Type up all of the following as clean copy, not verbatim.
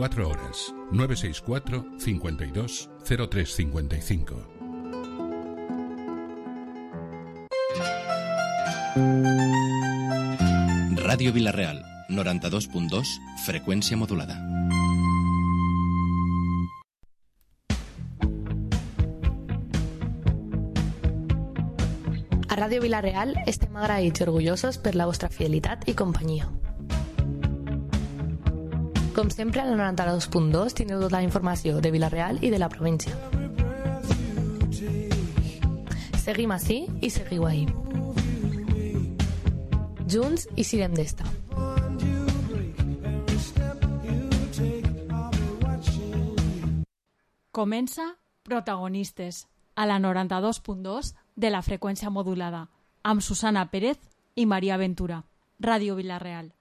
4 horas. 964 52 0355. Ràdio Vila-real, 92.2, freqüència modulada. A Ràdio Vila-real estem agraïts i orgullosos per la vostra fidelitat i companyia. Com sempre, al 92.2 tindreu tota la informació de Vila-real i de la província. Seguim ací i seguiu ahí. Junts i sirem d'esta. Comença Protagonistes, a la 92.2 de la freqüència modulada, amb Susana Pérez i Maria Ventura. Ràdio Vila-real.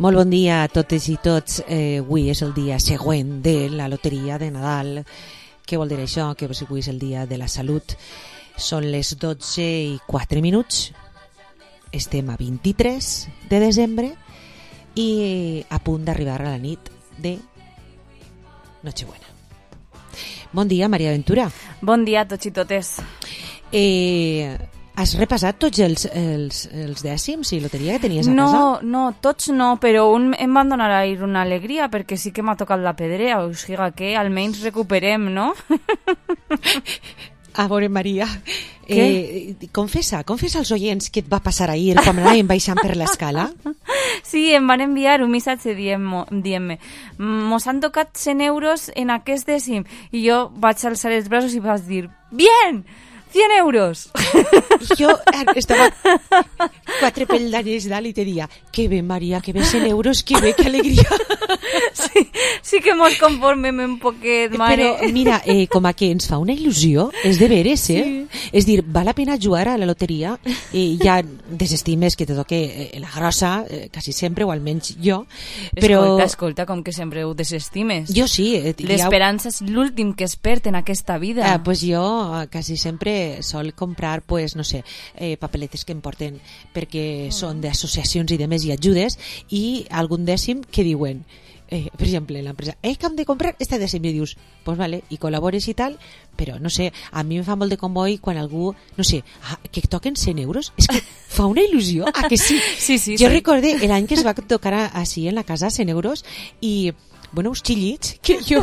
Molt bon dia a totes i tots. Avui és el dia següent de la loteria de Nadal. Què vol dir això? Que avui és el dia de la salut. Són les 12:04. Estem a 23 de desembre i a punt d'arribar a la nit de Nochebuena. Bon dia, Maria Ventura. Bon dia a tots i totes. Has repassat tots els dècims i loteria que tenies a casa? No, tots no, però em van donar ahir una alegria perquè sí que m'ha tocat la pedrea, o sigui que almenys recuperem, no? A veure, Maria, confessa als oients què et va passar ahir quan anàvem baixant per l'escala. Sí, em van enviar un missatge dient-me mos han tocat 100 euros en aquest dècim, i jo vaig alçar els braços i vaig dir, bien! 100 euros. Jo estava 4 peldaños dalt i te dia, que bé, Maria, que bé 100 euros, que bé, que alegria. Sí que mos conformem un poquet, mare. Però mira, com a que ens fa una il·lusió, és de veres, Sí. És dir, val la pena jugar a la loteria i ja desestimes que te toque la grossa, quasi sempre, o almenys jo. Però... Escolta, com que sempre ho desestimes. Jo sí. L'esperança és l'últim que es perd en aquesta vida. Pues jo quasi sempre sol comprar, pues, no sé, papeletes que em porten perquè són d'associacions i de més i ajudes, i algun dècim que diuen, per exemple, l'empresa, que hem de comprar este dècim, i dius, pues vale, i col·labores i tal, però no sé, a mi em fa molt de comboi quan algú, no sé, que toquen 100 euros, és que fa una il·lusió, que sí? Sí. Jo recorde l'any que es va tocar així en la casa 100 euros i bueno, uns xillits que jo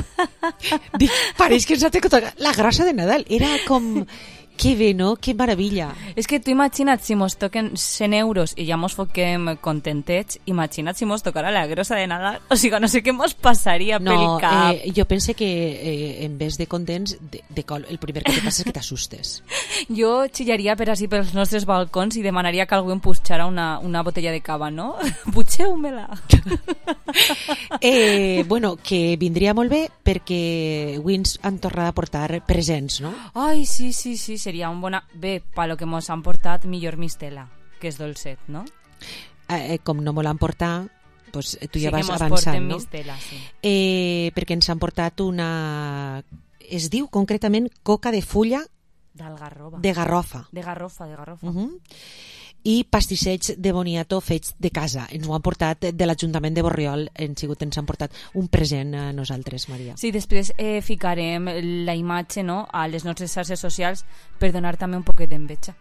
dic, pareix que ens ha tocat la grossa de Nadal, era com... Que bé, no? Que meravella. És que tu imagina't si mos toquen 100 euros i ja mos foquem contentets, imagina't si mos tocara la grossa de Nadal, o sigui, no sé què mos passaria pel cap. Jo pense que en vez de contents, el primer que te passa és que t'assustes. Jo xillaria per així pels nostres balcons i demanaria que algú em puixara una botella de cava, no? Putxeu-me-la. Bueno, que vindria molt bé perquè avui ens han tornat a portar presents, no? Ai, sí, seria un bona... Bé, per lo que mos han portat, millor mistela, que és dolcet, no? Com no me l'han portat, pues, tu ja vas avançant, no? Sí que mos porten mistela, sí. Perquè ens han portat una... Es diu concretament coca de fulla... D'algarroba. De garrofa. De garrofa. I pastissets de boniato fets de casa. Ens ho han portat de l'Ajuntament de Borriol, ens han portat un present a nosaltres, Maria. Sí, després ficarem la imatge, no?, a les nostres xarxes socials per donar també un poquet d'enveja.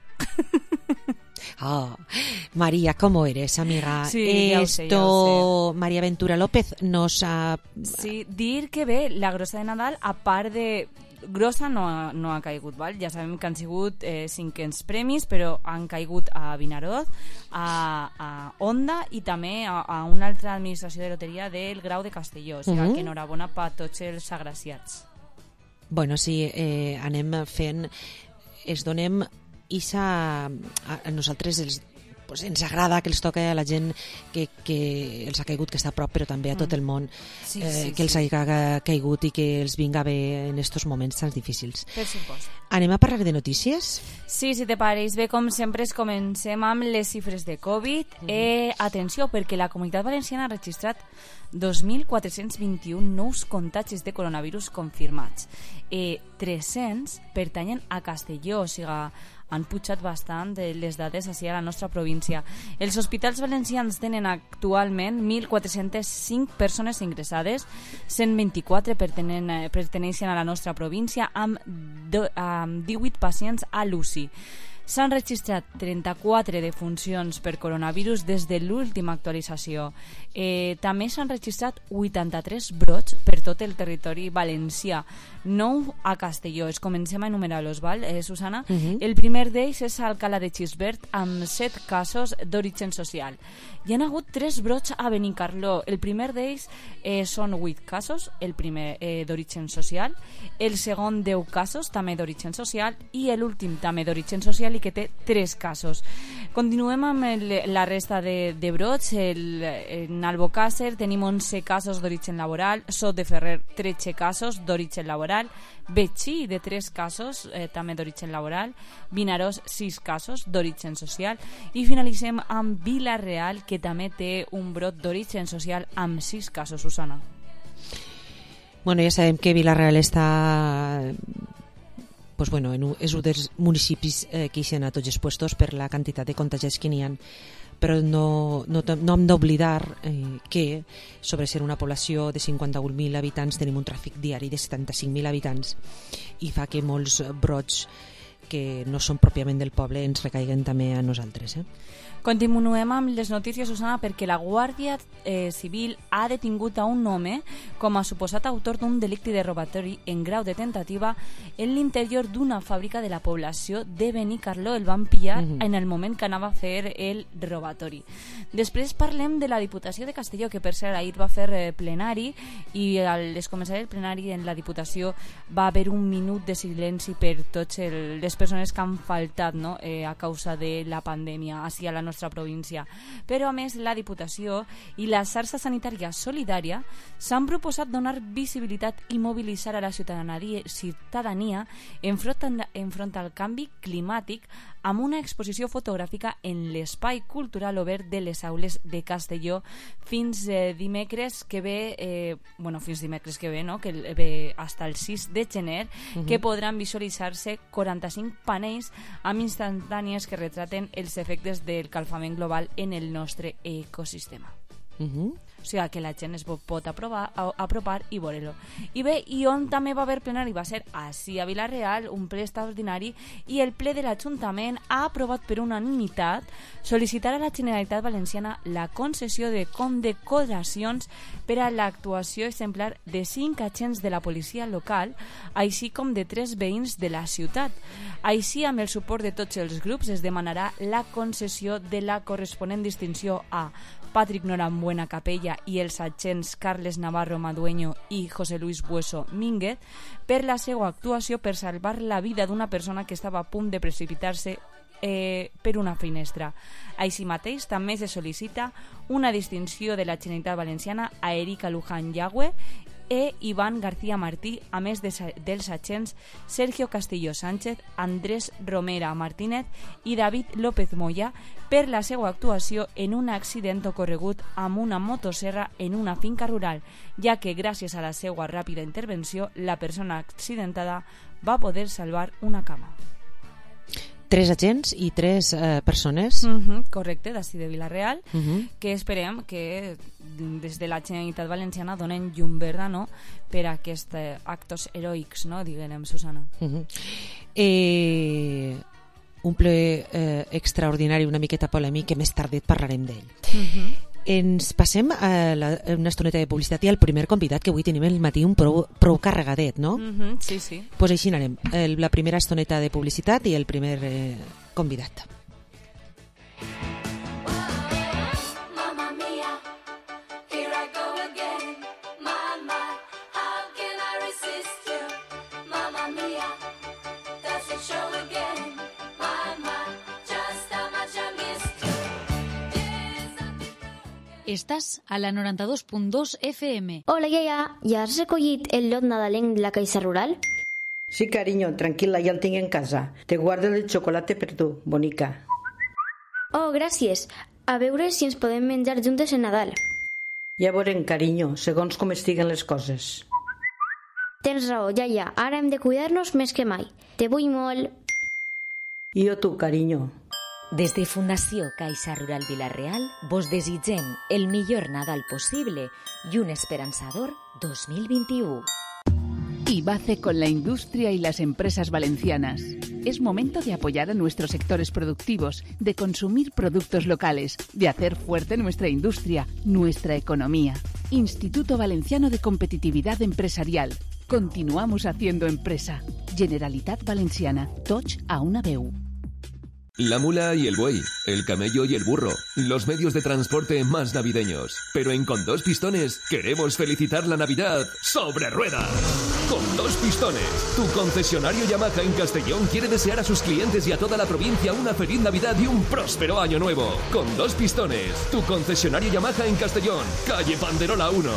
María, ¿cómo eres, amiga? Sí, ya Esto, lo sé. María Ventura López nos ha... Sí, dir que bé, la grossa de Nadal, a part de grossa no ha caigut, val? Ja sabem que han sigut 500 premis, però han caigut a Vinaroz, a Onda i també a una altra administració de loteria del Grau de Castelló. O sigui, que enhorabona per tots els agraciats. Bueno, sí, anem fent... Es donem a nosaltres ens agrada que els toque a la gent que els ha caigut, que està a prop, però també a tot el món, que els hagi caigut i que els vinga bé en estos moments tan difícils. Per supost. Anem a parlar de notícies? Sí, si te pareix bé, com sempre, comencem amb les xifres de Covid. Atenció, perquè la Comunitat Valenciana ha registrat 2.421 nous contagis de coronavirus confirmats. 300 pertanyen a Castelló, o sigui, han pujat bastant les dades així a la nostra província. Els hospitals valencians tenen actualment 1.405 persones ingressades, 124 perteneixen a la nostra província, amb 18 pacients a l'UCI. S'han registrat 34 defuncions per coronavirus des de l'última actualització. També s'han registrat 83 brots per tot el territori valencià, 9 a Castelló. Comencem a enumerar-los, val, Susana? El primer d'ells és a Alcalá de Xisbert, amb 7 casos d'origen social. Hi ha hagut 3 brots a Benicarló. El primer d'ells són 8 casos, el primer d'origen social, el segon 10 casos, també d'origen social, i l'últim també d'origen social i que té 3 casos. Continuem amb la resta de brots. En Albocàsser tenim 11 casos d'origen laboral, Sot de Ferrer 13 casos d'origen laboral, Betxí de 3 casos també d'origen laboral, Vinaròs 6 casos d'origen social i finalitzem amb Vila-real, que també té un brot d'origen social amb 6 casos, Susana. Bueno, ja sabem que Vila-real està... Pues bueno, és un dels municipis que ixen a tots els puestos per la quantitat de contagiats que n'hi ha, però no hem d'oblidar que sobre ser una població de 51.000 habitants tenim un tràfic diari de 75.000 habitants i fa que molts brots que no són pròpiament del poble ens recaiguen també a nosaltres. Continuem amb les notícies, Susana, perquè la Guàrdia Civil ha detingut a un home com a suposat autor d'un delicte de robatori en grau de tentativa en l'interior d'una fàbrica de la població de Benicarló. El van pillar en el moment que anava a fer el robatori. Després parlem de la Diputació de Castelló, que per cert ahir va fer plenari i al començar el plenari en la Diputació va haver un minut de silenci per totes les persones que han faltat, no? A causa de la pandèmia així a la nostra província. Però a més la Diputació i la xarxa sanitària solidària s'han proposat donar visibilitat i mobilitzar a la ciutadania enfront al canvi climàtic amb una exposició fotogràfica en l'espai cultural obert de les aules de Castelló fins dimecres que ve, no? Que ve hasta el 6 de gener, que podran visualitzar-se 45 panells amb instantànies que retraten els efectes del calfament global en el nostre ecosistema. O sigui que la gent es pot apropar i veure-lo. I bé, i on també va haver plenari va ser així a Vila-real, un ple extraordinari, i el ple de l'Ajuntament ha aprovat per unanimitat sol·licitar a la Generalitat Valenciana la concessió de condecoracions per a l'actuació exemplar de 5 agents de la policia local, així com de 3 veïns de la ciutat. Així, amb el suport de tots els grups, es demanarà la concessió de la corresponent distinció a Patrick Norambuena Capella i els agents Carles Navarro Madueño i José Luis Bueso Mínguez per la seva actuació per salvar la vida d'una persona que estava a punt de precipitar-se per una finestra. Així mateix també se sol·licita una distinció de la Generalitat Valenciana a Erika Luján Yagüe e Iván García Martí, a més dels agents Sergio Castillo Sánchez, Andrés Romera Martínez i David López Moya per la seva actuació en un accident ocorregut amb una motosserra en una finca rural, ja que gràcies a la seva ràpida intervenció la persona accidentada va poder salvar una cama. 3 agents i 3 persones. Correcte, d'ací de Vila-real, que esperem que des de la Generalitat Valenciana donen llum verda, no?, per a aquests actes heroics, no?, diguem, Susana. Un ple extraordinari, una miqueta polèmic, que més tardet parlarem d'ell. Ens passem a una estoneta de publicitat i al primer convidat, que avui tenim el matí un prou carregadet, no? Sí, sí. Pues així anarem. La primera estoneta de publicitat i el primer convidat. Estàs a la 92.2 FM. Hola, iaia. Ja has recollit el lot nadalenc de la Caixa Rural? Sí, cariño, tranquila, ya lo tengo en casa. Te guardo el chocolate per tu, bonica. Oh, gràcies. A veure si ens podem menjar juntes en Nadal. Ja veurem, carinyo, segons com estiguen les coses. Tens raó, iaia. Ara hem de cuidar-nos més que mai. Te vull molt. I jo tu, carinyo. Des de Fundació Caixa Rural Vila-real vos desitgem el millor Nadal possible y un esperanzador 2021. IBACE con la industria y las empresas valencianas. Es momento de apoyar a nuestros sectores productivos, de consumir productos locales, de hacer fuerte nuestra industria, nuestra economía. Instituto Valenciano de Competitividad Empresarial. Continuamos haciendo empresa. Generalitat Valenciana. Tots a una veu. La mula y el buey, el camello y el burro, los medios de transporte más navideños. Pero en Con Dos Pistones queremos felicitar la Navidad sobre ruedas. Con Dos Pistones, tu concesionario Yamaha en Castellón quiere desear a sus clientes y a toda la provincia una feliz Navidad y un próspero año nuevo. Con Dos Pistones, tu concesionario Yamaha en Castellón, calle Panderola 1.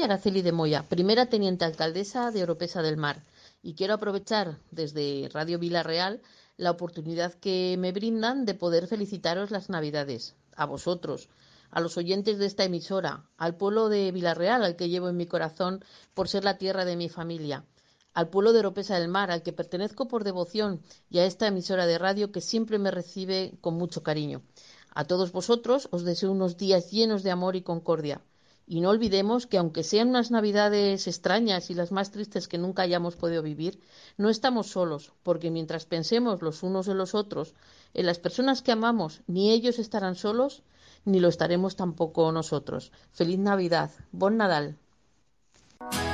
Araceli de Moya, primera teniente alcaldesa de Oropesa del Mar. Y quiero aprovechar desde Radio Vila-real la oportunidad que me brindan de poder felicitaros las Navidades, a vosotros, a los oyentes de esta emisora, al pueblo de Vila-real, al que llevo en mi corazón por ser la tierra de mi familia, al pueblo de Oropesa del Mar, al que pertenezco por devoción, y a esta emisora de radio que siempre me recibe con mucho cariño. A todos vosotros os deseo unos días llenos de amor y concordia. Y no olvidemos que aunque sean unas Navidades extrañas y las más tristes que nunca hayamos podido vivir, no estamos solos, porque mientras pensemos los unos en los otros, en las personas que amamos, ni ellos estarán solos, ni lo estaremos tampoco nosotros. ¡Feliz Navidad! ¡Bon Nadal!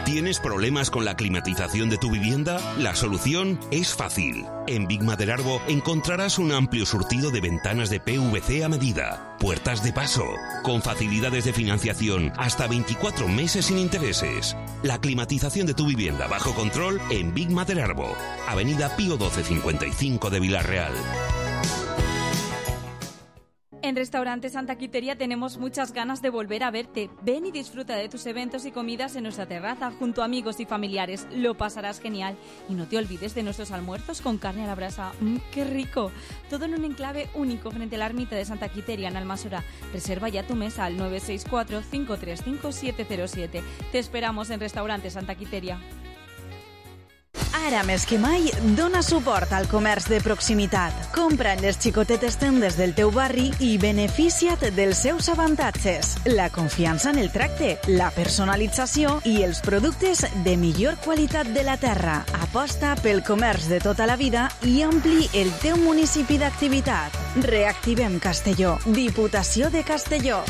¿Tienes problemas con la climatización de tu vivienda? La solución es fácil. En Big Maderarbo encontrarás un amplio surtido de ventanas de PVC a medida, puertas de paso, con facilidades de financiación hasta 24 meses sin intereses. La climatización de tu vivienda bajo control en Big Maderarbo, Avenida Pío 1255 de Vila-real. En Restaurante Santa Quiteria tenemos muchas ganas de volver a verte. Ven y disfruta de tus eventos y comidas en nuestra terraza junto a amigos y familiares. Lo pasarás genial. Y no te olvides de nuestros almuerzos con carne a la brasa. ¡Qué rico! Todo en un enclave único frente a la ermita de Santa Quiteria en Almassora. Reserva ya tu mesa al 964-535-707. Te esperamos en Restaurante Santa Quiteria. Ara més que mai, dona suport al comerç de proximitat. Compra en les xicotetes tendes del teu barri i beneficia't dels seus avantatges. La confiança en el tracte, la personalització i els productes de millor qualitat de la terra. Aposta pel comerç de tota la vida i ampli el teu municipi d'activitat. Reactivem Castelló. Diputació de Castelló.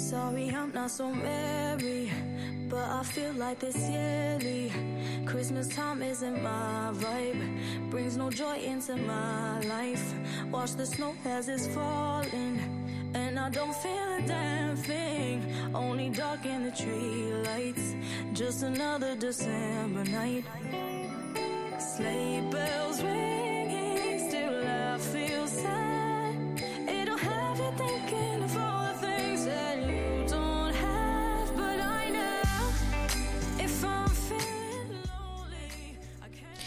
Sorry, I'm not so merry, but I feel like this yearly. Christmas time isn't my vibe, brings no joy into my life. Watch the snow as it's falling, and I don't feel a damn thing. Only dark in the tree lights, just another December night. Sleigh bells ringing, still I feel sad. It'll have you thinking of all the things that you don't have, but I know if I'm feeling lonely, I can't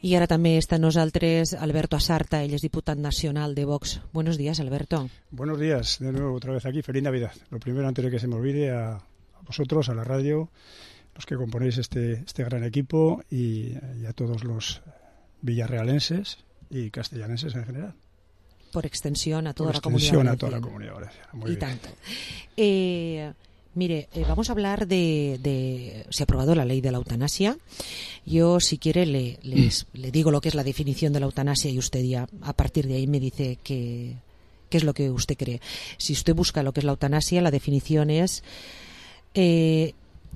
be. Y ahora también está nosaltres Alberto Asarta, él es diputado nacional de Vox. Buenos días, Alberto. Buenos días, de nuevo otra vez aquí. Feliz Navidad. Lo primero, antes de que se me olvide, a vosotros, a la radio, los que componéis este gran equipo y a todos los villarrealenses y castellanenses en general. Por extensión a toda la comunidad. Comunidad a toda la comunidad valenciana. Muy y bien. tanto. Mire, vamos a hablar de... Se ha aprobado la ley de la eutanasia. Yo, si quiere, le digo lo que es la definición de la eutanasia y usted ya, a partir de ahí, me dice qué es lo que usted cree. Si usted busca lo que es la eutanasia, la definición es...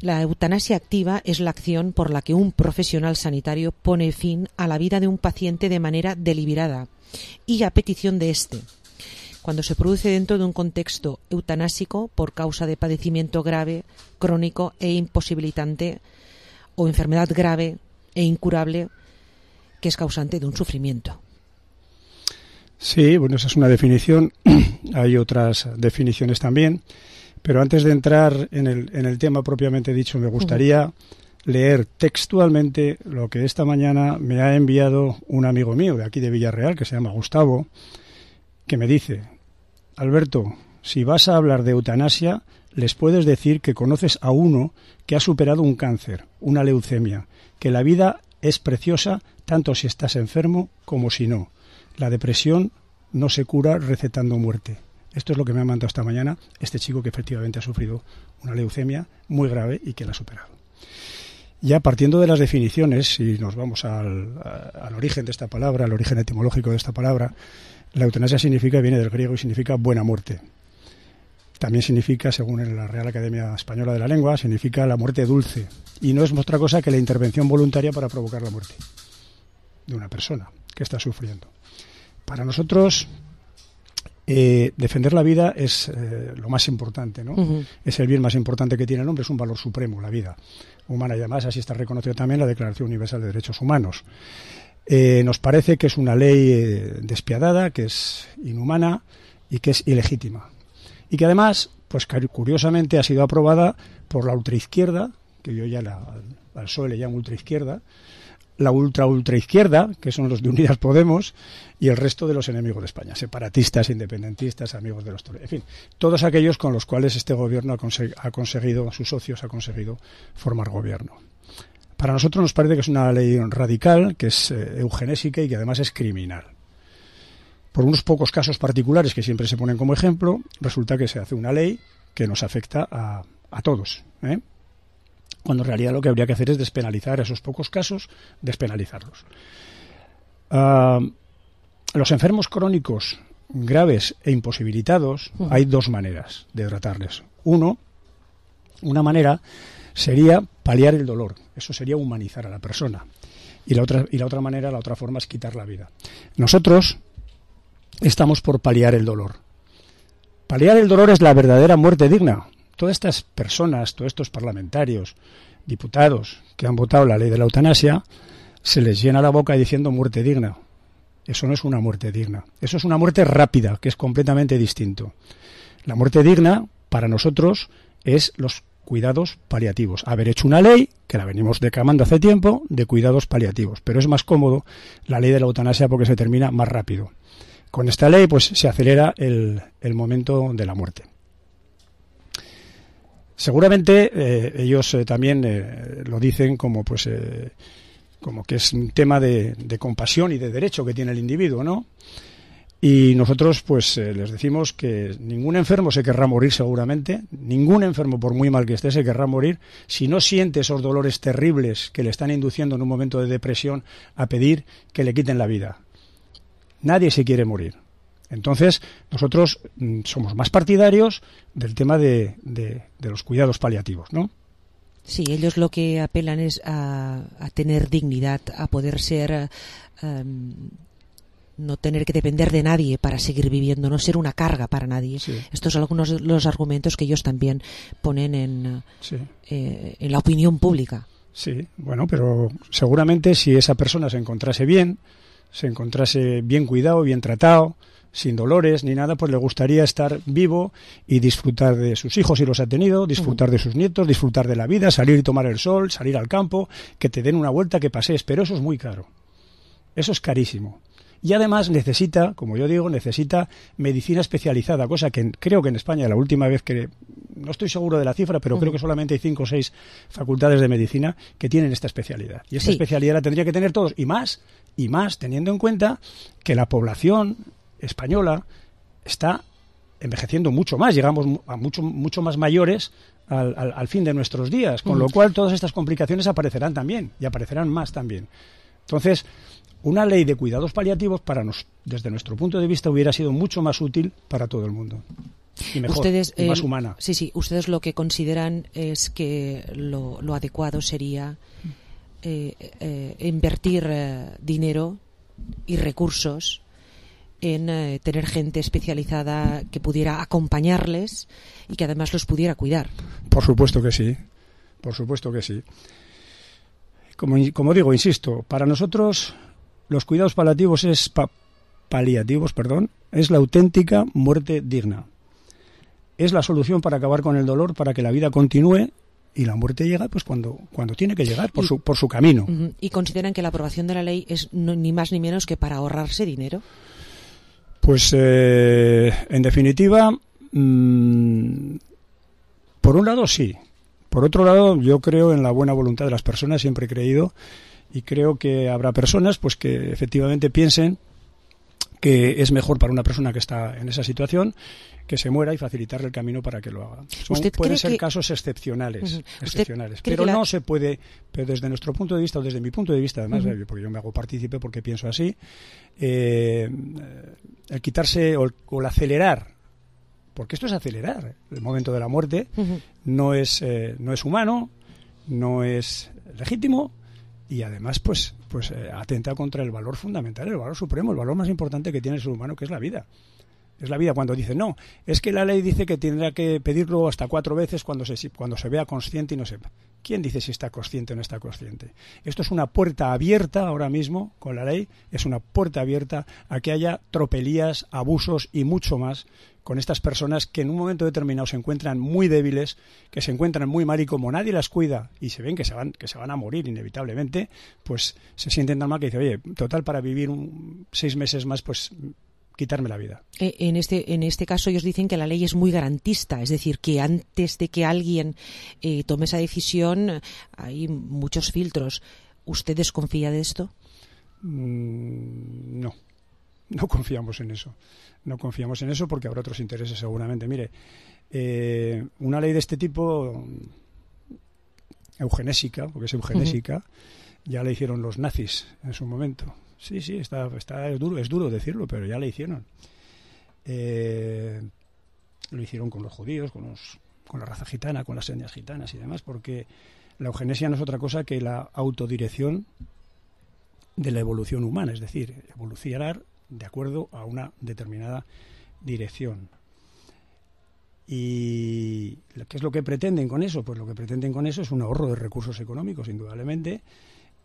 la eutanasia activa es la acción por la que un profesional sanitario pone fin a la vida de un paciente de manera deliberada y a petición de éste, cuando se produce dentro de un contexto eutanásico por causa de padecimiento grave, crónico e imposibilitante o enfermedad grave e incurable que es causante de un sufrimiento. Sí, bueno, esa es una definición. Hay otras definiciones también. Pero antes de entrar en el tema propiamente dicho, me gustaría leer textualmente lo que esta mañana me ha enviado un amigo mío de aquí de Villarreal, que se llama Gustavo, que me dice: Alberto, si vas a hablar de eutanasia, les puedes decir que conoces a uno que ha superado un cáncer, una leucemia, que la vida es preciosa tanto si estás enfermo como si no. La depresión no se cura recetando muerte. Esto es lo que me ha mandado esta mañana este chico que efectivamente ha sufrido una leucemia muy grave y que la ha superado. Ya partiendo de las definiciones, si nos vamos al origen de esta palabra, al origen etimológico de esta palabra, la eutanasia viene del griego y significa buena muerte. También significa, según la Real Academia Española de la Lengua, significa la muerte dulce. Y no es otra cosa que la intervención voluntaria para provocar la muerte de una persona que está sufriendo. Para nosotros... defender la vida es lo más importante, ¿no? Es el bien más importante que tiene el hombre, es un valor supremo, la vida humana, y además así está reconocido también la Declaración Universal de Derechos Humanos. Nos parece que es una ley despiadada, que es inhumana y que es ilegítima. Y que además, pues curiosamente, ha sido aprobada por la ultraizquierda, que yo ya al PSOE le llamo ultraizquierda, la ultraizquierda, que son los de Unidas Podemos, y el resto de los enemigos de España, separatistas, independentistas, amigos de los toreros, en fin, todos aquellos con los cuales este gobierno ha conseguido, sus socios ha conseguido formar gobierno. Para nosotros nos parece que es una ley radical, que es eugenésica y que además es criminal. Por unos pocos casos particulares que siempre se ponen como ejemplo, resulta que se hace una ley que nos afecta a todos, cuando en realidad lo que habría que hacer es despenalizar esos pocos casos, despenalizarlos. Los enfermos crónicos graves e imposibilitados, hay dos maneras de tratarles. Una manera sería paliar el dolor, eso sería humanizar a la persona. Y la otra manera, la otra forma es quitar la vida. Nosotros estamos por paliar el dolor. Paliar el dolor es la verdadera muerte digna. Todas estas personas, todos estos parlamentarios, diputados que han votado la ley de la eutanasia, se les llena la boca diciendo muerte digna. Eso no es una muerte digna. Eso es una muerte rápida, que es completamente distinto. La muerte digna, para nosotros, es los cuidados paliativos. Haber hecho una ley, que la venimos declamando hace tiempo, de cuidados paliativos. Pero es más cómodo la ley de la eutanasia porque se termina más rápido. Con esta ley, pues se acelera el momento de la muerte. Seguramente ellos también lo dicen como que es un tema de compasión y de derecho que tiene el individuo, ¿no? Y nosotros pues les decimos que ningún enfermo se querrá morir seguramente, ningún enfermo por muy mal que esté se querrá morir si no siente esos dolores terribles que le están induciendo en un momento de depresión a pedir que le quiten la vida. Nadie se quiere morir. Entonces, nosotros somos más partidarios del tema de los cuidados paliativos, ¿no? Sí, ellos lo que apelan es a tener dignidad, a poder ser, no tener que depender de nadie para seguir viviendo, no ser una carga para nadie. Sí. Estos son algunos de los argumentos que ellos también ponen en la opinión pública. Sí, bueno, pero seguramente si esa persona se encontrase bien cuidado, bien tratado, sin dolores ni nada, pues le gustaría estar vivo y disfrutar de sus hijos si los ha tenido, disfrutar de sus nietos, disfrutar de la vida, salir y tomar el sol, salir al campo, que te den una vuelta, que pasees, pero eso es muy caro. Eso es carísimo. Y además necesita, como yo digo, medicina especializada, cosa que creo que en España la última vez que, no estoy seguro de la cifra, pero creo que solamente hay 5 o 6 facultades de medicina que tienen esta especialidad. Y esta especialidad la tendría que tener todos, y más teniendo en cuenta que la población española está envejeciendo mucho más, llegamos a mucho más mayores al fin de nuestros días, con lo cual todas estas complicaciones aparecerán también, y aparecerán más también. Entonces, una ley de cuidados paliativos desde nuestro punto de vista hubiera sido mucho más útil para todo el mundo. Y mejor, y más humana. Sí, ustedes lo que consideran es que lo adecuado sería invertir dinero y recursos en tener gente especializada que pudiera acompañarles y que además los pudiera cuidar. Por supuesto que sí, por supuesto que sí. Como digo, insisto, para nosotros los cuidados paliativos es la auténtica muerte digna. Es la solución para acabar con el dolor, para que la vida continúe, y la muerte llega pues cuando tiene que llegar, por su camino. ¿Y consideran que la aprobación de la ley es ni más ni menos que para ahorrarse dinero? Pues en definitiva, por un lado sí. Por otro lado, yo creo en la buena voluntad de las personas, siempre he creído, y creo que habrá personas pues que efectivamente piensen que es mejor para una persona que está en esa situación que se muera y facilitarle el camino para que lo haga. Pueden ser casos excepcionales, pero no se puede, pero desde nuestro punto de vista, o desde mi punto de vista, además, porque yo me hago partícipe porque pienso así, el quitarse o el acelerar, porque esto es acelerar el momento de la muerte, no es humano, no es legítimo, y además pues atenta contra el valor fundamental, el valor supremo, el valor más importante que tiene el ser humano, que es la vida. Es la vida. Cuando dicen, no, es que la ley dice que tendrá que pedirlo hasta 4 veces cuando se vea consciente y no sepa. ¿Quién dice si está consciente o no está consciente? Esto es una puerta abierta ahora mismo, con la ley, es una puerta abierta a que haya tropelías, abusos y mucho más con estas personas que en un momento determinado se encuentran muy débiles, que se encuentran muy mal, y como nadie las cuida y se ven que se van a morir inevitablemente, pues se sienten tan mal que dicen, oye, total, para vivir 6 meses más, pues quitarme la vida. En este caso ellos dicen que la ley es muy garantista, es decir, que antes de que alguien tome esa decisión hay muchos filtros. ¿Usted desconfía de esto? No confiamos en eso. No confiamos en eso porque habrá otros intereses seguramente. Mire, una ley de este tipo, eugenésica, porque es eugenésica, ya la hicieron los nazis en su momento. Sí, es duro decirlo, pero ya la hicieron. Lo hicieron con los judíos, con la raza gitana, con las etnias gitanas y demás, porque la eugenesia no es otra cosa que la autodirección de la evolución humana, es decir, evolucionar de acuerdo a una determinada dirección. ¿Y qué es lo que pretenden con eso? Pues lo que pretenden con eso es un ahorro de recursos económicos, indudablemente,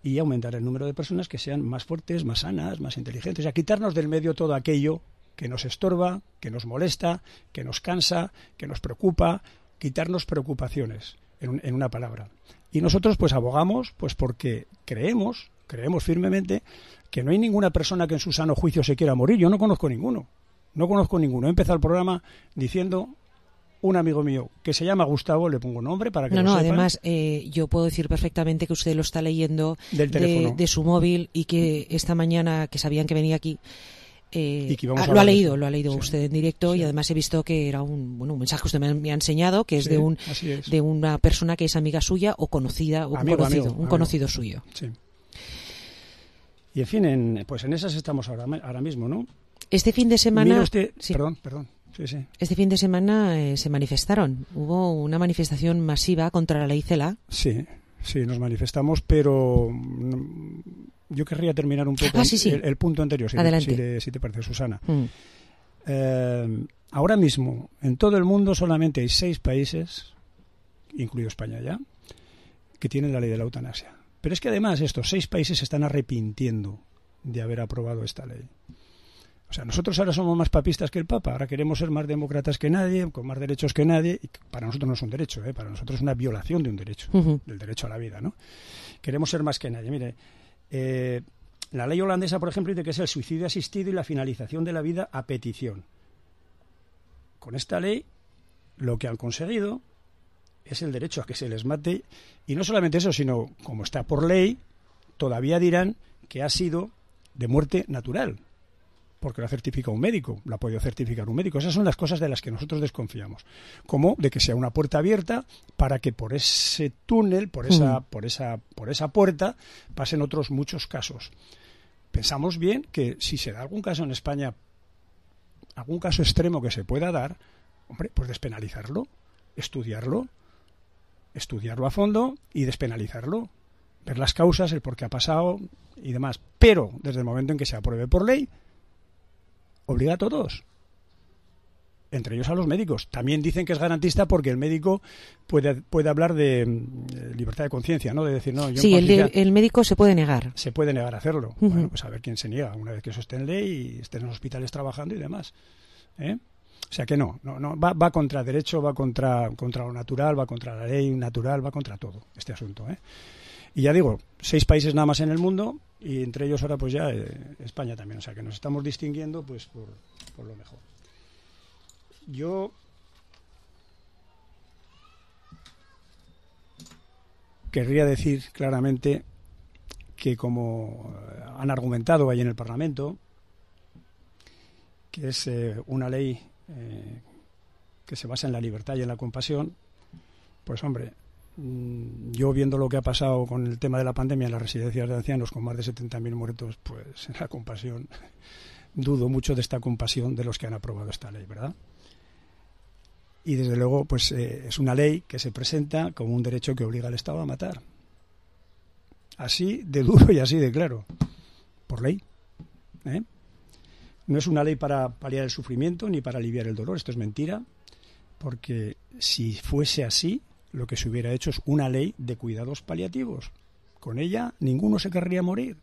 y aumentar el número de personas que sean más fuertes, más sanas, más inteligentes. O sea, quitarnos del medio todo aquello que nos estorba, que nos molesta, que nos cansa, que nos preocupa, quitarnos preocupaciones, en una palabra. Y nosotros pues abogamos pues porque creemos firmemente que no hay ninguna persona que en su sano juicio se quiera morir. Yo no conozco ninguno. He empezado el programa diciendo un amigo mío que se llama Gustavo, le pongo nombre para que lo sepan. Además, yo puedo decir perfectamente que usted lo está leyendo de su móvil y que esta mañana, que sabían que venía aquí, lo ha leído usted en directo, y además he visto que era un mensaje que usted me ha enseñado, que es de una persona que es amiga suya o conocida, o un conocido suyo. Sí. Y en fin, pues en esas estamos ahora mismo, ¿no? Este fin de semana... Mira usted, perdón. Sí. Este fin de semana se manifestaron. Hubo una manifestación masiva contra la ley CELA. Sí, nos manifestamos, pero yo querría terminar un poco el punto anterior, si te parece, Susana. Ahora mismo, en todo el mundo solamente hay 6 países, incluido España ya, que tienen la ley de la eutanasia. Pero es que además estos 6 países se están arrepintiendo de haber aprobado esta ley. O sea, nosotros ahora somos más papistas que el Papa, ahora queremos ser más demócratas que nadie, con más derechos que nadie, y para nosotros no es un derecho, para nosotros es una violación de un derecho, del derecho a la vida, ¿no? Queremos ser más que nadie. Mire, la ley holandesa, por ejemplo, dice que es el suicidio asistido y la finalización de la vida a petición. Con esta ley, lo que han conseguido es el derecho a que se les mate, y no solamente eso, sino, como está por ley, todavía dirán que ha sido de muerte natural. porque la certifica un médico, la ha podido certificar un médico. Esas son las cosas de las que nosotros desconfiamos. Como de que sea una puerta abierta para que por ese túnel, por esa puerta, pasen otros muchos casos. Pensamos bien que si se da algún caso en España, algún caso extremo que se pueda dar, hombre, pues despenalizarlo, estudiarlo a fondo y despenalizarlo. Ver las causas, el por qué ha pasado y demás. Pero desde el momento en que se apruebe por ley, obliga a todos, entre ellos a los médicos. También dicen que es garantista porque el médico puede hablar de libertad de conciencia, ¿no? De decir, no, yo sí, el médico se puede negar. Se puede negar a hacerlo. Bueno, pues a ver quién se niega una vez que eso esté en ley y estén en los hospitales trabajando y demás. O sea que no va contra derecho, va contra lo natural, va contra la ley natural, va contra todo este asunto, Y ya digo, 6 países nada más en el mundo y entre ellos ahora pues ya España también. O sea que nos estamos distinguiendo pues por lo mejor. Yo querría decir claramente que como han argumentado ahí en el Parlamento, que es una ley que se basa en la libertad y en la compasión, pues hombre, yo viendo lo que ha pasado con el tema de la pandemia en las residencias de ancianos con más de 70.000 muertos, pues en la compasión, dudo mucho de esta compasión de los que han aprobado esta ley, ¿verdad? Y desde luego pues es una ley que se presenta como un derecho que obliga al Estado a matar. Así de duro y así de claro, por ley. No es una ley para paliar el sufrimiento ni para aliviar el dolor, esto es mentira, porque si fuese así, lo que se hubiera hecho es una ley de cuidados paliativos. Con ella ninguno se querría morir,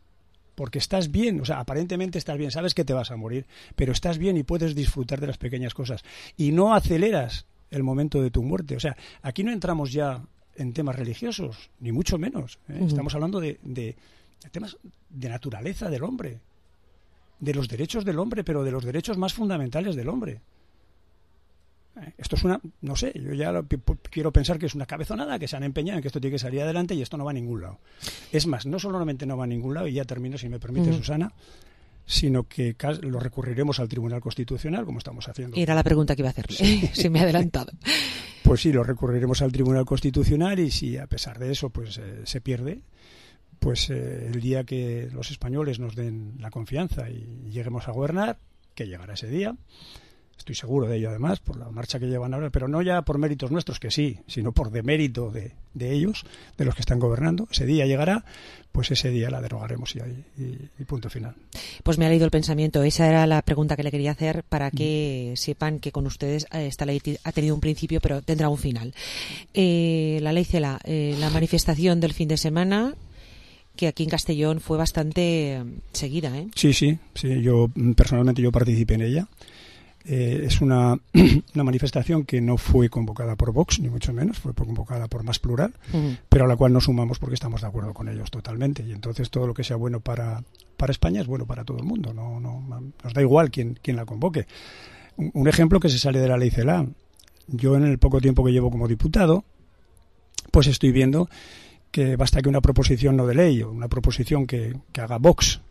porque estás bien, o sea, aparentemente estás bien, sabes que te vas a morir, pero estás bien y puedes disfrutar de las pequeñas cosas. Y no aceleras el momento de tu muerte. O sea, aquí no entramos ya en temas religiosos, ni mucho menos. Estamos hablando de temas de naturaleza del hombre, de los derechos del hombre, pero de los derechos más fundamentales del hombre. Esto es no sé, yo ya quiero pensar que es una cabezonada, que se han empeñado en que esto tiene que salir adelante y esto no va a ningún lado. Es más, no solamente no va a ningún lado, y ya termino si me permite, Susana, sino que lo recurriremos al Tribunal Constitucional, como estamos haciendo. Era la pregunta que iba a hacerle, se me ha adelantado. Pues sí, lo recurriremos al Tribunal Constitucional y si a pesar de eso pues se pierde, pues el día que los españoles nos den la confianza y lleguemos a gobernar, que llegará ese día, estoy seguro de ello además, por la marcha que llevan ahora, pero no ya por méritos nuestros, que sí, sino por demérito de ellos, de los que están gobernando. Ese día llegará, pues ese día la derogaremos y punto final. Pues me ha leído el pensamiento. Esa era la pregunta que le quería hacer para que sepan que con ustedes esta ley ha tenido un principio, pero tendrá un final. La ley CELA, la manifestación del fin de semana, que aquí en Castellón fue bastante seguida, Sí, yo personalmente participé en ella. Es una manifestación que no fue convocada por Vox, ni mucho menos, fue convocada por Más Plural, pero a la cual nos sumamos porque estamos de acuerdo con ellos totalmente. Y entonces todo lo que sea bueno para España es bueno para todo el mundo. No nos da igual quién la convoque. Un ejemplo que se sale de la ley CELA. Yo en el poco tiempo que llevo como diputado, pues estoy viendo que basta que una proposición no de ley o una proposición que haga Vox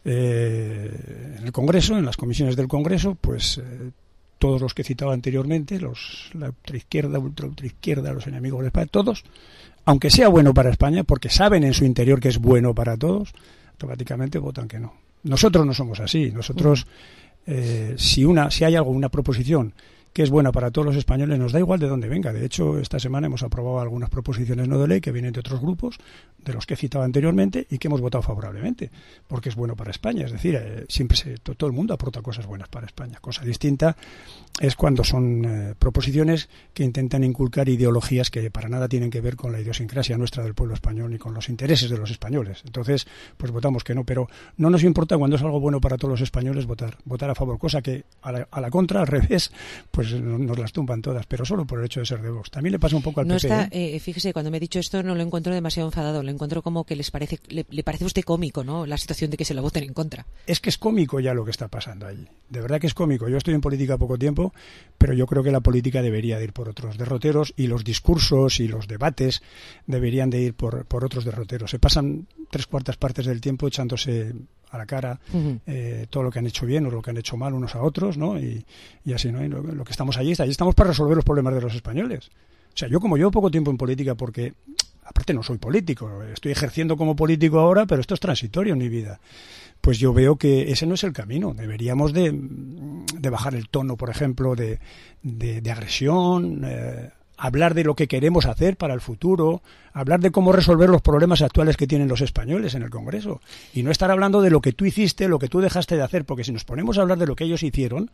en el Congreso, en las comisiones del Congreso, pues todos los que he citado anteriormente, la ultraizquierda, los enemigos de España, todos, aunque sea bueno para España, porque saben en su interior que es bueno para todos, automáticamente votan que no. Nosotros no somos así. Nosotros, si hay una proposición que es buena para todos los españoles, nos da igual de dónde venga. De hecho, esta semana hemos aprobado algunas proposiciones no de ley que vienen de otros grupos, de los que he citado anteriormente, y que hemos votado favorablemente, porque es bueno para España. Es decir, todo el mundo aporta cosas buenas para España. Cosa distinta es cuando son proposiciones que intentan inculcar ideologías que para nada tienen que ver con la idiosincrasia nuestra del pueblo español ni con los intereses de los españoles. Entonces, pues votamos que no, pero no nos importa cuando es algo bueno para todos los españoles votar a favor, cosa que a la contra, al revés, pues nos las tumban todas, pero solo por el hecho de ser de Vox. También le pasa un poco al PP. Fíjese, cuando me he dicho esto no lo encuentro demasiado enfadado, lo encuentro como que le parece a usted cómico, ¿no? La situación de que se lo voten en contra. Es que es cómico ya lo que está pasando allí. De verdad que es cómico. Yo estoy en política poco tiempo, pero yo creo que la política debería de ir por otros derroteros y los discursos y los debates deberían de ir por otros derroteros. Se pasan 3/4 partes del tiempo echándose a la cara todo lo que han hecho bien o lo que han hecho mal unos a otros, ¿no? Y así, ¿no? Y lo que estamos allí estamos para resolver los problemas de los españoles. O sea, yo como llevo poco tiempo en política, porque aparte no soy político, estoy ejerciendo como político ahora, pero esto es transitorio en mi vida. Pues yo veo que ese no es el camino. Deberíamos de bajar el tono, por ejemplo, de agresión, hablar de lo que queremos hacer para el futuro, hablar de cómo resolver los problemas actuales que tienen los españoles en el Congreso, y no estar hablando de lo que tú hiciste, lo que tú dejaste de hacer, porque si nos ponemos a hablar de lo que ellos hicieron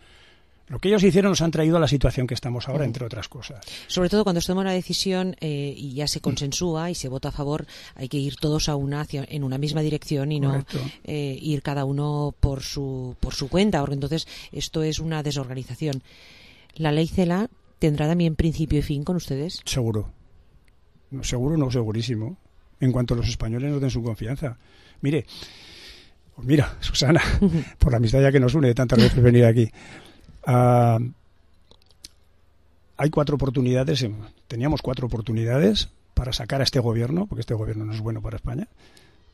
nos han traído a la situación que estamos ahora, entre otras cosas. Sobre todo cuando se toma una decisión y ya se consensúa y se vota a favor, hay que ir todos en una misma dirección y no ir cada uno por su cuenta, porque entonces esto es una desorganización. ¿La ley CELA tendrá también principio y fin con ustedes? Seguro. Seguro, no, segurísimo. En cuanto los españoles nos den su confianza. Mira, Susana, por la amistad ya que nos une de tantas veces venir aquí. Hay 4 oportunidades, teníamos 4 oportunidades para sacar a este gobierno, porque este gobierno no es bueno para España.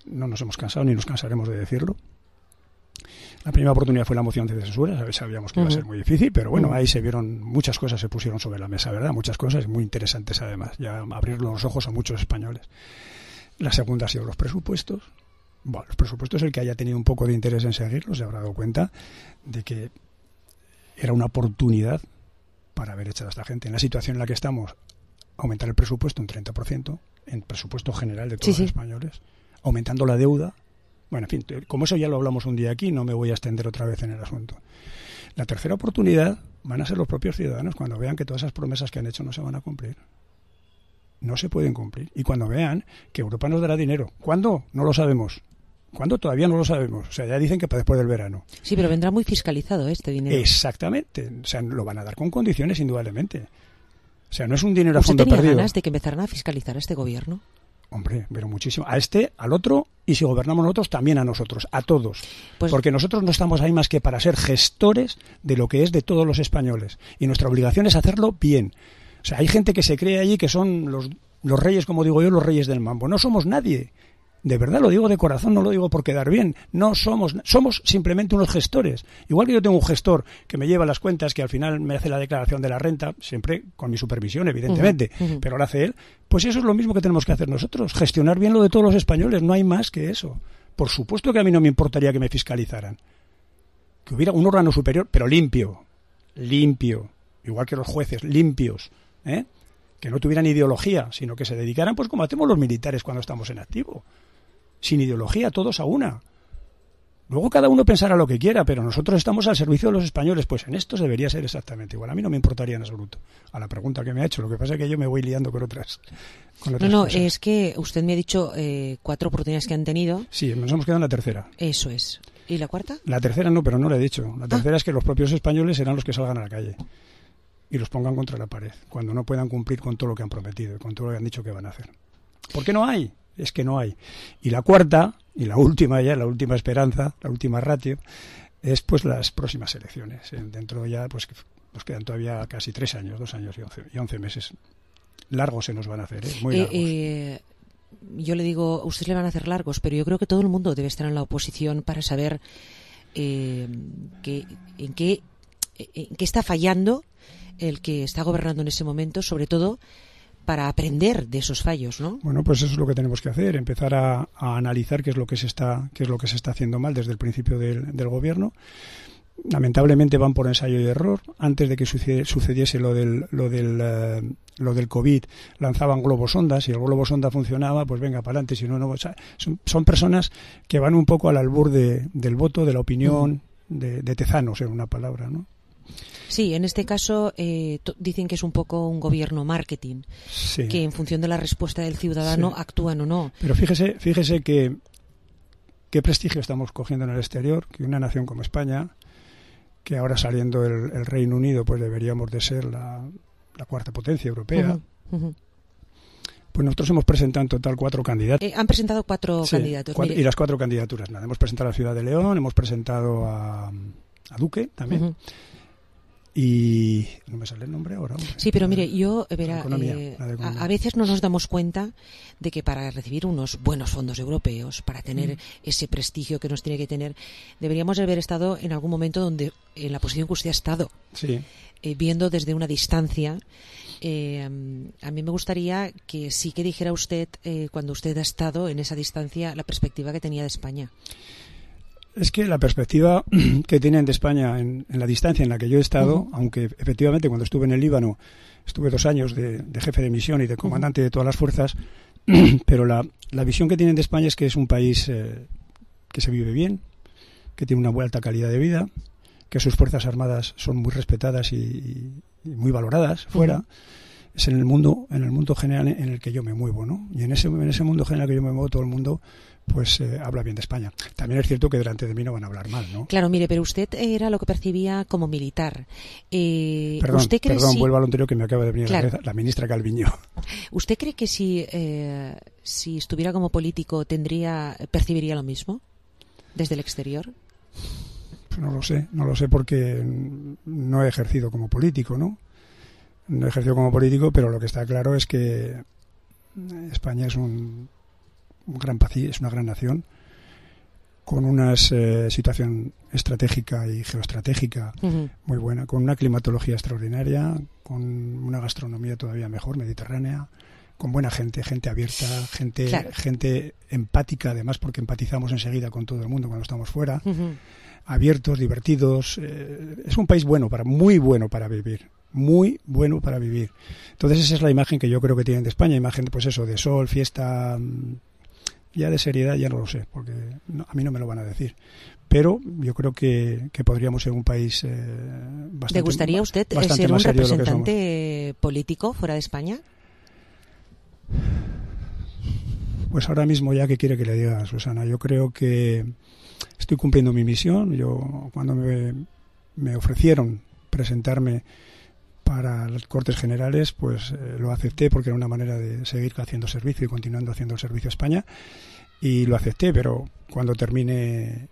No nos hemos cansado ni nos cansaremos de decirlo. La primera oportunidad fue la moción de censura, sabíamos que iba a ser muy difícil, pero bueno, ahí se vieron muchas cosas, se pusieron sobre la mesa, ¿verdad? Muchas cosas muy interesantes además, ya abrir los ojos a muchos españoles. La segunda ha sido los presupuestos. Bueno, los presupuestos, el que haya tenido un poco de interés en seguirlos se habrá dado cuenta de que era una oportunidad para haber echado a esta gente. En la situación en la que estamos, aumentar el presupuesto un 30%, en presupuesto general de todos los españoles, aumentando la deuda. Bueno, en fin, como eso ya lo hablamos un día aquí, no me voy a extender otra vez en el asunto. La tercera oportunidad van a ser los propios ciudadanos cuando vean que todas esas promesas que han hecho no se van a cumplir. No se pueden cumplir. Y cuando vean que Europa nos dará dinero. ¿Cuándo? No lo sabemos. ¿Cuándo? Todavía no lo sabemos. O sea, ya dicen que para después del verano. Sí, pero vendrá muy fiscalizado este dinero. Exactamente. O sea, lo van a dar con condiciones, indudablemente. O sea, no es un dinero a fondo perdido. ¿Usted tenía ganas perdido. de que empezaran a fiscalizar a este gobierno? Hombre, pero muchísimo. A este, al otro, y si gobernamos nosotros, también a nosotros, a todos. Pues, porque nosotros no estamos ahí más que para ser gestores de lo que es de todos los españoles. Y nuestra obligación es hacerlo bien. O sea, hay gente que se cree allí que son los reyes, como digo yo, los reyes del mambo. No somos nadie. De verdad lo digo de corazón, no lo digo por quedar bien. No somos simplemente unos gestores. Igual que yo tengo un gestor que me lleva las cuentas, que al final me hace la declaración de la renta, siempre con mi supervisión, evidentemente, pero lo hace él. Pues eso es lo mismo que tenemos que hacer nosotros, gestionar bien lo de todos los españoles, no hay más que eso. Por supuesto que a mí no me importaría que me fiscalizaran. Que hubiera un órgano superior, pero limpio, igual que los jueces, limpios, que no tuvieran ideología, sino que se dedicaran, pues como hacemos los militares cuando estamos en activo. Sin ideología, todos a una. Luego cada uno pensará lo que quiera, pero nosotros estamos al servicio de los españoles. Pues en esto debería ser exactamente igual. A mí no me importaría en absoluto. A la pregunta que me ha hecho, lo que pasa es que yo me voy liando con otras No, cosas. es que usted me ha dicho 4 oportunidades que han tenido. Sí, nos hemos quedado en la tercera. Eso es. ¿Y la cuarta? La tercera no, pero no la he dicho. La tercera es que los propios españoles serán los que salgan a la calle y los pongan contra la pared, cuando no puedan cumplir con todo lo que han prometido y con todo lo que han dicho que van a hacer. ¿Por qué no hay? Es que no hay. Y la cuarta, y la última ya, la última esperanza, la última ratio, es pues las próximas elecciones. Dentro ya, pues nos quedan todavía casi 3 años, 2 años y 11 meses. Largos se nos van a hacer, muy largos. Yo le digo, ustedes le van a hacer largos, pero yo creo que todo el mundo debe estar en la oposición para saber en qué está fallando el que está gobernando en ese momento, sobre todo para aprender de esos fallos, ¿no? Bueno, pues eso es lo que tenemos que hacer, empezar a analizar qué es lo que se está haciendo mal desde el principio del gobierno. Lamentablemente van por ensayo y error. Antes de que sucediese lo del COVID, lanzaban globos sonda. Si el globo sonda funcionaba, pues venga para adelante. Si no, no. O sea, son personas que van un poco al albur del voto, de la opinión, de tezanos, en una palabra, ¿no? Sí, en este caso dicen que es un poco un gobierno marketing, sí, que en función de la respuesta del ciudadano actúan o no. Pero fíjese que qué prestigio estamos cogiendo en el exterior, que una nación como España, que ahora saliendo el Reino Unido, pues deberíamos de ser la cuarta potencia europea. Pues nosotros hemos presentado en total 4 candidatos. Han presentado 4 candidatos. Y las 4 candidaturas, nada. Hemos presentado a la Ciudad de León, hemos presentado a Duque también. y no me sale el nombre ahora. Hombre. Sí, pero mire, yo verá, a veces no nos damos cuenta de que para recibir unos buenos fondos europeos, para tener ese prestigio que nos tiene que tener, deberíamos haber estado en algún momento donde en la posición que usted ha estado, sí. Viendo desde una distancia. A mí me gustaría que sí que dijera usted, cuando usted ha estado en esa distancia, la perspectiva que tenía de España. Es que la perspectiva que tienen de España en la distancia en la que yo he estado, aunque efectivamente cuando estuve en el Líbano estuve 2 años de jefe de misión y de comandante de todas las fuerzas, pero la visión que tienen de España es que es un país que se vive bien, que tiene una muy alta calidad de vida, que sus fuerzas armadas son muy respetadas y muy valoradas fuera. Es en el mundo general en el que yo me muevo, ¿no? Y en ese mundo general que yo me muevo, todo el mundo pues habla bien de España. También es cierto que delante de mí no van a hablar mal, ¿no? Claro, mire, pero usted era lo que percibía como militar. Perdón, vuelvo a lo anterior que me acaba de venir a la cabeza, la ministra Calviño. ¿Usted cree que si estuviera como político percibiría lo mismo desde el exterior? Pues no lo sé porque no he ejercido como político, ¿no? No he ejercido como político, pero lo que está claro es que España es un gran país, es una gran nación, con una situación estratégica y geoestratégica muy buena, con una climatología extraordinaria, con una gastronomía todavía mejor, mediterránea, con buena gente abierta, gente empática, además, porque empatizamos enseguida con todo el mundo cuando estamos fuera, abiertos, divertidos. Es un país muy bueno para vivir. Muy bueno para vivir. Entonces esa es la imagen que yo creo que tienen de España, imagen pues eso, de sol, fiesta, ya de seriedad ya no lo sé, porque a mí no me lo van a decir. Pero yo creo que podríamos ser un país bastante. ¿Le gustaría a usted ser un representante político fuera de España? Pues ahora mismo ya, ¿qué quiere que le diga, Susana? Yo creo que estoy cumpliendo mi misión. Yo cuando me ofrecieron presentarme para las Cortes Generales, pues lo acepté porque era una manera de seguir haciendo servicio y continuando haciendo el servicio a España, y lo acepté, pero cuando termine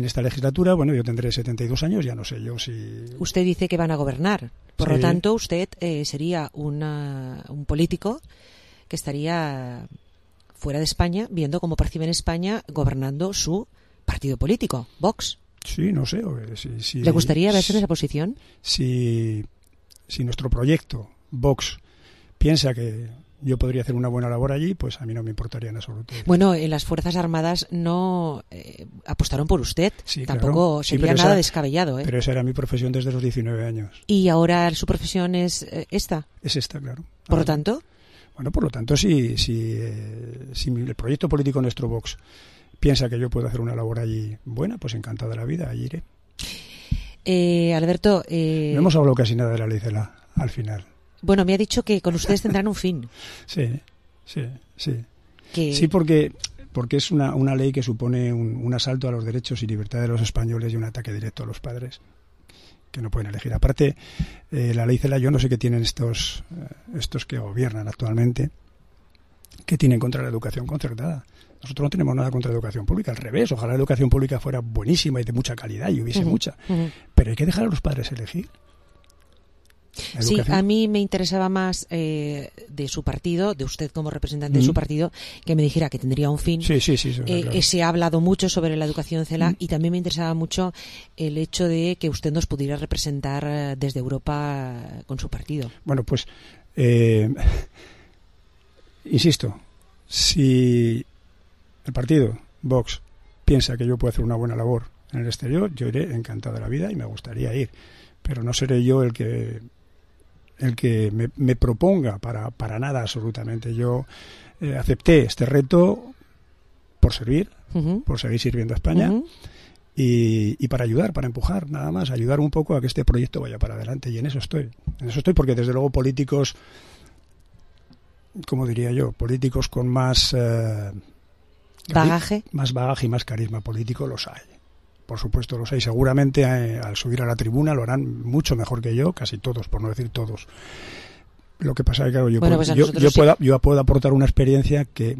esta legislatura, bueno, yo tendré 72 años, ya no sé yo si... Usted dice que van a gobernar, por lo tanto usted sería un político que estaría fuera de España, viendo cómo perciben España gobernando su partido político, Vox. Sí, no sé. ¿Le gustaría verse en esa posición? Si nuestro proyecto, Vox, piensa que yo podría hacer una buena labor allí, pues a mí no me importaría en absoluto. Bueno, en las Fuerzas Armadas no apostaron por usted. Sí, tampoco claro. sería nada descabellado. Pero esa era mi profesión desde los 19 años. ¿Y ahora su profesión es esta? Es esta, claro. ¿Por lo tanto? Bueno, por lo tanto, si el proyecto político nuestro Vox piensa que yo puedo hacer una labor allí buena, pues encantado de la vida, allí iré. Alberto... No hemos hablado casi nada de la ley CELA, al final. Bueno, me ha dicho que con ustedes tendrán un fin. Sí. Sí, porque es una ley que supone un asalto a los derechos y libertades de los españoles y un ataque directo a los padres, que no pueden elegir. Aparte, la ley CELA, yo no sé qué tienen estos que gobiernan actualmente, que tienen contra la educación concertada. Nosotros no tenemos nada contra la educación pública, al revés, ojalá la educación pública fuera buenísima y de mucha calidad y hubiese mucha, pero hay que dejar a los padres elegir. Sí, a mí me interesaba más de su partido, de usted como representante de su partido, que me dijera que tendría un fin. Sí, claro. Se ha hablado mucho sobre la educación CELA y también me interesaba mucho el hecho de que usted nos pudiera representar desde Europa con su partido. Bueno, pues insisto, si el partido, Vox, piensa que yo puedo hacer una buena labor en el exterior, yo iré encantado de la vida y me gustaría ir. Pero no seré yo el que me proponga para nada absolutamente. Yo acepté este reto por servir, por seguir sirviendo a España y para ayudar, para empujar, nada más, ayudar un poco a que este proyecto vaya para adelante. Y en eso estoy porque desde luego políticos, como diría yo, políticos con más... ¿Bagaje? Más bagaje y más carisma político los hay. Por supuesto los hay. Seguramente al subir a la tribuna lo harán mucho mejor que yo, casi todos, por no decir todos. Lo que pasa es que, claro, yo puedo aportar una experiencia que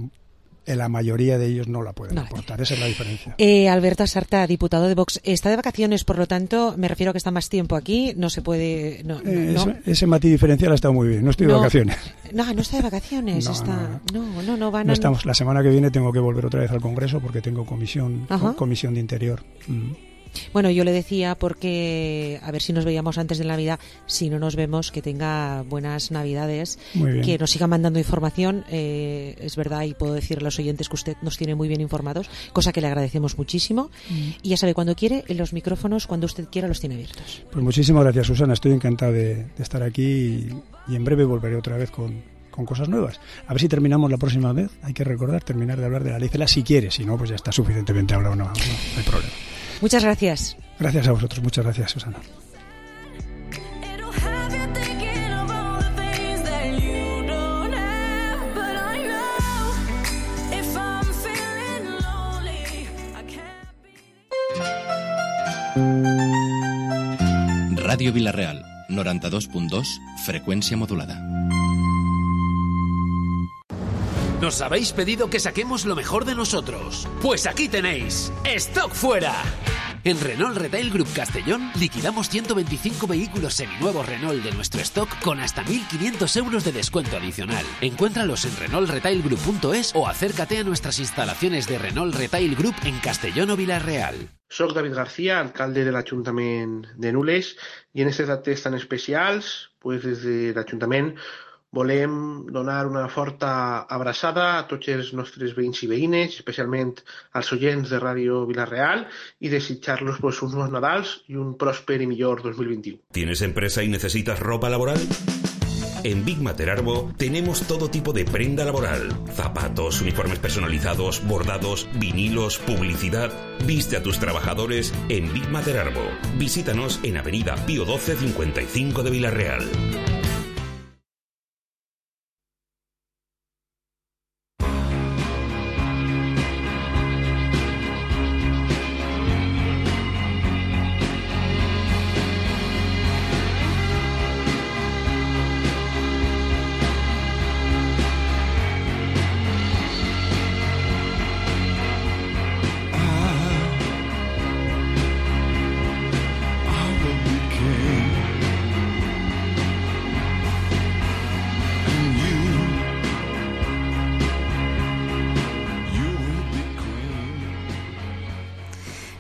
la mayoría de ellos no la pueden aportar. Esa es la diferencia. Alberto Sarta, diputado de Vox, está de vacaciones, por lo tanto, me refiero a que está más tiempo aquí, no se puede... Ese matiz diferencial ha estado muy bien, no estoy de vacaciones. No está de vacaciones, No estamos. La semana que viene tengo que volver otra vez al Congreso porque tengo comisión de Interior. Bueno, yo le decía porque a ver si nos veíamos antes de Navidad, si no nos vemos, que tenga buenas Navidades, que nos siga mandando información, es verdad, y puedo decirle a los oyentes que usted nos tiene muy bien informados, cosa que le agradecemos muchísimo, y ya sabe, cuando quiere, los micrófonos, cuando usted quiera, los tiene abiertos. Pues muchísimas gracias, Susana, estoy encantado de estar aquí y en breve volveré otra vez con cosas nuevas. A ver si terminamos la próxima vez, hay que terminar de hablar de la ley CELA si quiere, si no, pues ya está suficientemente hablado, no hay problema. Muchas gracias. Gracias a vosotros. Muchas gracias, Susana. Radio Vilareal, 92.2, frecuencia modulada. Nos habéis pedido que saquemos lo mejor de nosotros. Pues aquí tenéis, ¡Stock Fuera! En Renault Retail Group Castellón liquidamos 125 vehículos seminuevos Renault de nuestro stock con hasta 1.500 euros de descuento adicional. Encuéntralos en renaultretailgroup.es o acércate a nuestras instalaciones de Renault Retail Group en Castellón o Vila-real. Soc David García, alcalde de l'Ajuntament de Nules, i en aquestes dates tan especials, pues, des de l'Ajuntament volem donar una forta abraçada a tots els nostres veïns i veïnes, especialment als oients de Ràdio Vila-real, y desitjar-los pues, unos Nadals y un prósper y millor 2021. ¿Tienes empresa y necesitas ropa laboral? En Big Mater Arbo tenemos todo tipo de prenda laboral. Zapatos, uniformes personalizados, bordados, vinilos, publicidad. Viste a tus trabajadores en Big Mater Arbo. Visítanos en Avenida Pío XII 55 de Vila-real.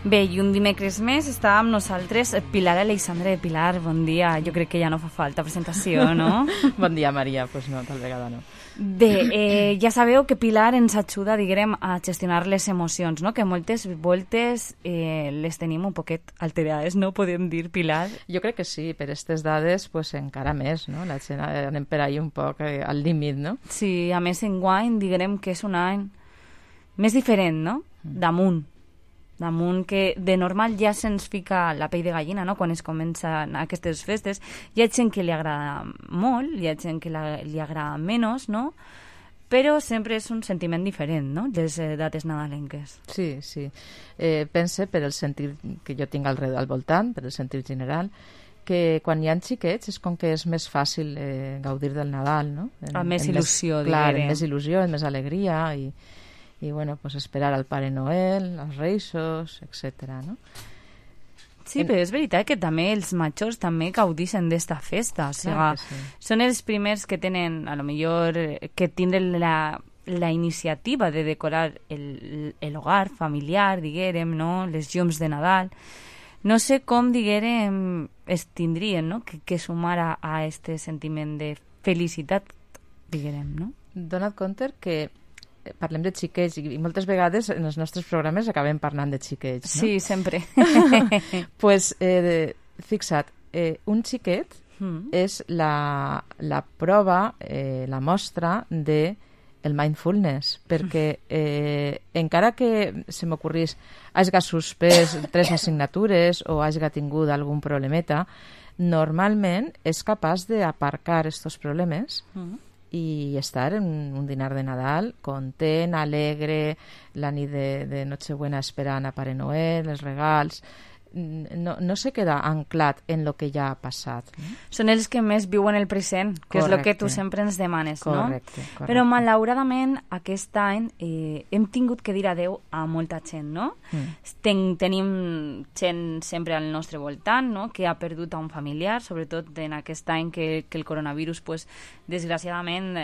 Bé, i un dimecres més estàvem nosaltres, Pilar Aleixandre. Pilar, bon dia. Jo crec que ja no fa falta presentació, no? Bon dia, Maria. Pues no, tal vegada no. Bé, ja sabeu que Pilar ens ajuda, diguem, a gestionar les emocions, no? Que moltes voltes les tenim un poquet alterades, no? Podem dir, Pilar? Jo crec que sí, per aquestes dades pues, encara més, no? La gent anem per ahí un poc al límit, no? Sí, a més enguany, diguem que és un any més diferent, no? Damunt que de normal ja se'ns fica la pell de gallina, no? Quan es comencen aquestes festes. Hi ha gent que li agrada molt, hi ha gent que li agrada menys, no? Però sempre és un sentiment diferent, no?, les dates nadalenques. Sí, sí. Pense, per el sentit que jo tinc al voltant, per el sentit general, que quan hi ha xiquets és com que és més fàcil gaudir del Nadal, no? Amb més il·lusió, diguem. Clar, amb més il·lusió, amb més alegria i bueno, pues esperar al Pare Noel, als Reixos, etc. no? Sí, però és veritat que també els majors també gaudixen d'esta festa. O sigui, sí. Són els primers que tenen, a lo millor, que tindran la iniciativa de decorar l'hogar familiar, diguérem, no? Les llums de Nadal. No sé com, diguérem, es tindrien, no?, que sumar a este sentiment de felicitat, diguérem, no? Dona't compte que parlem de xiquets i moltes vegades en els nostres programes acabem parlant de xiquets, no? Sí, sempre. Pues, fixa't, un xiquet és la prova, la mostra de el mindfulness, perquè encara que se m'ocorrís hagi suspès 3 assignatures o hagi tingut algun problemeta, normalment és capaç d'aparcar aquests problemes i estar en un dinar de Nadal content, alegre, la nit de Nochebuena esperant a Pare Noel, els regals. no se queda anclat en lo que ja ha passat. No? Són els que més viuen el present, que és el que tu sempre ens demanes, correcte, no? Correcte. Però malauradament aquest any hem tingut que dir adeu a molta gent, no? Tenim gent sempre al nostre voltant, no? Que ha perdut a un familiar, sobretot en aquest any que el coronavirus, pues, desgraciadament,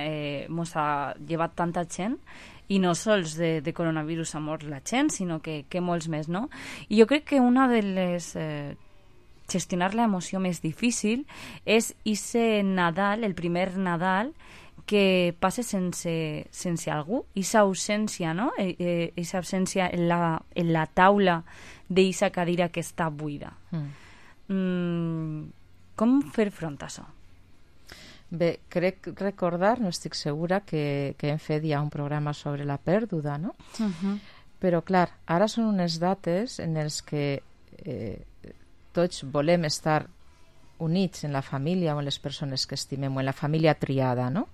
mos ha llevat tanta gent, i no sols de coronavirus ha mort la gent, sinó que molts més, no? I jo crec que una de les... gestionar l'emoció més difícil és ese Nadal, el primer Nadal, que passa sense algú, esa ausència, no? Esa ausència en la taula d'esa cadira que està buida. Com fer front a això? Bé, crec recordar, no estic segura, que hem fet ja un programa sobre la pèrdua, no? Però, clar, ara són unes dates en les que tots volem estar units en la família o en les persones que estimem o en la família triada, no?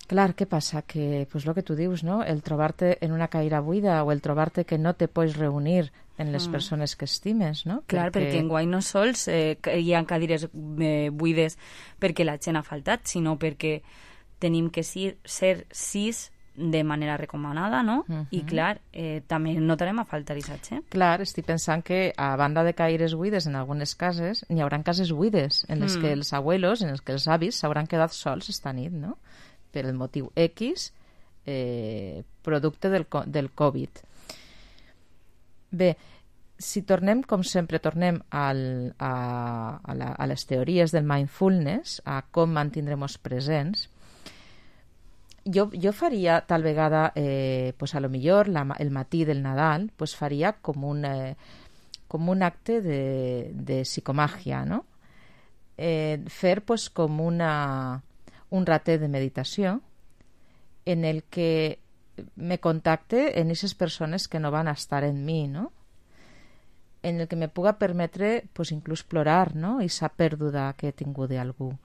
Clar, què passa? Que, pues, el que tu dius, no? El trobar-te en una cadira buida o el trobar-te que no te pots reunir en les persones que estimes, no? Clar, perquè enguany no sols hi ha cadires buides perquè la gent ha faltat, sinó perquè tenim que ser 6 de manera recomanada, no? I clar, també notarem a faltar aquesta gent. Clar, estic pensant que a banda de cadires buides en algunes cases, n'hi haurà cases buides en les que els abuelos, en les que els avis s'hauran quedat sols esta nit, no? Per el motiu X, producte del Covid. Bé, si tornem, com sempre, a les teories del mindfulness, a com mantindrem-nos presents, jo faria tal vegada, pues a lo millor el matí del Nadal, pues faria com un acte de psicomàgia, no? Fer pues com un ratet de meditació en el que me contacte en aquestes persones que no van estar en mi, no? En el que me puga permetre pues, inclús plorar, no? Esa pèrdua que he tingut d'algú,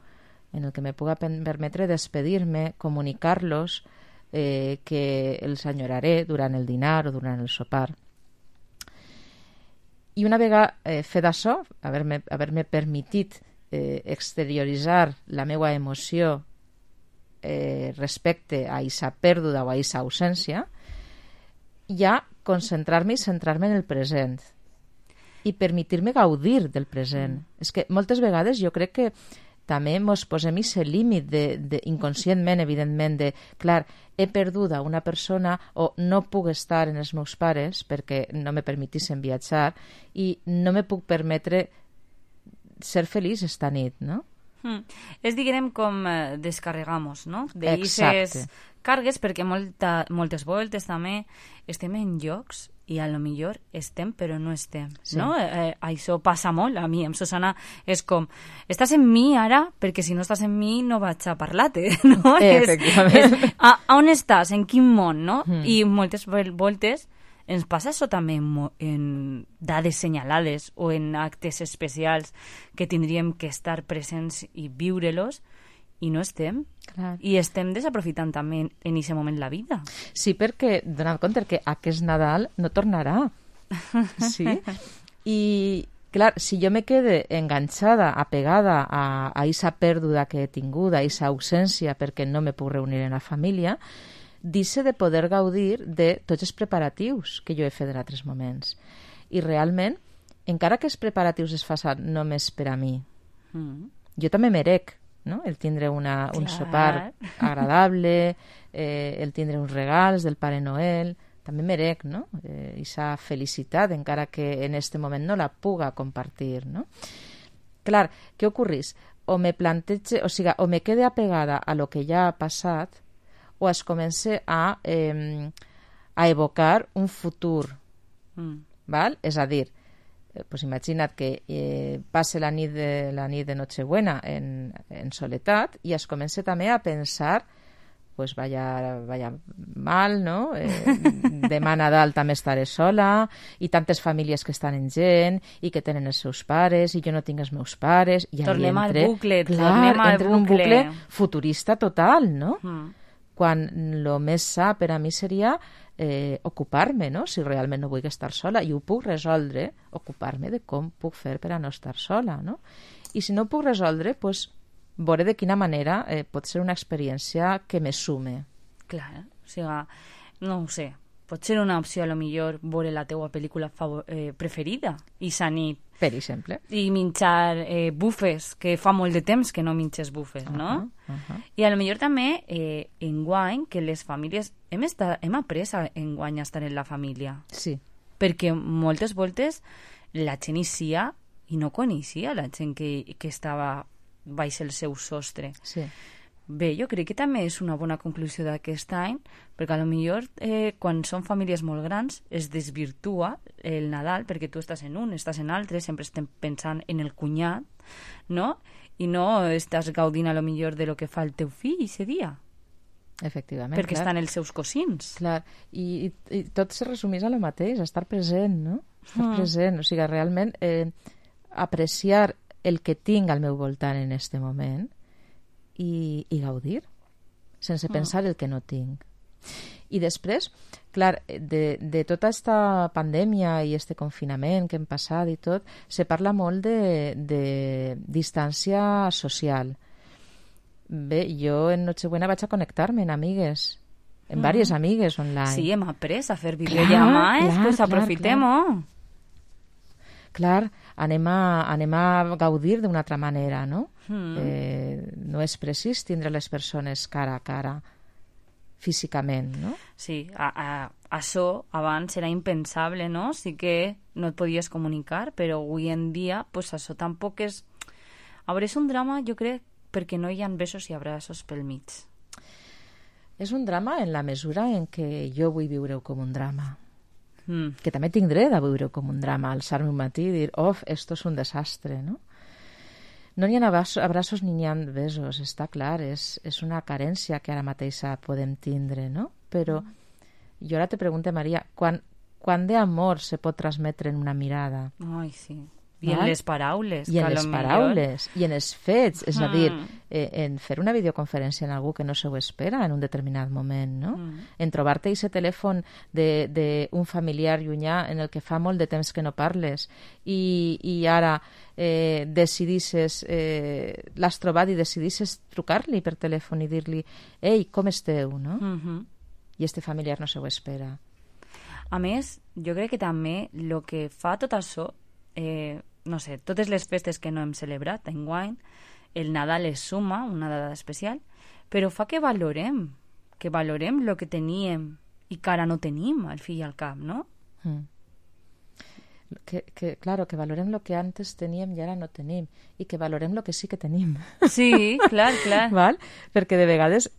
en el que me puga permetre despedir-me, comunicar-los que els enyoraré durant el dinar o durant el sopar. I una vegada fet això, haver-me permitit exterioritzar la meva emoció respecte a aquesta pèrdua o a aquesta ausència, ja concentrar-me i centrar-me en el present i permetir-me gaudir del present. És que moltes vegades jo crec que també ens posem aquest límit inconscientment, evidentment, clar, he perdut a una persona o no puc estar en els meus pares perquè no me permetissin viatjar i no me puc permetre ser feliç esta nit, no? És, diguem, com descarregamos, no? D'aquestes cargues, perquè moltes voltes també estem en llocs i a lo millor estem però no estem, no? Això passa molt a mi, amb Susana és com, estàs en mi ara perquè si no estàs en mi no vaig a parlar-te, no? Efectivament. On estàs? En quin món, no? I moltes voltes ens passa això també en dades senyalades o en actes especials que tindríem que estar presents i viure-los i no estem. Clar. I estem desaprofitant també en aquest moment la vida. Sí, perquè donant compte que aquest Nadal no tornarà. Sí? I, clar, si jo me quede enganxada, apegada a aquesta pèrdua que he tingut, a aquesta ausència perquè no me puc reunir en la família, deixe de poder gaudir de tots els preparatius que jo he fet en altres moments. I realment, encara que els preparatius es facin només per a mi, jo també merec, no? El tindre un sopar agradable, el tindre uns regals del Pare Noel, també merec, no? Esa felicitat, encara que en este moment no la puga compartir, no? Clar, què ocorrís? O me plantege, o sigui, o me quede apegada a lo que ja ha passat, o es comença a evocar un futur. Val? És a dir, pues imagina't que passe la nit de Nochebuena en soledat i es comença també a pensar pues vaya mal, no? Demà Nadal també estaré sola i tantes famílies que estan en gent i que tenen els seus pares i jo no tinc els meus pares i tornem al bucle, clar, entra en un bucle futurista total, no? quan el més sa per a mi seria ocupar-me, no? Si realment no vull estar sola, i ho puc resoldre, ocupar-me de com puc fer per a no estar sola, no? I si no ho puc resoldre, doncs veure de quina manera pot ser una experiència que me sume. Clar, o sigui, no ho sé, pot ser una opció a lo millor veure la teua pel·lícula preferida i sa nit. Per exemple. I menjar bufes, que fa molt de temps que no menges bufes, no? I a lo millor també enguany que les famílies hem après enguany a estar en la família. Sí. Perquè moltes voltes la gent eixia i no coneixia la gent que estava baix el seu sostre. Sí. Bé, jo crec que també és una bona conclusió d'aquest any, perquè a lo millor quan són famílies molt grans es desvirtua el Nadal, perquè tu estàs en un, estàs en altre, sempre estem pensant en el cunyat, no? I no estàs gaudint a lo millor de lo que fa el teu fill ese dia. Efectivament, perquè estan els seus cosins. Clar, i tot se resumís a lo mateix, a estar present, no? Estar present, o sigui, realment apreciar el que tinc al meu voltant en este moment i gaudir, sense pensar el que no tinc. I després, clar, de tota aquesta pandèmia i este confinament que hem passat i tot, se parla molt de distància social. Bé, jo en Nochebuena vaig a connectar-me amb amigues, amb diverses amigues online. Sí, hem après a fer videollamades, doncs aprofitem-ho. Clar, anem a gaudir d'una altra manera, no? No és precís tindre les persones cara a cara, físicament, no? Sí, això abans era impensable, no? Sí que no et podies comunicar, però avui en dia, pues això tampoc és... A veure, és un drama, jo crec, perquè no hi ha besos i abraços pel mig. És un drama en la mesura en què jo vull viure-ho com un drama. Que també tinc dret a viure com un drama, alçar-me un matí i dir, esto és un desastre, no? No n'hi ha abraços ni n'hi ha besos, està clar, és una carència que ara mateixa podem tindre, no? Però jo ara te pregunto, Maria, quan d'amor se pot transmetre en una mirada? Ai, sí. I en les paraules. I en les paraules, i en els fets. És a dir, en fer una videoconferència en algú que no se ho espera en un determinat moment, no? En trobar-te aquest telèfon d'un familiar llunyà en el que fa molt de temps que no parles i ara decidisses, l'has trobat i decidisses trucar-li per telèfon i dir-li «Ei, com esteu?», no? I este familiar no se ho espera. A més, jo crec que també el que fa tot això no sé, totes les festes que no hem celebrat enguany, el Nadal es suma, una data especial, però fa que valorem el que teníem i que ara no tenim, al fi i al cap, no? Claro, que valorem el que antes teníem i ara no tenim, i que valorem el que sí que tenim. Sí, clar. Val? Perquè de vegades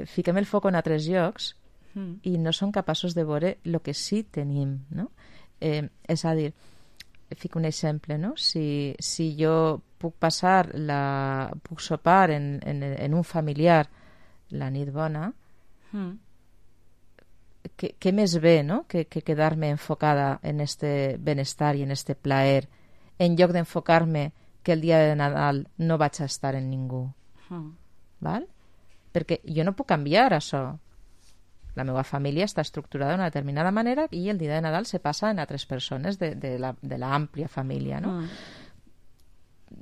fiquem el foc en altres llocs i no som capaços de veure el que sí tenim, no? És a dir, fico un exemple, no? Si jo puc puc sopar en un familiar la nit bona, què més bé, no? Que quedar-me enfocada en este benestar i en este plaer, en lloc d'enfocar-me que el dia de Nadal no vaig a estar en ningú. Val? Perquè jo no puc canviar això. La meva família està estructurada d'una determinada manera i el dia de Nadal se passa en altres persones de l'àmplia família, no?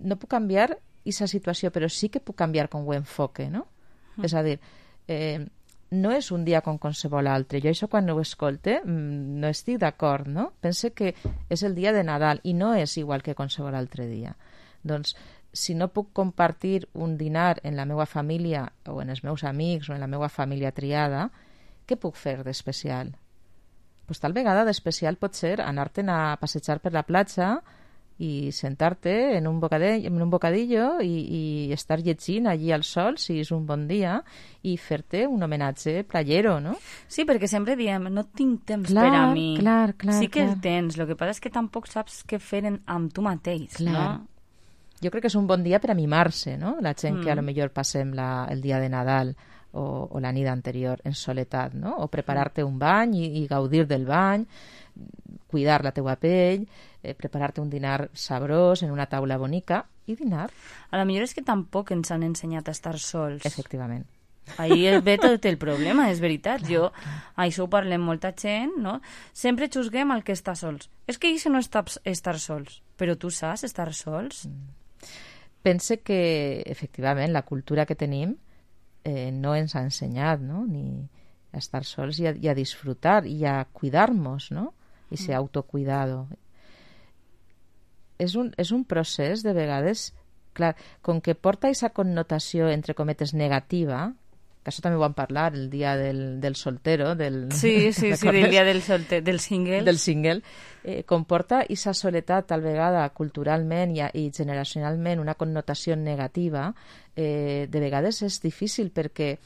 No puc canviar aquesta situació, però sí que puc canviar com ho enfoque, no? És a dir, no és un dia com qualsevol altre. Jo això quan ho escolte no estic d'acord, no? Pense que és el dia de Nadal i no és igual que qualsevol altre dia. Doncs, si no puc compartir un dinar en la meva família o en els meus amics o en la meva família triada, què puc fer d'especial? Pues tal vegada d'especial pot ser anar-te'n a passejar per la platja i sentar-te en un bocadillo i estar llegint allí al sol, si és un bon dia, i fer-te un homenatge playero, no? Sí, perquè sempre diem, no tinc temps per a mi. Clar. Sí que el tens, el que passa és que tampoc saps què fer amb tu mateix, no? Jo crec que és un bon dia per a mimar-se, no? La gent que a lo millor passem el dia de Nadal o la nit anterior en soledat, no? O preparar-te un bany i gaudir del bany, cuidar la teua pell, preparar-te un dinar sabrós en una taula bonica i dinar. A lo millor és que tampoc ens han ensenyat a estar sols. Efectivament. Ahí ve tot el problema, és veritat. Jo, això ho parlem molta gent, no? Sempre xusguem el que està sols. És que això no és estar sols, però tu saps estar sols? Pense que, efectivament, la cultura que tenim no ens ha ensenyat, no? Ni a estar sols i a disfrutar i a cuidar-nos, no? I ser autocuidado. És un procés, de vegades, clar, com que porta aquesta connotació, entre cometes, negativa, que això també ho vam parlar el dia del soltero, Sí, del dia del single. Del single. Comporta aquesta soledat, tal vegada, culturalment i generacionalment, una connotació negativa. De vegades és difícil perquè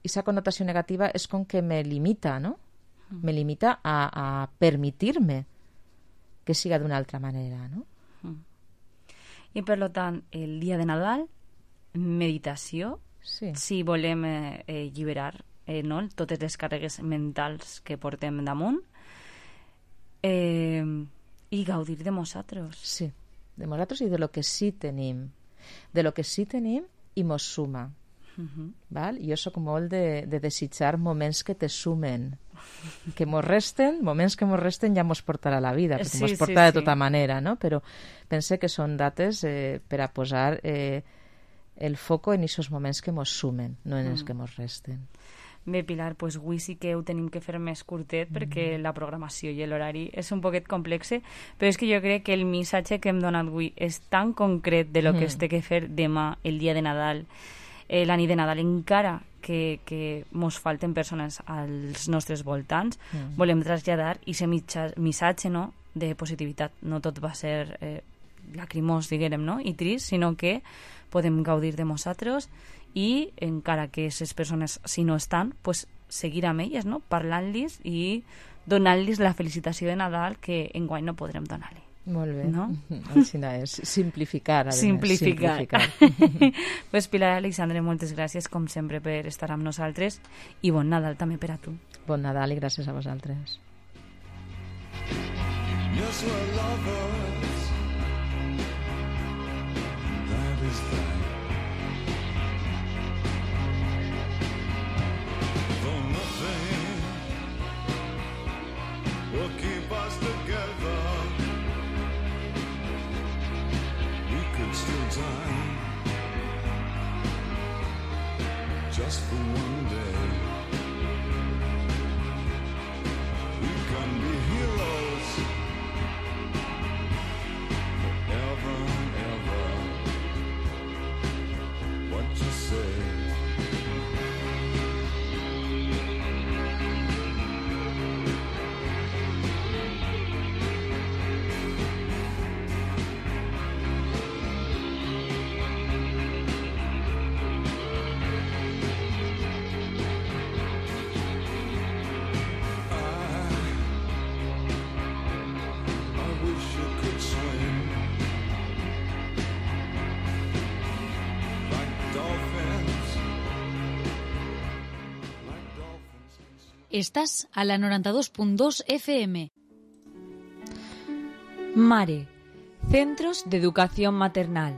aquesta connotació negativa és com que me limita, no? Me limita a permitir-me que siga d'una altra manera, no? I per tant, el dia de Nadal, meditació, si volem alliberar totes les càrregues mentals que portem damunt, i gaudir de nosaltres. Sí, de nosaltres i de lo que sí tenim. De lo que sí tenim i mos suma. Val? Jo soc molt de desitjar moments que te sumen, que mos resten, moments que mos resten ja mos portarà la vida, perquè mos porta de tota manera, no? Però pense que són dates per a posar el foco en aquests moments que mos sumen, no en els que mos resten. Bé, Pilar, doncs avui sí que ho tenim que fer més curtet perquè la programació i l'horari és un poquet complex, però és que jo crec que el missatge que hem donat avui és tan concret de lo que es té que fer demà, el dia de Nadal, la nit de Nadal, encara que mos falten persones als nostres voltants, volem traslladar aquest missatge de positivitat. No tot va ser lacrimós, diguem, no? I trist, sinó que podem gaudir de nosaltres i encara que aquestes persones, si no estan, pues, seguir amb elles, no? Parlant-los i donant-los la felicitació de Nadal que enguany no podrem donar-li. Molt bé. No? Així és. Simplificar. Simplificar. Pues Pilar Alexandre, moltes gràcies, com sempre, per estar amb nosaltres i bon Nadal també per a tu. Bon Nadal i gràcies a vosaltres. Yes, we're lovers. That is that. Though nothing will keep us together, we could still die just for one day. We can be heroes forever and ever. What you say? Estás a la 92.2 FM. Mare, Centros de Educación Maternal.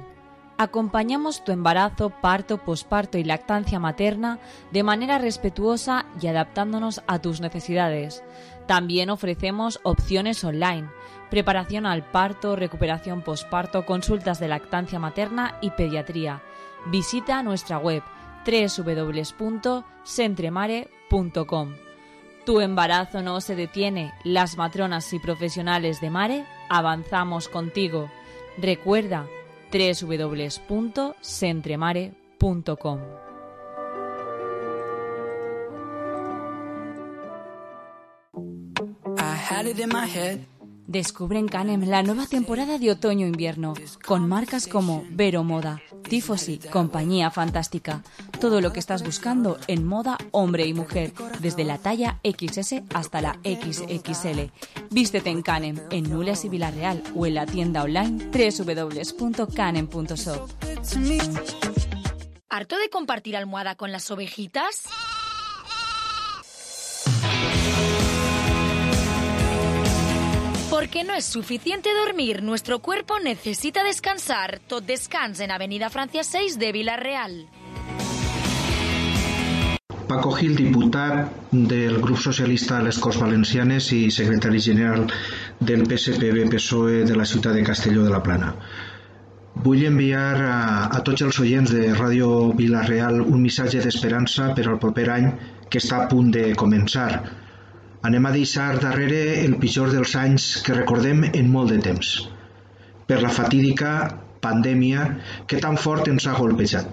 Acompañamos tu embarazo, parto, posparto y lactancia materna de manera respetuosa y adaptándonos a tus necesidades. También ofrecemos opciones online, preparación al parto, recuperación posparto, consultas de lactancia materna y pediatría. Visita nuestra web www.centremare.com. Tu embarazo no se detiene. Las matronas y profesionales de Mare avanzamos contigo. Recuerda www.centremare.com. Descubre en Canem la nueva temporada de otoño-invierno, con marcas como Vero Moda, Tifosi, Compañía Fantástica. Todo lo que estás buscando en moda hombre y mujer, desde la talla XS hasta la XXL. Vístete en Canem, en Nules y Villarreal, o en la tienda online www.canem.shop. ¿Harto de compartir almohada con las ovejitas? Porque no es suficiente dormir, nuestro cuerpo necesita descansar. Tot Descans en Avenida Francia 6 de Villarreal. Paco Gil, diputat del grup socialista a les Corts Valencianes i secretari general del PSPB-PSOE de la ciutat de Castelló de la Plana. Vull enviar a tots els oients de Ràdio Vila-real un missatge d'esperança per al proper any que està a punt de començar. Anem a deixar darrere el pitjor dels anys que recordem en molt de temps, per la fatídica pandèmia que tan fort ens ha golpejat,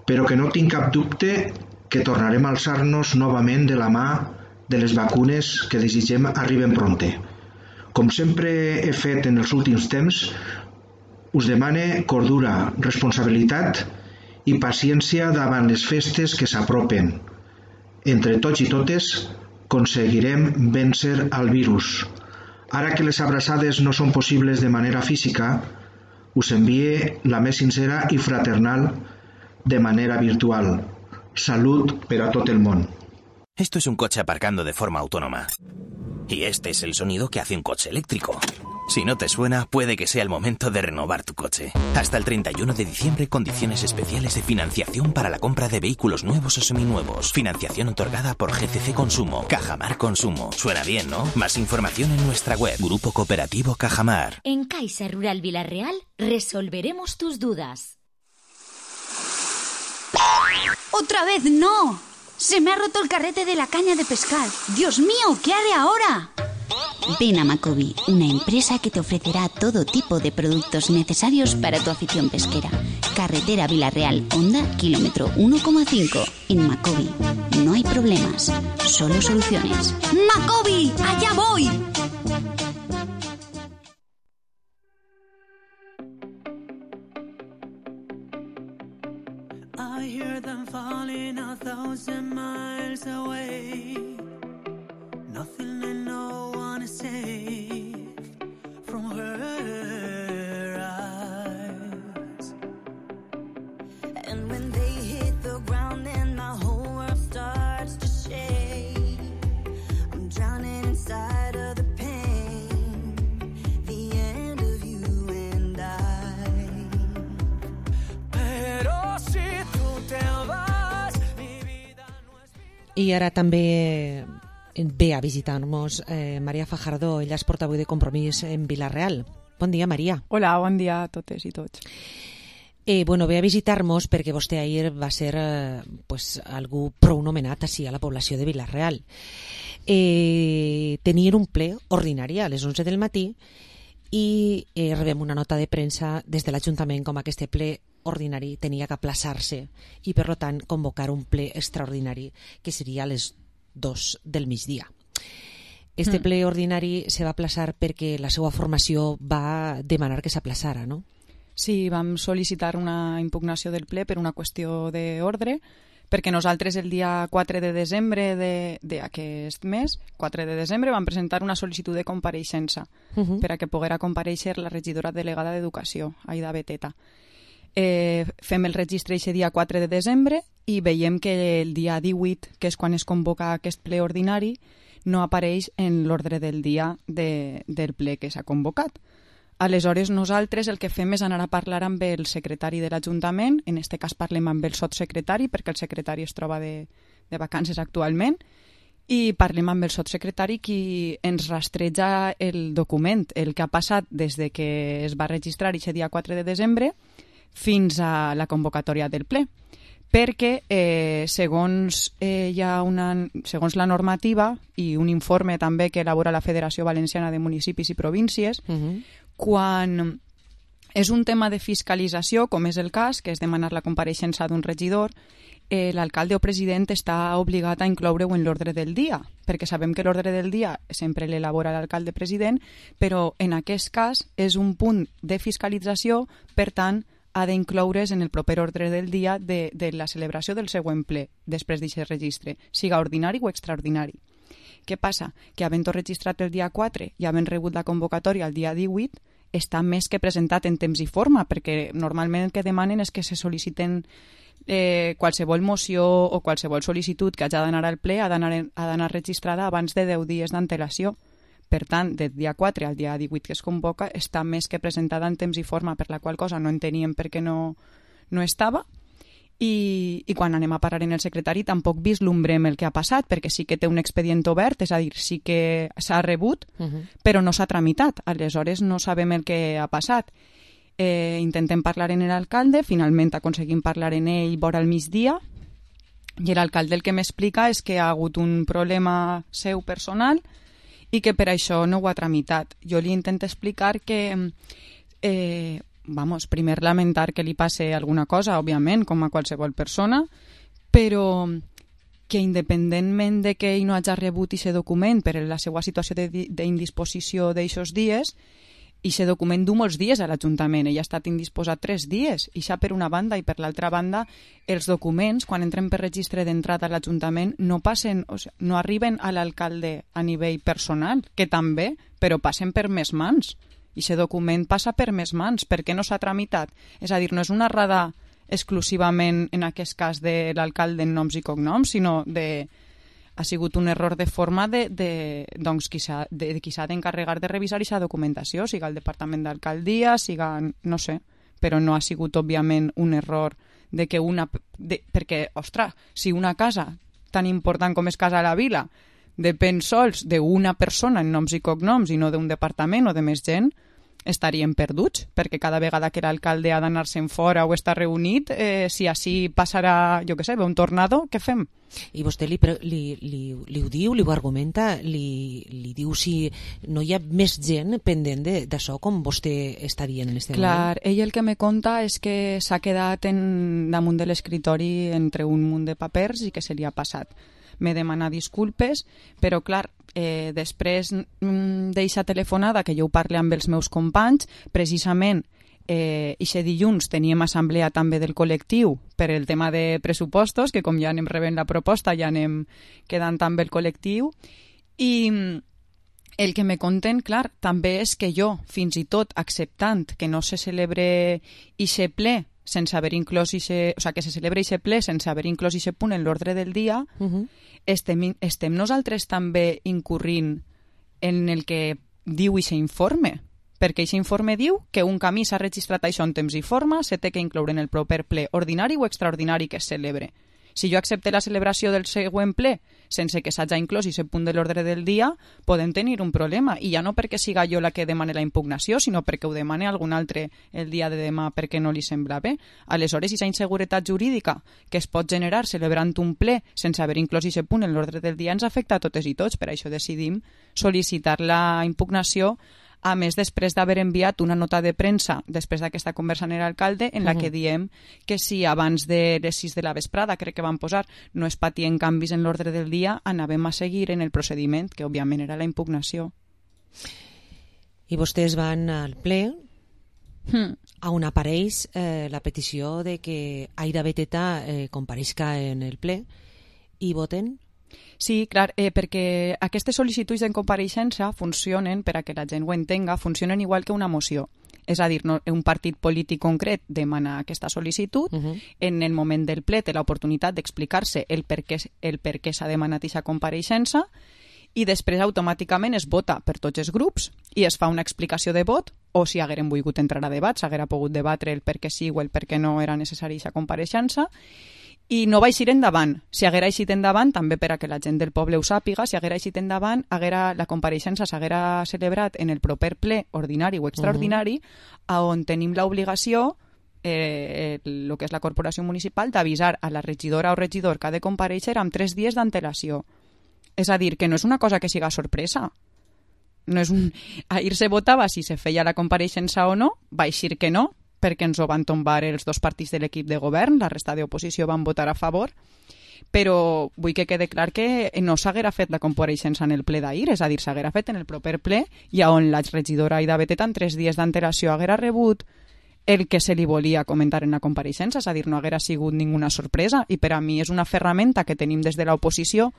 però que no tinc cap dubte que tornarem a alçar-nos novament de la mà de les vacunes que desitgem arriben prompte. Com sempre he fet en els últims temps, us demane cordura, responsabilitat i paciència davant les festes que s'apropen. Entre tots i totes aconseguirem vèncer el virus. Ara que les abraçades no són possibles de manera física, us envie la més sincera i fraternal de manera virtual. Salud per a tot el món. Esto es un coche aparcando de forma autónoma. Y este es el sonido que hace un coche eléctrico. Si no te suena, puede que sea el momento de renovar tu coche. Hasta el 31 de diciembre, condiciones especiales de financiación para la compra de vehículos nuevos o seminuevos. Financiación otorgada por GCC Consumo. Cajamar Consumo. Suena bien, ¿no? Más información en nuestra web. Grupo Cooperativo Cajamar. En Caixa Rural Vila-real resolveremos tus dudas. ¡Otra vez no! Se me ha roto el carrete de la caña de pescar. ¡Dios mío! ¿Qué haré ahora? Ven a Macobi, una empresa que te ofrecerá todo tipo de productos necesarios para tu afición pesquera. Carretera Vila-real, Honda, kilómetro 1,5. En Macobi no hay problemas, solo soluciones. ¡Macobi! ¡Allá voy! I hear them falling 1,000 miles away. Nothing and no one is safe from her eyes. And when they hit the ground, then my whole world starts to shake. I'm drowning inside of the pain, the end of you and I. Pero si tú te vas, mi vida no es vida. I ara també ve a visitar-nos Maria Fajardo. Ella és portaveu de Compromís en Vila-real. Bon dia, Maria. Hola, bon dia a totes i tots. Ve a visitar-nos perquè vostè ahir va ser algú prou nomenat així a la població de Vila-real. Tenien un ple ordinari a les 11 del matí i rebem una nota de premsa des de l'Ajuntament com aquest ple ordinari tenia que aplaçar-se i, per tant, convocar un ple extraordinari que seria a les 2 del migdia. Este ple ordinari se va aplaçar perquè la seva formació va demanar que s'aplaçara, no? Sí, vam sol·licitar una impugnació del ple per una qüestió d'ordre, perquè nosaltres el dia 4 de desembre d'aquest mes, 4 de desembre, vam presentar una sol·licitud de compareixença per a que poguera comparèixer la regidora delegada d'Educació, Aida Beteta. Fem el registre aquest dia 4 de desembre i veiem que el dia 18, que és quan es convoca aquest ple ordinari, no apareix en l'ordre del dia del ple que s'ha convocat. Aleshores, nosaltres el que fem és anar a parlar amb el secretari de l'Ajuntament, en aquest cas parlem amb el sotssecretari, perquè el secretari es troba de vacances actualment, i parlem amb el sotssecretari qui ens rastreja el document, el que ha passat des de que es va registrar aquest dia 4 de desembre fins a la convocatòria del ple, perquè segons la normativa i un informe també que elabora la Federació Valenciana de Municipis i Províncies, quan és un tema de fiscalització, com és el cas, que és demanar la compareixença d'un regidor, l'alcalde o president està obligat a incloure-ho en l'ordre del dia, perquè sabem que l'ordre del dia sempre l'elabora l'alcalde president, però en aquest cas és un punt de fiscalització, per tant, ha d'incloure's en el proper ordre del dia de la celebració del següent ple, després d'aquest registre, siga ordinari o extraordinari. Què passa? Que havent-ho registrat el dia 4 i havent rebut la convocatòria el dia 18, està més que presentat en temps i forma, perquè normalment el que demanen és que se sol·liciten qualsevol moció o qualsevol sol·licitud que hagi d'anar al ple ha d'anar registrada abans de 10 dies d'antelació. Per tant, del dia 4 al dia 18 que es convoca està més que presentada en temps i forma, per la qual cosa no enteníem per què no estava. i quan anem a parar en el secretari tampoc vislumbrem el que ha passat, perquè sí que té un expedient obert, és a dir, sí que s'ha rebut, però no s'ha tramitat. Aleshores no sabem el que ha passat. Intentem parlar en l'alcalde, finalment aconseguim parlar en ell vora al migdia, i l'alcalde el que m'explica és que ha hagut un problema seu personal i que per això no ho ha tramitat. Jo li intento explicar que primer lamentar que li passi alguna cosa, òbviament, com a qualsevol persona, però que independentment de que ell no hagi rebut aquest document per la seva situació d'indisposició d'aixòs dies, aquest document du molts dies a l'Ajuntament, ell ha estat indisposat 3 dies, i això per una banda, i per l'altra banda, els documents, quan entren per registre d'entrada a l'Ajuntament, no passen, o sigui, no arriben a l'alcalde a nivell personal, que també, però passen per més mans. I aquest document passa per més mans. Per què no s'ha tramitat? És a dir, no és una errada exclusivament en aquest cas de l'alcalde en noms i cognoms, sinó ha sigut un error de forma doncs, qui s'ha d'encarregar de revisar aquesta documentació, siga el Departament d'Alcaldia, siga, no sé, però no ha sigut, òbviament, un error de que perquè, ostres, si una casa tan important com és Casa la Vila depèn sols d'una persona en noms i cognoms i no d'un departament o de més gent, estaríem perduts, perquè cada vegada que l'alcalde ha d'anar-se'n fora o està reunit, si així passarà, jo què sé, un tornado, què fem? I vostè li ho diu, li ho argumenta, li diu si no hi ha més gent pendent d'això com vostè està dient en este moment? Clar, ell el que me conta és que s'ha quedat damunt de l'escritori entre un munt de papers i que se li ha passat. Me demana disculpes, però clar, després d'eixa telefonada que jo ho parle amb els meus companys, precisament eixe dilluns teníem assemblea també del col·lectiu per el tema de pressupostos, que com ja anem rebent la proposta ja anem quedant també el col·lectiu, i el que me conten, clar, també és que jo, fins i tot acceptant que no se celebre eixe ple sense haver inclòs que se celebra aquest ple sense haver inclòs aquest punt en l'ordre del dia, estem nosaltres també incurrint en el que diu aquest informe, perquè aquest informe diu que un camí s'ha registrat això en temps i forma, se té que incloure en el proper ple ordinari o extraordinari que es celebre. Si jo accepte la celebració del següent ple sense que s'hagi inclòs aquest punt de l'ordre del dia, podem tenir un problema, i ja no perquè siga jo la que demane la impugnació, sinó perquè ho demane algun altre el dia de demà perquè no li sembla bé. Aleshores, aquesta inseguretat jurídica que es pot generar celebrant un ple sense haver inclòs aquest punt en l'ordre del dia ens afecta a totes i tots. Per això decidim sol·licitar la impugnació, a més després d'haver enviat una nota de premsa després d'aquesta conversa amb l'alcalde en la que diem que si abans de les 6 de la vesprada, crec que van posar, no es patien canvis en l'ordre del dia, anàvem a seguir en el procediment, que òbviament era la impugnació. I vostès van al ple on apareix la petició de que Aida Beteta compareixca en el ple i voten? Sí, clar, perquè aquestes sol·licituds de compareixença funcionen, per a que la gent ho entenga, funcionen igual que una moció. És a dir, un partit polític concret demana aquesta sol·licitud, en el moment del ple té l'oportunitat d'explicar-se el per què s'ha demanat aquesta compareixença, i després automàticament es vota per tots els grups i es fa una explicació de vot, o si hagueren volgut entrar a debat, s'haguera pogut debatre el per què sí o el per què no era necessari aquesta compareixença, i no va eixir endavant. Si haguera eixit endavant, també per a que la gent del poble ho sàpiga, si haguera eixit endavant, la compareixença s'haguera celebrat en el proper ple ordinari o extraordinari, on tenim l'obligació, el que és la corporació municipal, d'avisar a la regidora o regidor que ha de compareixer amb 3 dies d'antelació. És a dir, que no és una cosa que siga sorpresa. No és ahir se votava si se feia la compareixença o no, va eixir que no, perquè ens ho van tombar els 2 partits de l'equip de govern, la resta d'oposició van votar a favor, però vull que quede clar que no s'haguera fet la compareixença en el ple d'ahir, és a dir, s'haguera fet en el proper ple, i on la regidora Aida Beteta en 3 dies d'antelació haguera rebut el que se li volia comentar en la compareixença, és a dir, no haguera sigut ninguna sorpresa, i per a mi és una ferramenta que tenim des de l'oposició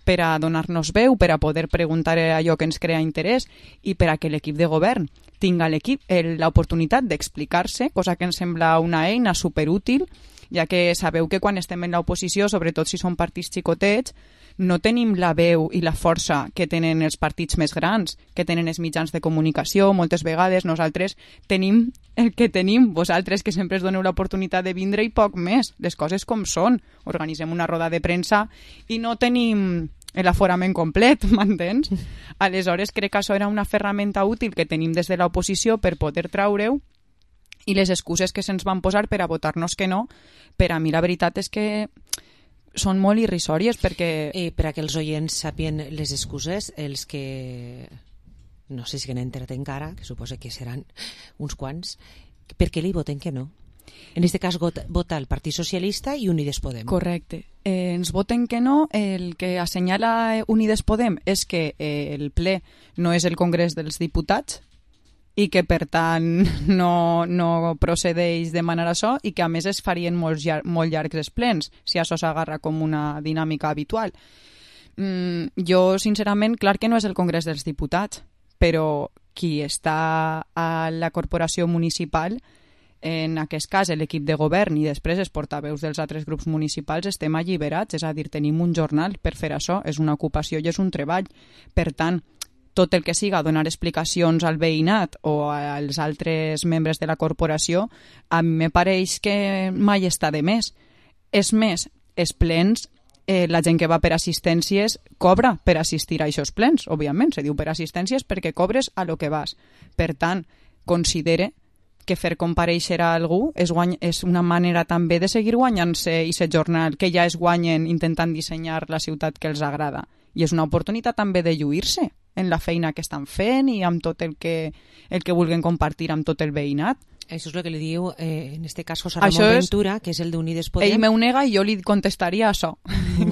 per a donar-nos veu, per a poder preguntar allò que ens crea interès i per a que l'equip de govern tinga l'oportunitat d'explicar-se, cosa que ens sembla una eina superútil, ja que sabeu que quan estem en l'oposició, sobretot si són partits xicotets, no tenim la veu i la força que tenen els partits més grans, que tenen els mitjans de comunicació. Moltes vegades nosaltres tenim el que tenim, vosaltres que sempre us doneu l'oportunitat de vindre i poc més, les coses com són. Organitzem una roda de premsa i no tenim l'aforament complet, m'entens? Aleshores crec que això era una ferramenta útil que tenim des de l'oposició per poder traure-ho, i les excuses que se'ns van posar per a votar-nos que no, per a mi la veritat és que són molt irrisòries, perquè... Per a que els oients sàpien les excuses, els que no sé si n'he entrat encara, que suposo que seran uns quants, per què li voten que no? En aquest cas vota el Partit Socialista i Unides Podem. Correcte. Ens voten que no. El que assenyala Unides Podem és que el ple no és el Congrés dels Diputats i que, per tant, no procedeix demanar això, i que, a més, es farien molt llargs els plens, si això s'agarra com una dinàmica habitual. Jo, sincerament, clar que no és el Congrés dels Diputats, però qui està a la corporació municipal, en aquest cas l'equip de govern i després els portaveus dels altres grups municipals, estem alliberats, és a dir, tenim un jornal per fer això, és una ocupació i és un treball. Per tant, tot el que siga donar explicacions al veïnat o als altres membres de la corporació, a mi me pareix que mai està de més. És més, els plens, la gent que va per assistències cobra per assistir a aquests plens, òbviament, se diu per assistències perquè cobres a lo que vas. Per tant, considere que fer compareixer a algú és una manera també de seguir guanyant-se aquest jornal que ja es guanyen intentant dissenyar la ciutat que els agrada. I és una oportunitat també de lluir-se en la feina que estan fent i amb tot el que vulguin compartir amb tot el veïnat. Això és el que li diu, en aquest cas, José Ramon Ventura, que és el d'Unides Podem. Ell m'ho nega i jo li contestaria això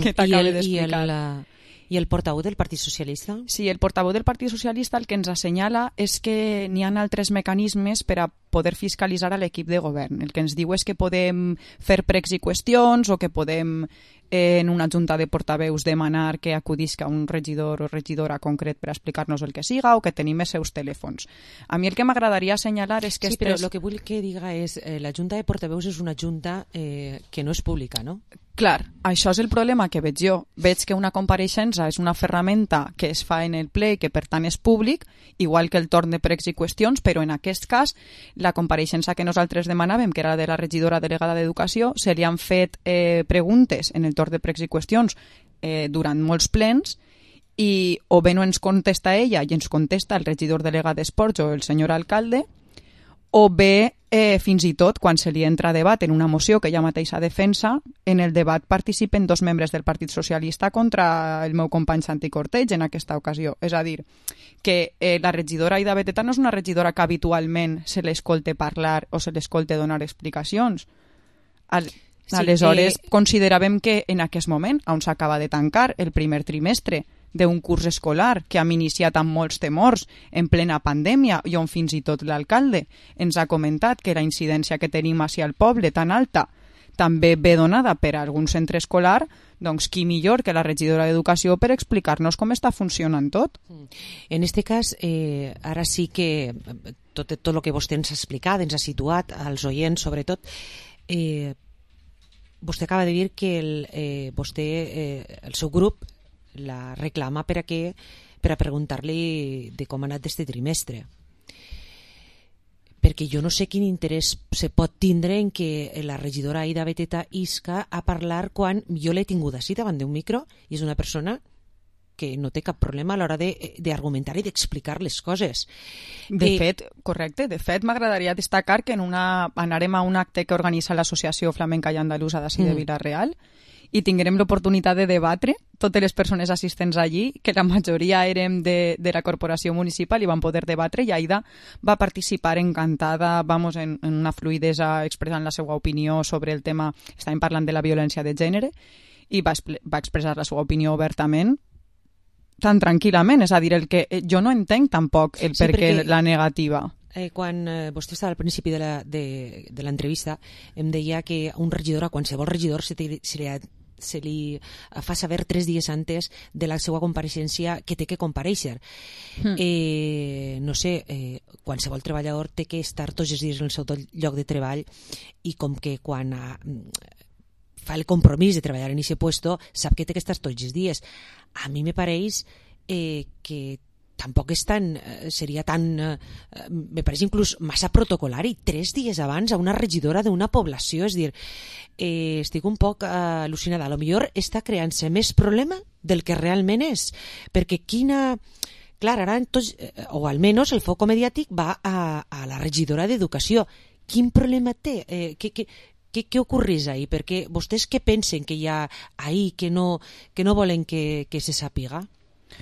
que t'acabo d'explicar. I el portaveu del Partit Socialista? Sí, el portaveu del Partit Socialista el que ens assenyala és que n'hi ha altres mecanismes per a poder fiscalitzar a l'equip de govern. El que ens diu és que podem fer pregs i qüestions o que podem en una junta de portaveus demanar que acudisca un regidor o regidora concret per explicar-nos el que siga o que tenim els seus telèfons. A mi el que m'agradaria assenyalar és que... Sí, però el que vull que diga és la junta de portaveus és una junta que no és pública, no? Clar, això és el problema que veig jo. Veig que una compareixença és una ferramenta que es fa en el ple i que per tant és públic, igual que el torn de pregs i qüestions, però en aquest cas la compareixença que nosaltres demanàvem, que era de la regidora delegada d'Educació, se li han fet preguntes en el torn de pregs i qüestions durant molts plens i o bé no ens contesta ella i ens contesta el regidor delegat d'Esports o el senyor alcalde, o bé fins i tot quan se li entra a debat en una moció que ella mateixa defensa, en el debat participen 2 membres del Partit Socialista contra el meu company Santi Corteig en aquesta ocasió. És a dir, que la regidora Aida Beteta no és una regidora que habitualment se l'escolte parlar o se l'escolte donar explicacions. Aleshores, consideràvem que en aquest moment, on s'acaba de tancar el primer trimestre d'un curs escolar que hem iniciat amb molts temors en plena pandèmia i on fins i tot l'alcalde ens ha comentat que la incidència que tenim hacia el poble tan alta també ve donada per algun centre escolar, doncs qui millor que la regidora d'Educació per explicar-nos com està funcionant tot. En aquest cas, ara sí que tot el que vostè ens ha explicat, ens ha situat als oients sobretot, vostè acaba de dir que el seu grup la reclama per a preguntar-li de com ha anat este trimestre, perquè jo no sé quin interès se pot tindre en que la regidora Aida Beteta isca a parlar quan jo l'he tingut així davant d'un micro i és una persona que no té cap problema a l'hora d'argumentar i d'explicar les coses. De fet, m'agradaria destacar que anarem a un acte que organitza l'Associació Flamenca i Andalusa d'ací de Vila-real i tindrem l'oportunitat de debatre totes les persones assistents allí, que la majoria érem de la corporació municipal i vam poder debatre, i Aida va participar encantada, en una fluidesa expressant la seva opinió sobre el tema. Estàvem parlant de la violència de gènere i va expressar la seva opinió obertament, tan tranquil·lament, és a dir, el que jo no entenc tampoc el per què la negativa. Quan vostè estava al principi de l'entrevista em deia que a un regidor, a qualsevol regidor se li fa saber 3 dies antes de la seva compareixença que té que comparèixer. No sé, qualsevol treballador té que estar tots els dies en el seu lloc de treball i com que quan fa el compromís de treballar en aquest puesto sap que té que estar tots els dies. A mi me pareix que tampoc és tan, seria tan, me pareix inclús massa protocolari, 3 dies abans a una regidora d'una població, és dir, estic un poc al·lucinada. A lo millor està creant-se més problema del que realment és, perquè quina... Clar, ara tots, o almenys el foc mediàtic va a la regidora d'Educació. Quin problema té? Què ocorreix ahí? Perquè vostès què pensen que hi ha ahí que no volen que se sàpiga?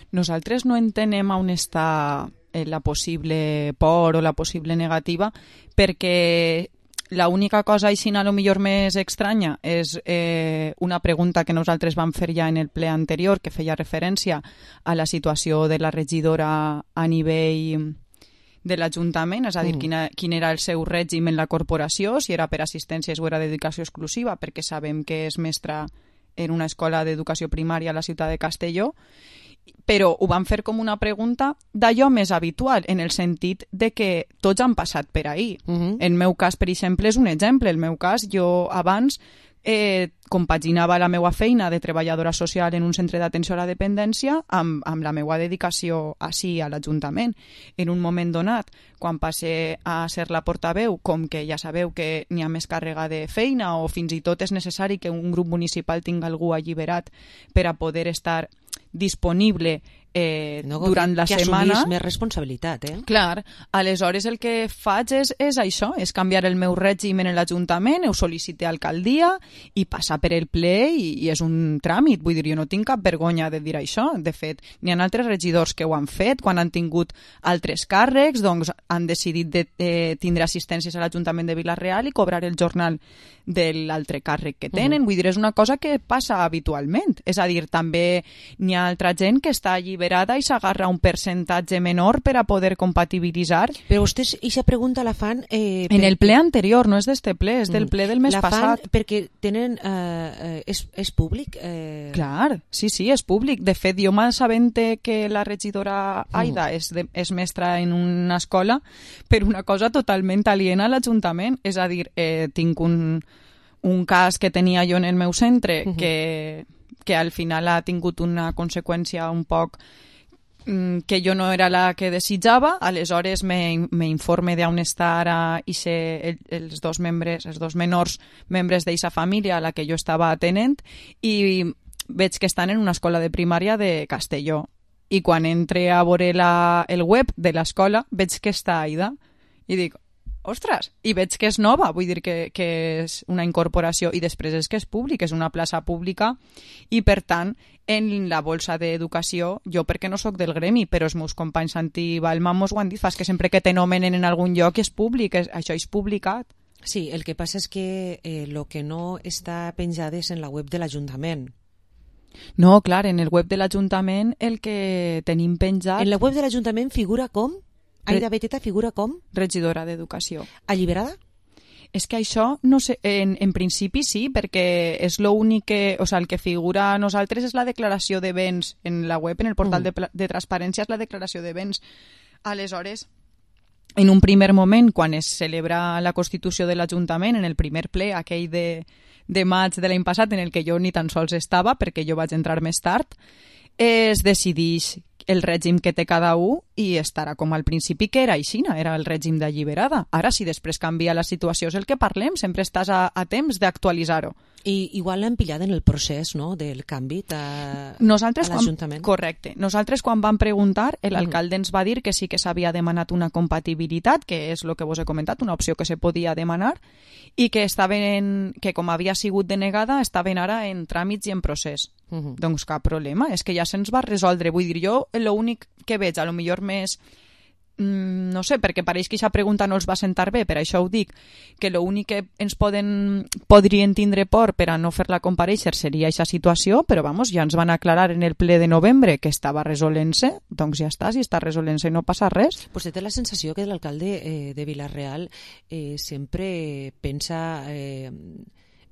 Nosaltres no entenem on està la possible por o la possible negativa, perquè l'única cosa així a lo millor més estranya és una pregunta que nosaltres vam fer ja en el ple anterior, que feia referència a la situació de la regidora a nivell de l'Ajuntament, és a dir, quin era el seu règim en la corporació, si era per assistències o era dedicació exclusiva, perquè sabem que és mestra en una escola d'educació primària a la ciutat de Castelló, però ho van fer com una pregunta d'allò més habitual, en el sentit de que tots han passat per ahí. El meu cas, per exemple, és un exemple. El meu cas, jo abans compaginava la meva feina de treballadora social en un centre d'atenció a la dependència amb la meva dedicació així a l'Ajuntament. En un moment donat, quan passe a ser la portaveu, com que ja sabeu que n'hi ha més càrrega de feina o fins i tot és necessari que un grup municipal tingui algú alliberat per a poder estar disponible durant la setmana. Que assumís més responsabilitat, Clar, aleshores el que faig és això, és canviar el meu règim en l'Ajuntament, ho sol·licité a alcaldia i passar per el ple i és un tràmit, vull dir, jo no tinc cap vergonya de dir això. De fet, n'hi ha altres regidors que ho han fet, quan han tingut altres càrrecs, doncs han decidit de tindre assistències a l'Ajuntament de Vila-real i cobrar el jornal de l'altre càrrec que tenen. Vull dir, és una cosa que passa habitualment. És a dir, també n'hi ha altra gent que està alliberada i s'agarra un percentatge menor per a poder compatibilitzar. Però vostès, aquesta pregunta la fan... en el ple anterior, no és d'este ple, és del ple del mes passat. La fan perquè tenen... és públic? Clar, sí, és públic. De fet, jo m'assabente que la regidora Aida és mestra en una escola per una cosa totalment aliena a l'Ajuntament. És a dir, tinc un cas que tenia jo en el meu centre que al final ha tingut una conseqüència un poc que jo no era la que desitjava, aleshores me informe d'on està ara els dos menors membres d'aquesta família a la que jo estava atenent i veig que estan en una escola de primària de Castelló. I quan entre a veure el web de l'escola veig que està Aida i dic, ostres, i veig que és nova, vull dir que és una incorporació i després és que és públic, és una plaça pública i per tant en la bolsa d'educació, jo perquè no sóc del gremi, però els meus companys Santi i Balma mos ho han dit, fas que sempre que te nomenen en algun lloc és públic, això és publicat. Sí, el que passa és que el que no està penjat és en la web de l'Ajuntament. No, clar, en el web de l'Ajuntament el que tenim penjat... En la web de l'Ajuntament figura com? Aida Beteta figura com? Regidora d'Educació. Alliberada? És que això, no sé, en principi sí, perquè és l'únic que... O sigui, el que figura a nosaltres és la declaració de béns. En la web, en el portal de transparència, és la declaració de béns. Aleshores, en un primer moment, quan es celebra la Constitució de l'Ajuntament, en el primer ple, aquell de maig de l'any passat, en el que jo ni tan sols estava, perquè jo vaig entrar més tard, es decideix el règim que té cada un i estarà com al principi que era aixina, era el règim d'alliberada. Ara, si després canvia la situació, és el que parlem, sempre estàs a temps d'actualitzar-ho. I igual l'han pillat en el procés, no?, del canvi a l'Ajuntament. Correcte. Nosaltres, quan vam preguntar, l'alcalde ens va dir que sí que s'havia demanat una compatibilitat, que és el que vos he comentat, una opció que se podia demanar, i que que com havia sigut denegada, estaven ara en tràmits i en procés. Doncs cap problema, és que ja se'ns va resoldre. Vull dir, jo l'únic que veig, a lo millor més... no sé, perquè pareix que aquesta pregunta no els va sentar bé, per això ho dic, que l'únic que ens podrien tindre por per a no fer-la comparèixer seria aquesta situació, però vamos, ja ens van aclarar en el ple de novembre que estava resolent-se, doncs ja està, si està resolent-se no passa res. Pues té la sensació que l'alcalde de Vila-real sempre pensa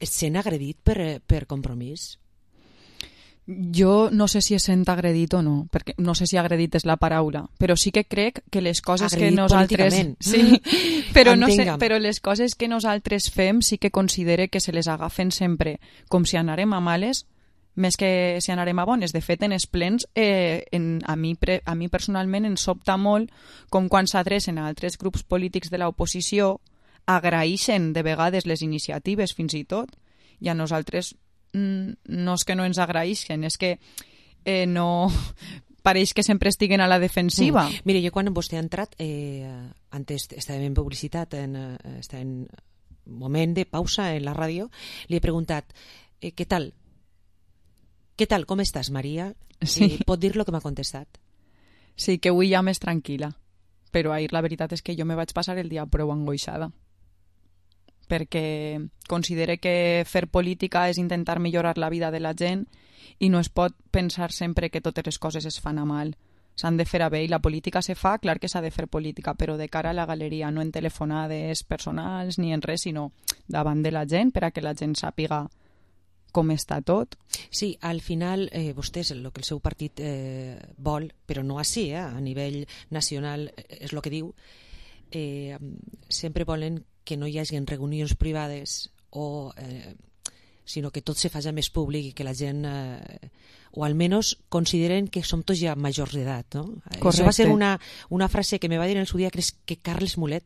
sent agredit per Compromís. Jo no sé si es sent agredit o no, perquè no sé si agredit és la paraula, però sí que crec que les coses agredit que nosaltres... Sí, però, no sé, però les coses que nosaltres fem sí que considere que se les agafen sempre com si anarem a males, més que si anarem a bones. De fet, en els plens, a mi personalment em sobta molt com quan s'adrecen a altres grups polítics de l'oposició agraeixen de vegades les iniciatives fins i tot, i a nosaltres no és que no ens agraeixen, és que no... Pareix que sempre estiguen a la defensiva. Mira, jo quan vostè ha entrat, antes estàvem en publicitat, estava en moment de pausa en la ràdio, li he preguntat, què tal? Què tal, com estàs, Maria? Sí. Pot dir lo que m'ha contestat? Sí, que avui ja més tranquil·la, però ahir la veritat és que jo me vaig passar el dia prou angoixada, perquè considere que fer política és intentar millorar la vida de la gent i no es pot pensar sempre que totes les coses es fan a mal. S'han de fer a bé i la política se fa, clar que s'ha de fer política, però de cara a la galeria, no en telefonades personals ni en res, sinó davant de la gent per a que la gent sàpiga com està tot. Sí, al final vostès, el que el seu partit vol, però no així, a nivell nacional és el que diu, sempre volen que no hi hagi reunions privades sinó que tot se faci més públic i que la gent o almenys consideren que som tots ja majors d'edat, no? Correcte. Això va ser una frase que me va dir en el seu dia, crec que Carles Mulet,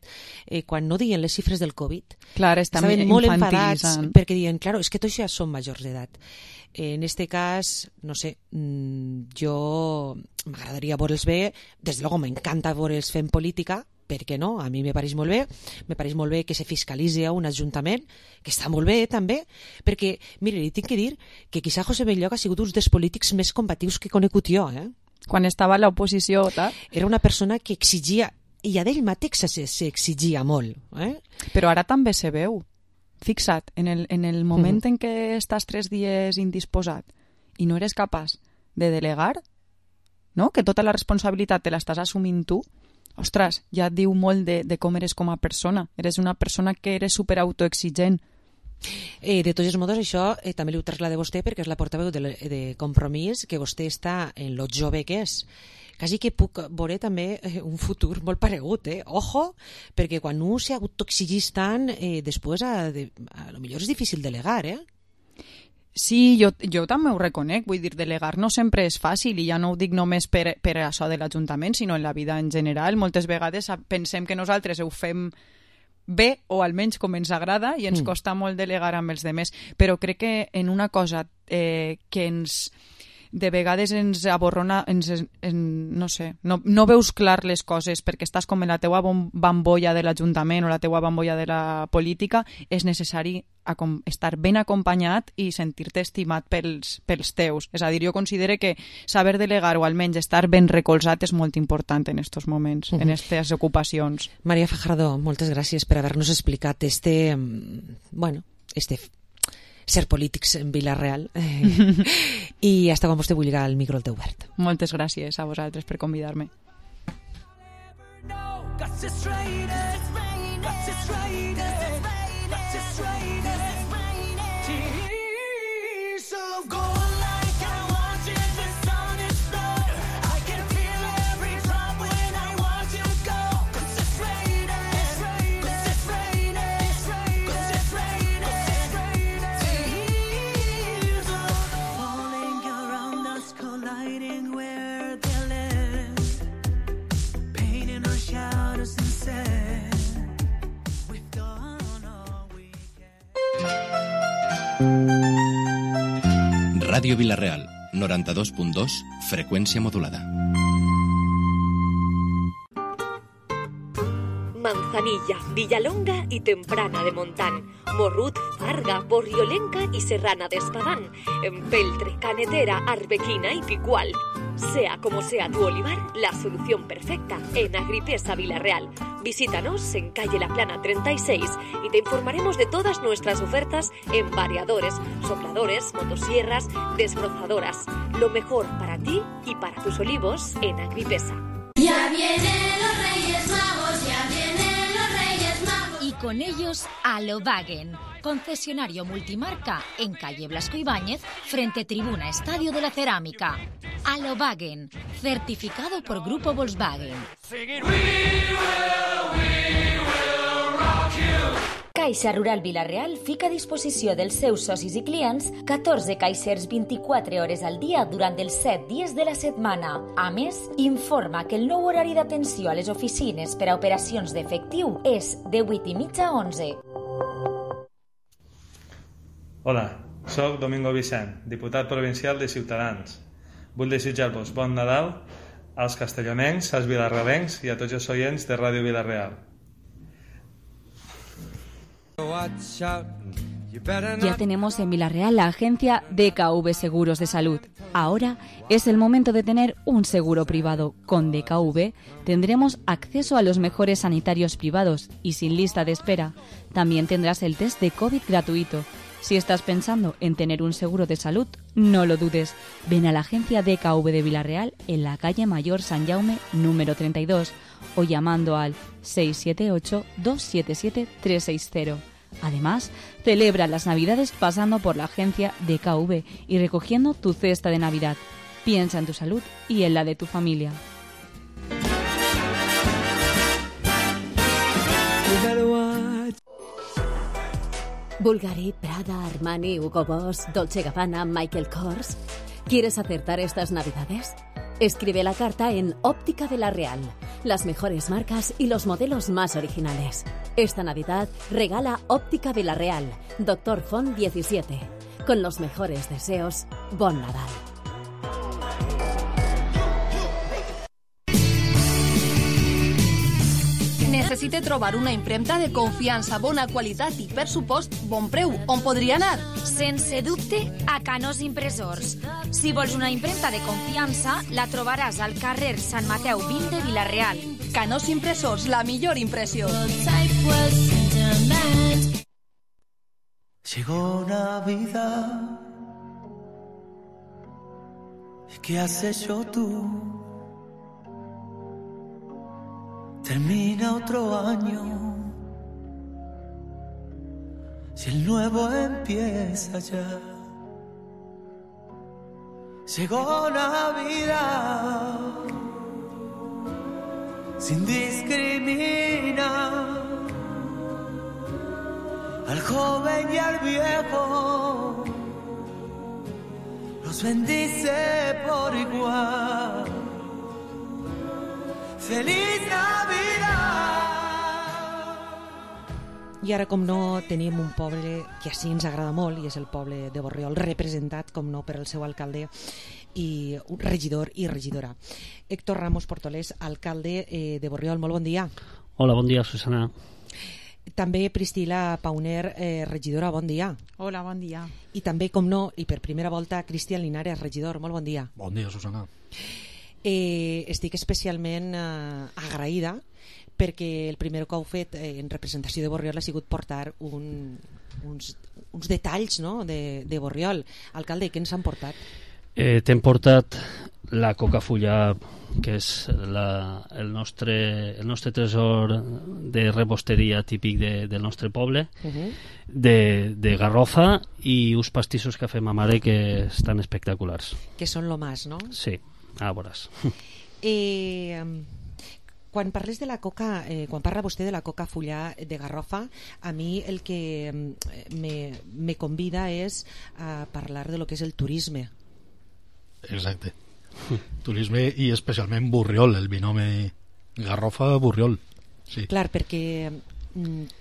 quan no deien les xifres del Covid, clar, estaven molt enfadats perquè diuen, claro, és que tots ja som majors d'edat. En este cas, no sé, jo m'agradaria veure'ls bé, des de luego m'encanta veure'ls fent política, per què no? A mi me pareix molt bé que se fiscalitzi a un ajuntament, que està molt bé també, perquè, mire, li tinc que dir que quizá José Belloc ha sigut un dels polítics més combatius que he conegut jo, Quan estava a l'oposició, tal. Era una persona que exigia, i a d'ell mateix s'exigia molt, Però ara també se veu. Fixa't, en el moment en què estàs 3 dies indisposat i no eres capaç de delegar, no? Que tota la responsabilitat te l'estàs assumint tu, ostres, ja et diu molt de com eres com a persona. Eres una persona que eres superautoexigent. De tots els modos, això també li ho trasllada vostè perquè és la portaveu de Compromís, que vostè està en lo jove que és. Quasi que puc veure també un futur molt paregut, Ojo, perquè quan un s'autoexigís tant, després a lo millor és difícil delegar, Sí, jo també ho reconec, vull dir, delegar no sempre és fàcil i ja no ho dic només per això de l'Ajuntament, sinó en la vida en general. Moltes vegades pensem que nosaltres ho fem bé o almenys com ens agrada i ens costa molt delegar amb els demés, però crec que en una cosa que de vegades ens aborrona, no sé, no veus clar les coses perquè estàs com en la teua bambolla de l'Ajuntament o la teua bambolla de la política, és necessari estar ben acompanyat i sentir-te estimat pels teus. És a dir, jo considero que saber delegar o almenys estar ben recolzat és molt important en aquests moments, en aquestes ocupacions. Maria Fajardo, moltes gràcies per haver-nos explicat ser polítics en Vila-real i hasta quan vostè vulgui el micro al teu obert. Moltes gràcies a vosaltres per convidar-me. Ràdio Vila-real, 92.2, freqüència modulada. Manzanilla, Villalonga y Temprana de Montán, Morrut, Farga, Borriolenca y Serrana de Espadán, Empeltre, Canetera, Arbequina y Picual. Sea como sea tu olivar, la solución perfecta en Agripesa Vila-real. Visítanos en calle La Plana 36 y te informaremos de todas nuestras ofertas en variadores, sopladores, motosierras, desbrozadoras. Lo mejor para ti y para tus olivos en Agripesa. Ya vienen los Reyes Magos, ya vienen los Reyes Magos. con ellos a Volkswagen, concesionario multimarca en calle Blasco Ibáñez, frente Tribuna Estadio de la Cerámica. A Volkswagen, certificado por Grupo Volkswagen. Caixa Rural Vila-real fica a disposició dels seus socis i clients 14 caixers 24 hores al dia durant els 7 dies de la setmana. A més, informa que el nou horari d'atenció a les oficines per a operacions d'efectiu és de 8:30 a 11. Hola, soc Domingo Vicent, diputat provincial de Ciutadans. Vull desitjar-vos bon Nadal als castellonencs, als vilarrealencs i a tots els oients de Ràdio Vila-real. Ya tenemos en Vila-real la agencia DKV Seguros de Salud. Ahora es el momento de tener un seguro privado. Con DKV tendremos acceso a los mejores sanitarios privados y sin lista de espera. También tendrás el test de COVID gratuito. Si estás pensando en tener un seguro de salud, no lo dudes. Ven a la agencia DKV de Vila-real en la calle Mayor San Jaume número 32 o llamando al 678-277-360. Además, celebra las Navidades pasando por la agencia DKV y recogiendo tu cesta de Navidad. Piensa en tu salud y en la de tu familia. Bulgari, Prada, Armani, Hugo Boss, Dolce & Gabbana, Michael Kors. ¿Quieres acertar estas Navidades? Escribe la carta en Óptica Vila-real. Las mejores marcas y los modelos más originales. Esta Navidad regala Óptica Vila-real, Dr. Font 17. Con los mejores deseos, bon Nadal. Necessite trobar una impremta de confiança, bona qualitat i, per supost, bon preu. On podria anar? Sense dubte, a Canós Impressors. Si vols una impremta de confiança, la trobaràs al carrer Sant Mateu 20 de Vila-real. Canós Impressors, la millor impressió. Llegó Navidad. ¿Qué has hecho tú? Termina otro año, si el nuevo empieza ya. Llegó Navidad, sin discriminar al joven y al viejo, los bendice por igual. ¡Feliz Navidad! I ara, com no, tenim un poble que així ens agrada molt, i és el poble de Borriol, representat, com no, per el seu alcalde i un regidor i regidora. Héctor Ramos Portolés, alcalde de Borriol, molt bon dia. Hola, bon dia, Susana. També Priscila Pauner, regidora, bon dia. Hola, bon dia. I també, com no, i per primera volta, Cristian Linares, regidor, molt bon dia. Bon dia, Susana. Estic especialment agraïda perquè el primer que heu fet en representació de Borriol ha sigut portar uns detalls, no?, de Borriol. Alcalde, què ens han portat? T'hem portat la cocafulla, que és el nostre tresor de rebosteria típic del nostre poble, de garrofa, i uns pastissos que fem a mare que estan espectaculars. Que són lo más, no? Sí. Ah, veuràs. Quan parles de la coca, quan parla vostè de la coca fullà de garrofa, a mi el que me convida és a parlar de lo que és el turisme. Exacte. Turisme i especialment Borriol, el binomi garrofa-Borriol. Sí. Clar, perquè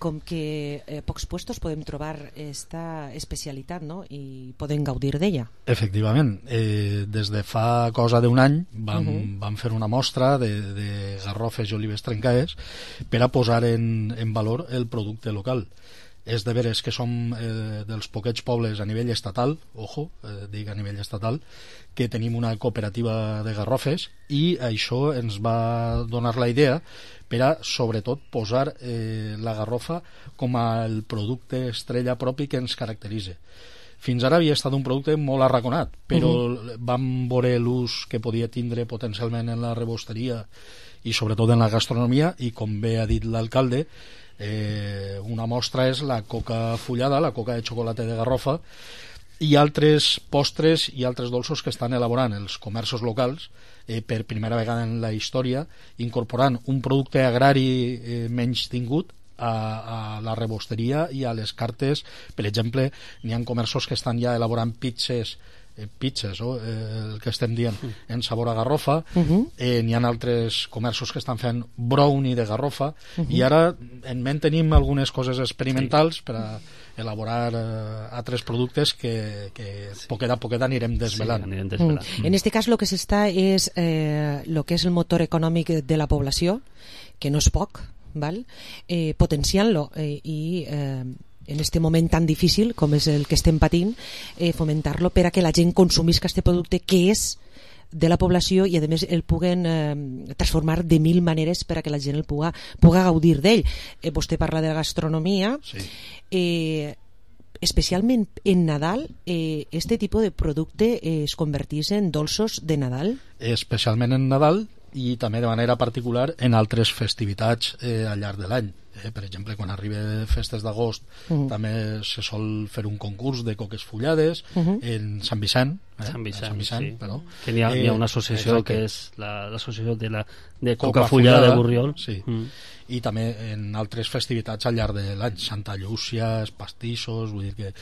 com que pocs puestos podem trobar esta especialitat, no?, i podem gaudir d'ella. Efectivament, des de fa cosa d'un any vam fer una mostra de garrofes i olives trencades per a posar en valor el producte local. És de veres que som dels poquets pobles a nivell estatal, ojo, dic a nivell estatal, que tenim una cooperativa de garrofes, i això ens va donar la idea per a, sobretot, posar la garrofa com el producte estrella propi que ens caracteritza. fins ara havia estat un producte molt arraconat, però vam veure l'ús que podia tindre potencialment en la rebosteria i sobretot en la gastronomia, i com bé ha dit l'alcalde, una mostra és la coca fullada, la coca de xocolata de Garrofa, i altres postres i altres dolços que estan elaborant els comerços locals per primera vegada en la història, incorporant un producte agrari menys tingut a la rebosteria i a les cartes. Per exemple, n'hi ha comerços que estan ja elaborant pizzas, el que estem dient, en sabor a garrofa. N'hi ha altres comerços que estan fent brownie de garrofa, i ara en ment tenim algunes coses experimentals per a elaborar altres productes que poquet a poquet anirem desvelant. En este cas lo que s'està és lo que és el motor econòmic de la població, que no és poc, val? Potenciant-lo i en este moment tan difícil com és el que estem patint, fomentar-lo per a que la gent consumisca este producte que és de la població, i a més el puguen transformar de mil maneres per a que la gent el puga gaudir d'ell. Vostè parla de la gastronomia, especialment en Nadal, este tipus de producte es convertís en dolços de Nadal? Especialment en Nadal, i també de manera particular en altres festivitats al llarg de l'any. Per exemple, quan arriba festes d'agost també se sol fer un concurs de coques fullades en Sant Vicent, Sant Vicent, sí. Perdó. Que n'hi ha una associació que és l'associació de coca fullada de Borriol, sí. I també en altres festivitats al llarg de l'any, Santa Llúcia, els pastissos, vull dir que...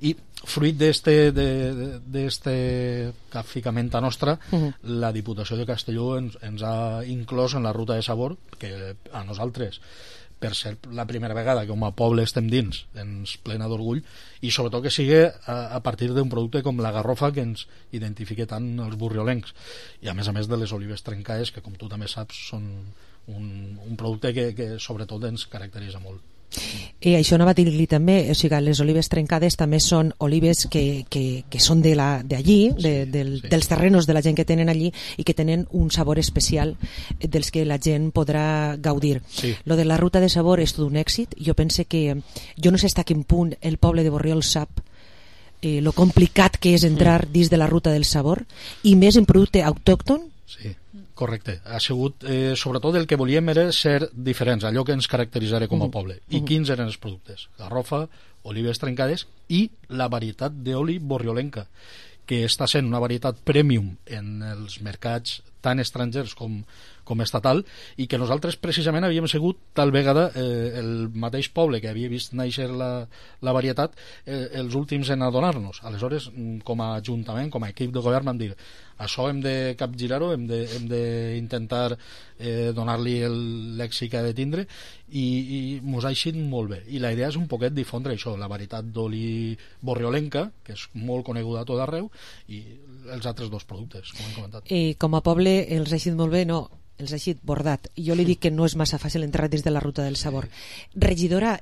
I fruit d'este capficament nostra, la Diputació de Castelló ens ha inclòs en la ruta de sabor, que a nosaltres, per ser la primera vegada que com a poble estem dins, ens plena d'orgull, i sobretot que sigui a partir d'un producte com la garrofa, que ens identifica tant els burriolencs, i a més de les olives trencades, que com tu també saps són un producte que sobretot ens caracteritza molt. I això anava a dir-li també, o sigui, les olives trencades també són olives que són d'allí, dels terrenos de la gent que tenen allí, i que tenen un sabor especial dels que la gent podrà gaudir. Lo de la ruta de sabor és tot un èxit. Jo pense que, jo no sé fins a quin punt el poble de Borriol sap lo complicat que és entrar dins de la ruta del sabor, i més en producte autòcton. Sí, correcte. Ha sigut, sobretot el que volíem era ser diferents, allò que ens caracteritzarà com a poble. I quins eren els productes? Garrofa, olives trencades i la varietat d'oli borriolenca, que està sent una varietat premium en els mercats tant estrangers com estatal, i que nosaltres precisament havíem sigut tal vegada el mateix poble que havia vist néixer la varietat els últims en adonar-nos. Aleshores, com a ajuntament, com a equip de govern, vam dir, això hem de capgirar-ho, hem d'intentar donar-li l'èxit que ha de tindre, i mos ha eixit molt bé. I la idea és un poquet difondre això, la varietat d'oli borriolenca, que és molt coneguda a tot arreu, i els altres dos productes, com hem comentat. Com a poble els ha eixit molt bé, no, els ha eixit bordat. Jo li dic que no és massa fàcil entrar dins de la ruta del sabor. Regidora,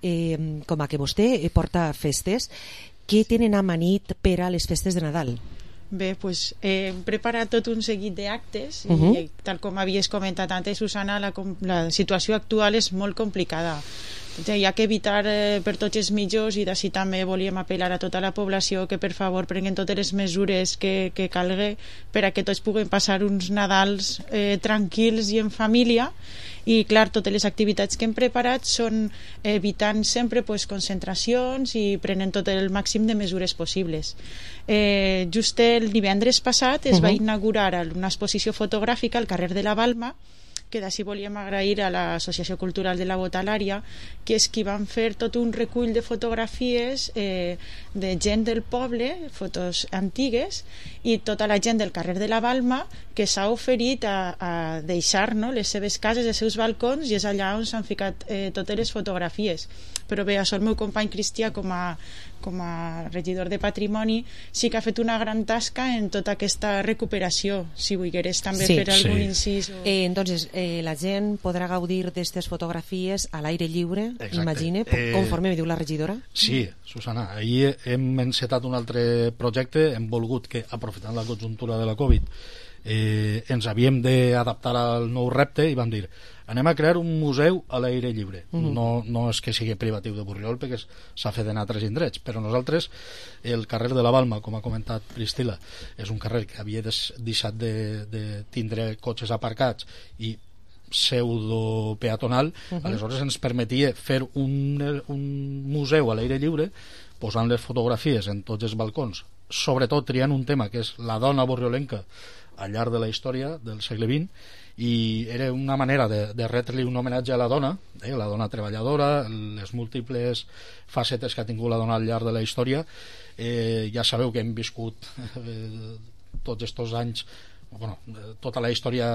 com a que vostè porta festes, què tenen amanit per a les festes de Nadal? Bé, doncs hem preparat tot un seguit d'actes i tal com havies comentat antes, Susana, la situació actual és molt complicada. Hi ha que evitar per tots els mitjans, i d'ací també volíem apel·lar a tota la població que per favor prenguen totes les mesures que calgui per a que tots puguem passar uns Nadals tranquils i en família. I clar, totes les activitats que hem preparat són evitant sempre concentracions i prenent tot el màxim de mesures possibles. Just el divendres passat es va inaugurar una exposició fotogràfica al carrer de la Balma, que d'ací volíem agrair a l'Associació Cultural de la Botalària, que és qui van fer tot un recull de fotografies de gent del poble, fotos antigues, i tota la gent del carrer de la Balma que s'ha oferit a deixar les seves cases, els seus balcons, i és allà on s'han ficat totes les fotografies. Però bé, això el meu company Cristià, com a regidor de Patrimoni, sí que ha fet una gran tasca en tota aquesta recuperació. Si volgueres també fer algun incís. Entonces, la gent podrà gaudir d'aquestes fotografies a l'aire lliure, imagine, conforme me diu la regidora? Sí, Susana, ahir hem encetat un altre projecte, hem volgut que, aprofitant la conjuntura de la Covid, ens havíem d'adaptar al nou repte i vam dir, anem a crear un museu a l'aire lliure. No és que sigui privatiu de Borriol, perquè s'ha fet en altres indrets, però nosaltres, el carrer de la Balma, com ha comentat Priscila, és un carrer que havia deixat de tindre cotxes aparcats i pseudo peatonal, aleshores ens permetia fer un museu a l'aire lliure, posant les fotografies en tots els balcons, sobretot triant un tema que és la dona borriolenca al llarg de la història del segle XX, i era una manera de retre-li un homenatge a la dona treballadora, les múltiples facetes que ha tingut la dona al llarg de la història. Ja sabeu que hem viscut tots aquests anys, tota la història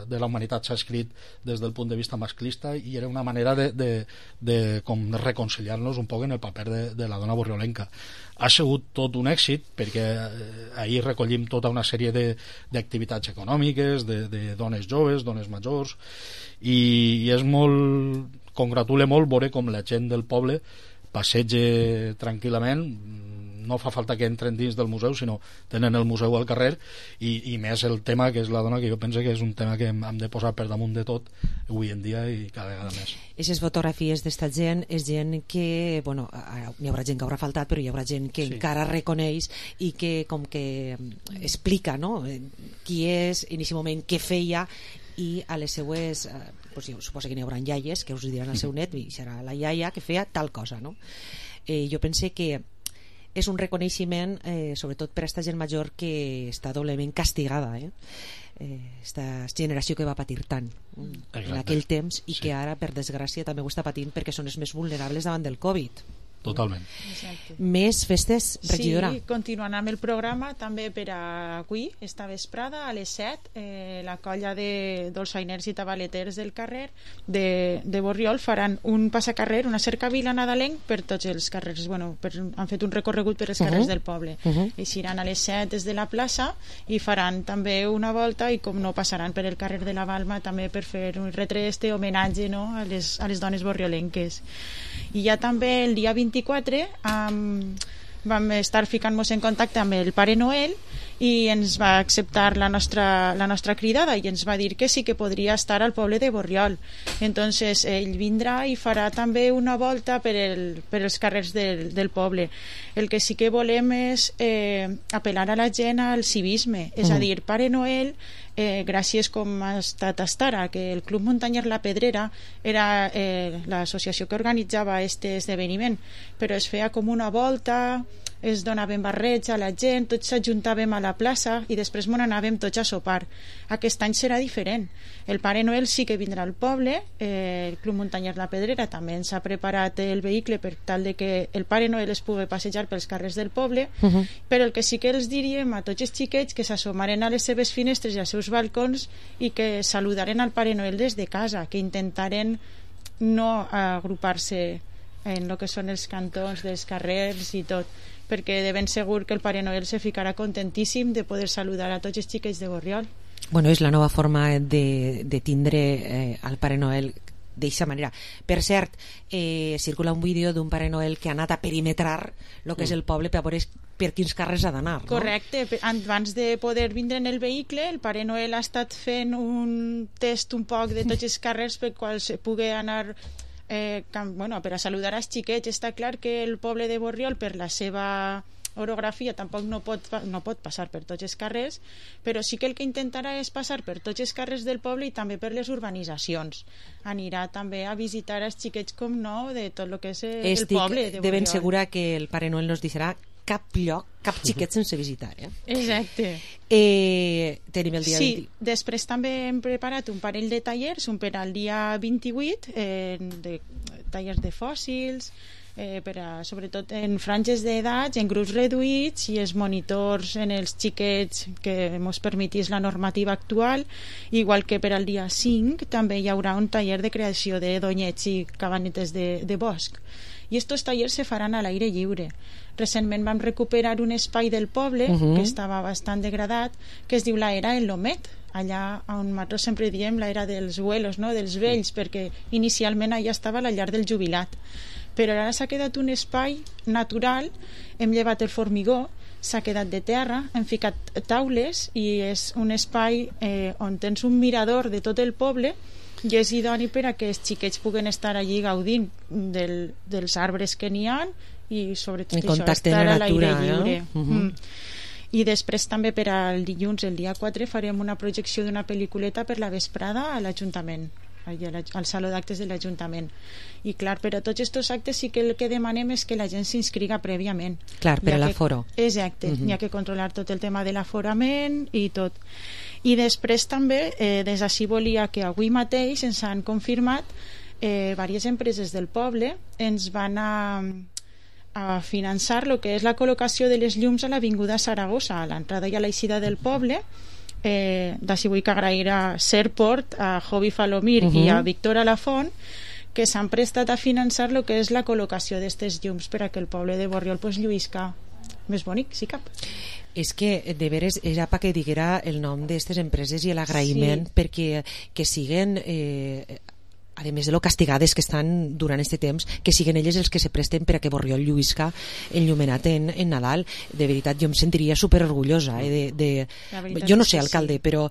de la humanitat s'ha escrit des del punt de vista masclista, i era una manera de com reconciliar-nos un poc en el paper de la dona borriolenca. Ha sigut tot un èxit, perquè ahir recollim tota una sèrie d'activitats econòmiques, de dones joves, dones majors, i és molt, congratula molt veure com la gent del poble passeja tranquil·lament, no fa falta que entren dins del museu, sinó tenen el museu al carrer, i més el tema que és la dona, que jo penso que és un tema que hem de posar per damunt de tot avui en dia i cada vegada més. Aquestes fotografies d'esta gent és gent que, bueno, n'hi haurà gent que haurà faltat, però hi haurà gent que encara reconeix i que com que explica, no?, qui és, en aquest moment, què feia, i a les seues suposo que n'hi haurà iaies que us diran al seu net, i serà la iaia que feia tal cosa, no? Jo pense que és un reconeixement, sobretot per a aquesta gent major que està doblement castigada, esta generació que va patir tant en aquell temps, i que ara, per desgràcia, també ho està patint perquè són els més vulnerables davant del Covid. Totalment. Exacte. Més festes, regidora? Sí, continuant amb el programa, també per avui, esta vesprada, a les 7, la colla de dolçainers i tabaleters del carrer de Borriol faran un passacarrer, una cercavila nadalenc per tots els carrers. Han fet un recorregut per els carrers del poble. Eixiran a les 7 des de la plaça i faran també una volta, i com no, passaran per el carrer de la Balma també per fer un retre homenatge, no?, a les dones borriolenques. I ja també el dia 24 vam estar ficant-nos en contacte amb el Pare Noel, i ens va acceptar la nostra cridada i ens va dir que sí que podria estar al poble de Borriol. Entonces ell vindrà i farà també una volta per els carrers del poble. El que sí que volem és apel·lar a la gent al civisme, és a dir, Pare Noel, gràcies com ha estat ara, que el Club Muntanyer La Pedrera era l'associació que organitzava aquest esdeveniment, però es feia com una volta, es donaven barrets a la gent, tots s'ajuntàvem a la plaça i després m'on anàvem tots a sopar. Aquest any serà diferent. El Pare Noel sí que vindrà al poble, el Club Muntanyer La Pedrera també ens ha preparat el vehicle per tal de que el Pare Noel es pugui passejar pels carrers del poble, però el que sí que els diríem a tots els xiquets que s'assomaren a les seves finestres i als seus balcons i que saludaren al Pare Noel des de casa, que intentaren no agrupar-se en el que són els cantons dels carrers i tot, perquè de ben segur que el Pare Noel se ficarà contentíssim de poder saludar a tots els xiquets de Borriol. Bueno, és la nova forma de tindre al Pare Noel d'aquesta manera. Per cert, circula un vídeo d'un Pare Noel que ha anat a perimetrar el que és el poble per veure per quins carrers ha d'anar, no? Correcte, abans de poder vindre en el vehicle, el Pare Noel ha estat fent un test un poc de tots els carrers per quals se pugui anar per a saludar als xiquets. Està clar que el poble de Borriol, per la seva orografia, tampoc no pot passar per tots els carrers, però sí que el que intentarà és passar per tots els carrers del poble i també per les urbanitzacions. Anirà també a visitar els xiquets, com no, de tot el que és el poble de Borriol. De ben segura que el Pare Noel no ens deixarà cap lloc, cap xiquet sense visitar, Exacte. Tenim el dia 20. Després també hem preparat un parell de tallers, un per al dia 28, de tallers de fòssils, sobretot en franges d'edats, en grups reduïts, i els monitors en els xiquets que ens permetís la normativa actual, igual que per al dia 5 també hi haurà un taller de creació de donyets i cabanetes de bosc. I estos tallers se faran a l'aire lliure. Recentment vam recuperar un espai del poble que estava bastant degradat, que es diu la Era en Lomet, allà on nosaltres sempre diem la Era dels abuelos, no? Dels vells, perquè inicialment allà estava la llar del jubilat, però ara s'ha quedat un espai natural. Hem llevat el formigó s'ha quedat de terra, hem ficat taules i és un espai on tens un mirador de tot el poble i és idoni per a que els xiquets puguen estar allí gaudint dels arbres que n'hi ha i sobretot això, estar a l'aire lliure. I després també per al dilluns, el dia 4, farem una projecció d'una pel·lículeta per la vesprada a l'Ajuntament, al Saló d'Actes de l'Ajuntament. I clar, per a tots aquests actes sí que el que demanem és que la gent s'inscriga prèviament. Clar, per a l'aforo. Exacte, hi ha que controlar tot el tema de l'aforament i tot. I després també, des d'ací volia que avui mateix ens han confirmat diverses empreses del poble ens van a finançar el que és la col·locació de les llums a l'Avinguda Saragossa, a l'entrada i a l'eixida del poble. D'ací vull que agrair a Serport, a Jovi Falomir i a Víctor Alafont, que s'han prestat a finançar el que és la col·locació d'aquestes llums per a que el poble de Borriol lluïsca més bonic, si cap. És que, de veres, era perquè diguera el nom d'aquestes empreses i l'agraïment perquè que siguen... a més de lo castigades que estan durant aquest temps, que siguen elles els que se presten per a que Borriol lluïsca enllumenat en Nadal. De veritat, jo em sentiria superorgullosa jo no sé, alcalde, però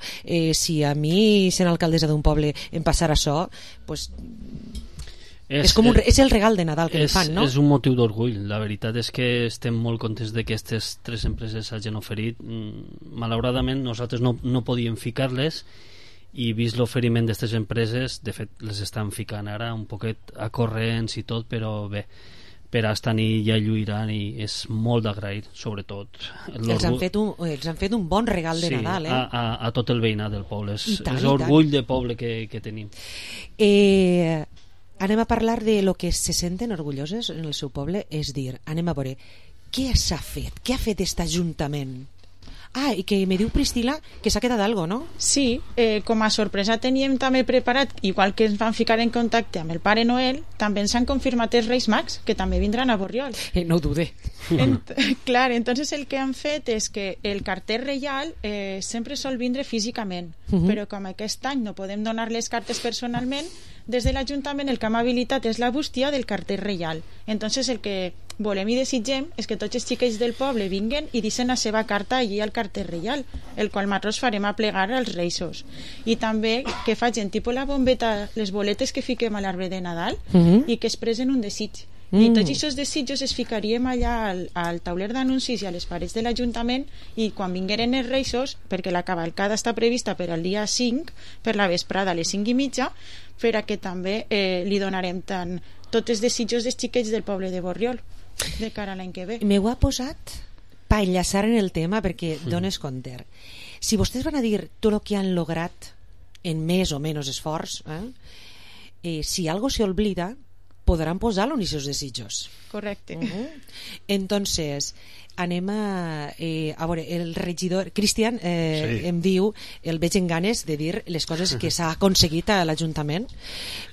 si a mi, sent alcaldessa d'un poble, em passara això, pues, és el regal de Nadal que em fan, no? És un motiu d'orgull. La veritat és que estem molt contents de que aquestes 3 empreses hagin oferit. Malauradament nosaltres no podíem ficar-les i vist l'oferiment d'aquestes empreses, de fet les estan ficant ara un poquet a corrents i tot, però bé, per a estar i ja lluiran i és molt d'agrair, sobretot els han fet un bon regal de Nadal, a tot el veïnat del poble. És l'orgull de poble que tenim. Anem a parlar de lo que se senten orgulloses en el seu poble, és dir, anem a veure què s'ha fet, què ha fet aquest Ajuntament. I que me diu Priscila que s'ha quedat algo, no? Sí, com a sorpresa teníem també preparat, igual que ens van ficar en contacte amb el Pare Noel, també ens han confirmat els Reis Mags, que també vindran a Borriol. No ho dude. Clar, entonces el que han fet és que el carter reial sempre sol vindre físicament, però com aquest any no podem donar les cartes personalment, des de l'Ajuntament el que hem habilitat és la bústia del carter reial. Entonces el que volem i desitgem és que tots els xiquets del poble vinguen i deixen la seva carta allí al carter reial, el qual nosaltres farem a plegar als Reisos. I també que facin tipus la bombeta, les boletes que fiquem a l'arbre de Nadal i que expressen un desig. I tots aquests desitjos es ficaríem allà al tauler d'anuncis i a les parets de l'Ajuntament i quan vingueren els Reisos, perquè la cavalcada està prevista per al dia 5, per la vesprada a les 5:30, per a que també li donarem tots els desitjos dels xiquets del poble de Borriol de cara a l'any que ve. M'ho ha posat per enllaçar en el tema perquè dones compte. Si vostès van a dir tot el que han lograt en més o menys esforç, si algo se olvida podran posar-lo en aquests desitjos. Correcte. Entonces anem a veure, el regidor Cristian em diu, el veig en ganes de dir les coses que s'ha aconseguit a l'Ajuntament.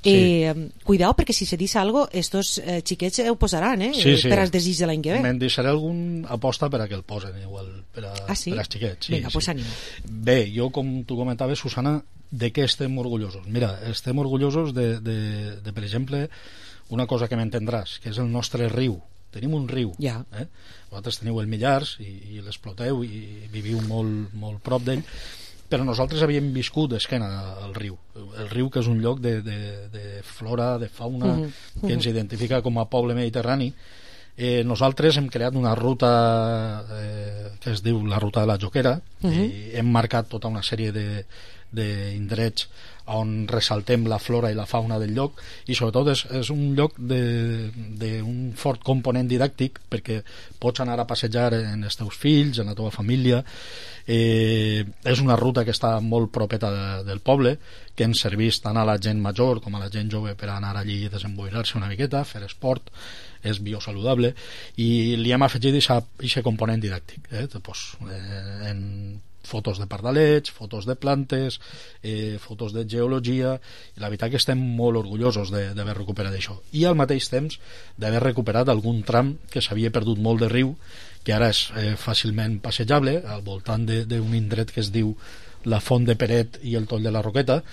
Cuidao, perquè si se dice algo estos xiquets ho posaran per als desigs de l'any que ve. Me'n deixaré algun aposta per a que el posen igual, per als xiquets. Vinga, pues ànima. Bé, jo com tu comentaves, Susana, de què estem orgullosos? Mira, estem orgullosos de per exemple, una cosa que m'entendràs, que és el nostre riu. Tenim un riu. Vosaltres teniu el Millars i l'exploteu i viviu molt, molt prop d'ell, però nosaltres havíem viscut d'esquena al riu. El riu, que és un lloc de flora, de fauna, que ens identifica com a poble mediterrani. Nosaltres hem creat una ruta que es diu la ruta de la Joquera i hem marcat tota una sèrie d'indrets on ressaltem la flora i la fauna del lloc i sobretot és un lloc d'un fort component didàctic perquè pots anar a passejar en els teus fills, en la teva família. És una ruta que està molt propeta del poble, que ens serveix tant a la gent major com a la gent jove per anar allí i desemboirar-se una miqueta, fer esport, és biosaludable, i li hem afegit aquest component didàctic, en fotos de pardalets, fotos de plantes, fotos de geologia, i la veritat que estem molt orgullosos d'haver recuperat això. I al mateix temps d'haver recuperat algun tram que s'havia perdut molt de riu, que ara és fàcilment passejable, al voltant d'un indret que es diu la Font de Peret i el Toll de la Roqueta,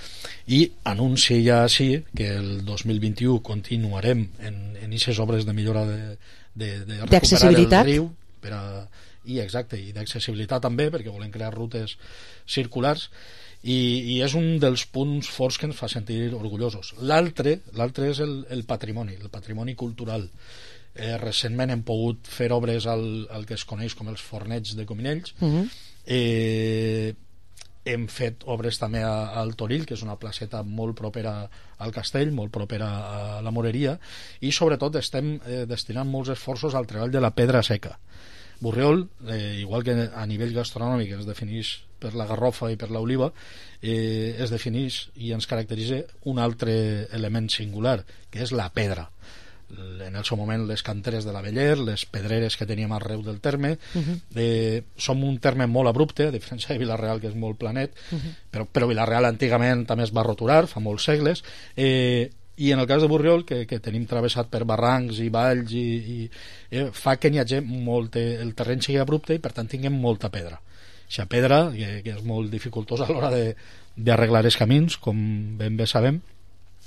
i anuncia ja així que el 2021 continuarem en aquestes obres de millora de recuperar el riu i d'accessibilitat també, perquè volem crear rutes circulars, i és un dels punts forts que ens fa sentir orgullosos. L'altre és el patrimoni cultural. Recentment hem pogut fer obres al que es coneix com els fornets de Cominells. Hem fet obres també al Torill, que és una placeta molt propera al castell, molt propera a la moreria, i sobretot estem destinant molts esforços al treball de la pedra seca. Borriol, igual que a nivell gastronòmic es defineix per la garrofa i per l'oliva, es defineix i ens caracteritza un altre element singular, que és la pedra. En el seu moment les canteres de l'Aveller, les pedreres que teníem arreu del terme. Som un terme molt abrupte, a diferència de Vila-real, que és molt planet, però Vila-real antigament també es va roturar fa molts segles, i en el cas de Borriol, que tenim travessat per barrancs i valls, fa que n'hi hagi el terreny sigui abrupte i per tant tinguem molta pedra. Aquesta pedra, que és molt dificultosa a l'hora d'arreglar els camins, com ben bé sabem,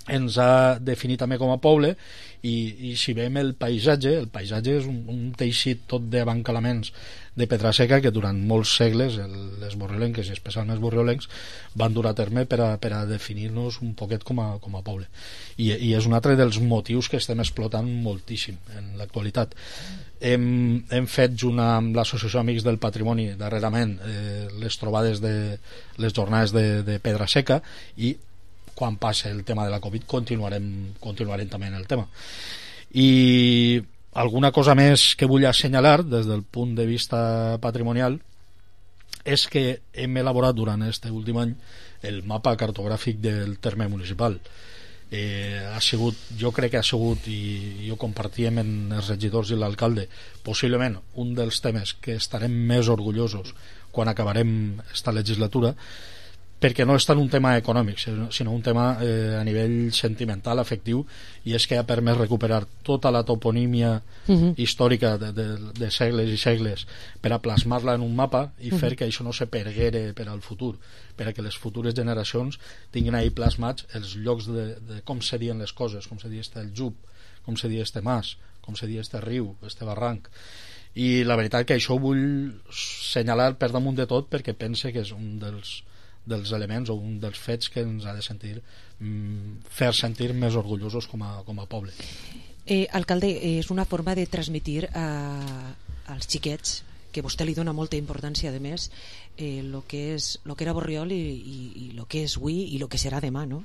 ens ha definit també com a poble, i si veiem el paisatge és un teixit tot d'abancalaments de pedra seca que durant molts segles les borriolenques, i especialment els borriolencs, van dur a terme per a definir-nos un poquet com a poble, i és un altre dels motius que estem explotant moltíssim en l'actualitat. Hem fet junt amb l'Associació Amics del Patrimoni darrerament les trobades de les jornades de pedra seca, i quan passa el tema de la Covid continuarem també en el tema. I alguna cosa més que vull assenyalar des del punt de vista patrimonial és que hem elaborat durant aquest últim any el mapa cartogràfic del terme municipal. Jo crec que ha sigut, i ho compartíem en els regidors i l'alcalde, possiblement un dels temes que estarem més orgullosos quan acabarem esta legislatura, perquè no és tant un tema econòmic, sinó un tema a nivell sentimental, afectiu, i és que ha permès recuperar tota la toponímia històrica de segles i segles per a plasmar-la en un mapa i fer que això no se perguere per al futur, per a que les futures generacions tinguin ahí plasmats els llocs de com se diuen les coses, com se dia el Jub, com se dia este mas, com se dia este riu, este barranc. I la veritat que això ho vull senyalar per damunt de tot, perquè pense que és un dels elements o un dels fets que ens ha de fer sentir més orgullosos com a poble. Alcalde, és una forma de transmitir als xiquets, que vostè li dona molta importància, a més, lo que era Borriol i lo que és avui i lo que serà demà, no?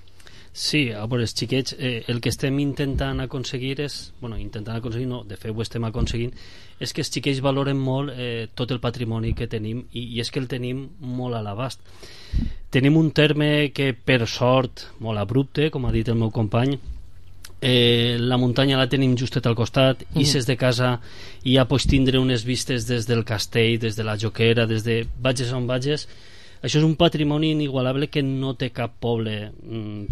Sí, a veure, els xiquets, el que estem intentant aconseguir és, de fet ho estem aconseguint, és que els xiquets valoren molt tot el patrimoni que tenim, i és que el tenim molt a l'abast. Tenim un terme que, per sort, molt abrupte, com ha dit el meu company, la muntanya la tenim justet al costat, i ses de casa ja pots tindre unes vistes des del castell, des de la Joquera, des de vages on vages. Això és un patrimoni inigualable que no té cap poble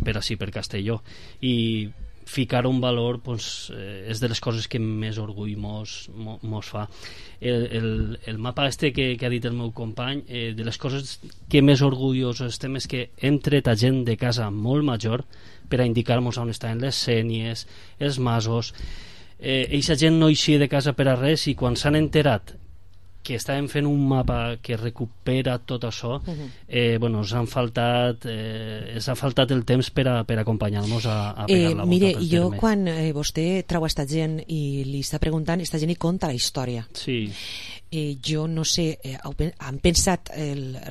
per ací, per Castelló, i ficar un valor és de les coses que més orgull mos fa. El mapa que ha dit el meu company, de les coses que més orgullosos estem és que hem tret a gent de casa molt major per a indicar-nos on estaven les sénies, els masos. Eixa gent no eixia de casa per a res, i quan s'han enterat que estàvem fent un mapa que recupera tot això, ens ha faltat el temps per acompanyar-nos a pegar la volta mire, pel jo terme. quan vostè trau esta gent i li està preguntant, esta gent hi conta la història. Sí. Jo no sé, han pensat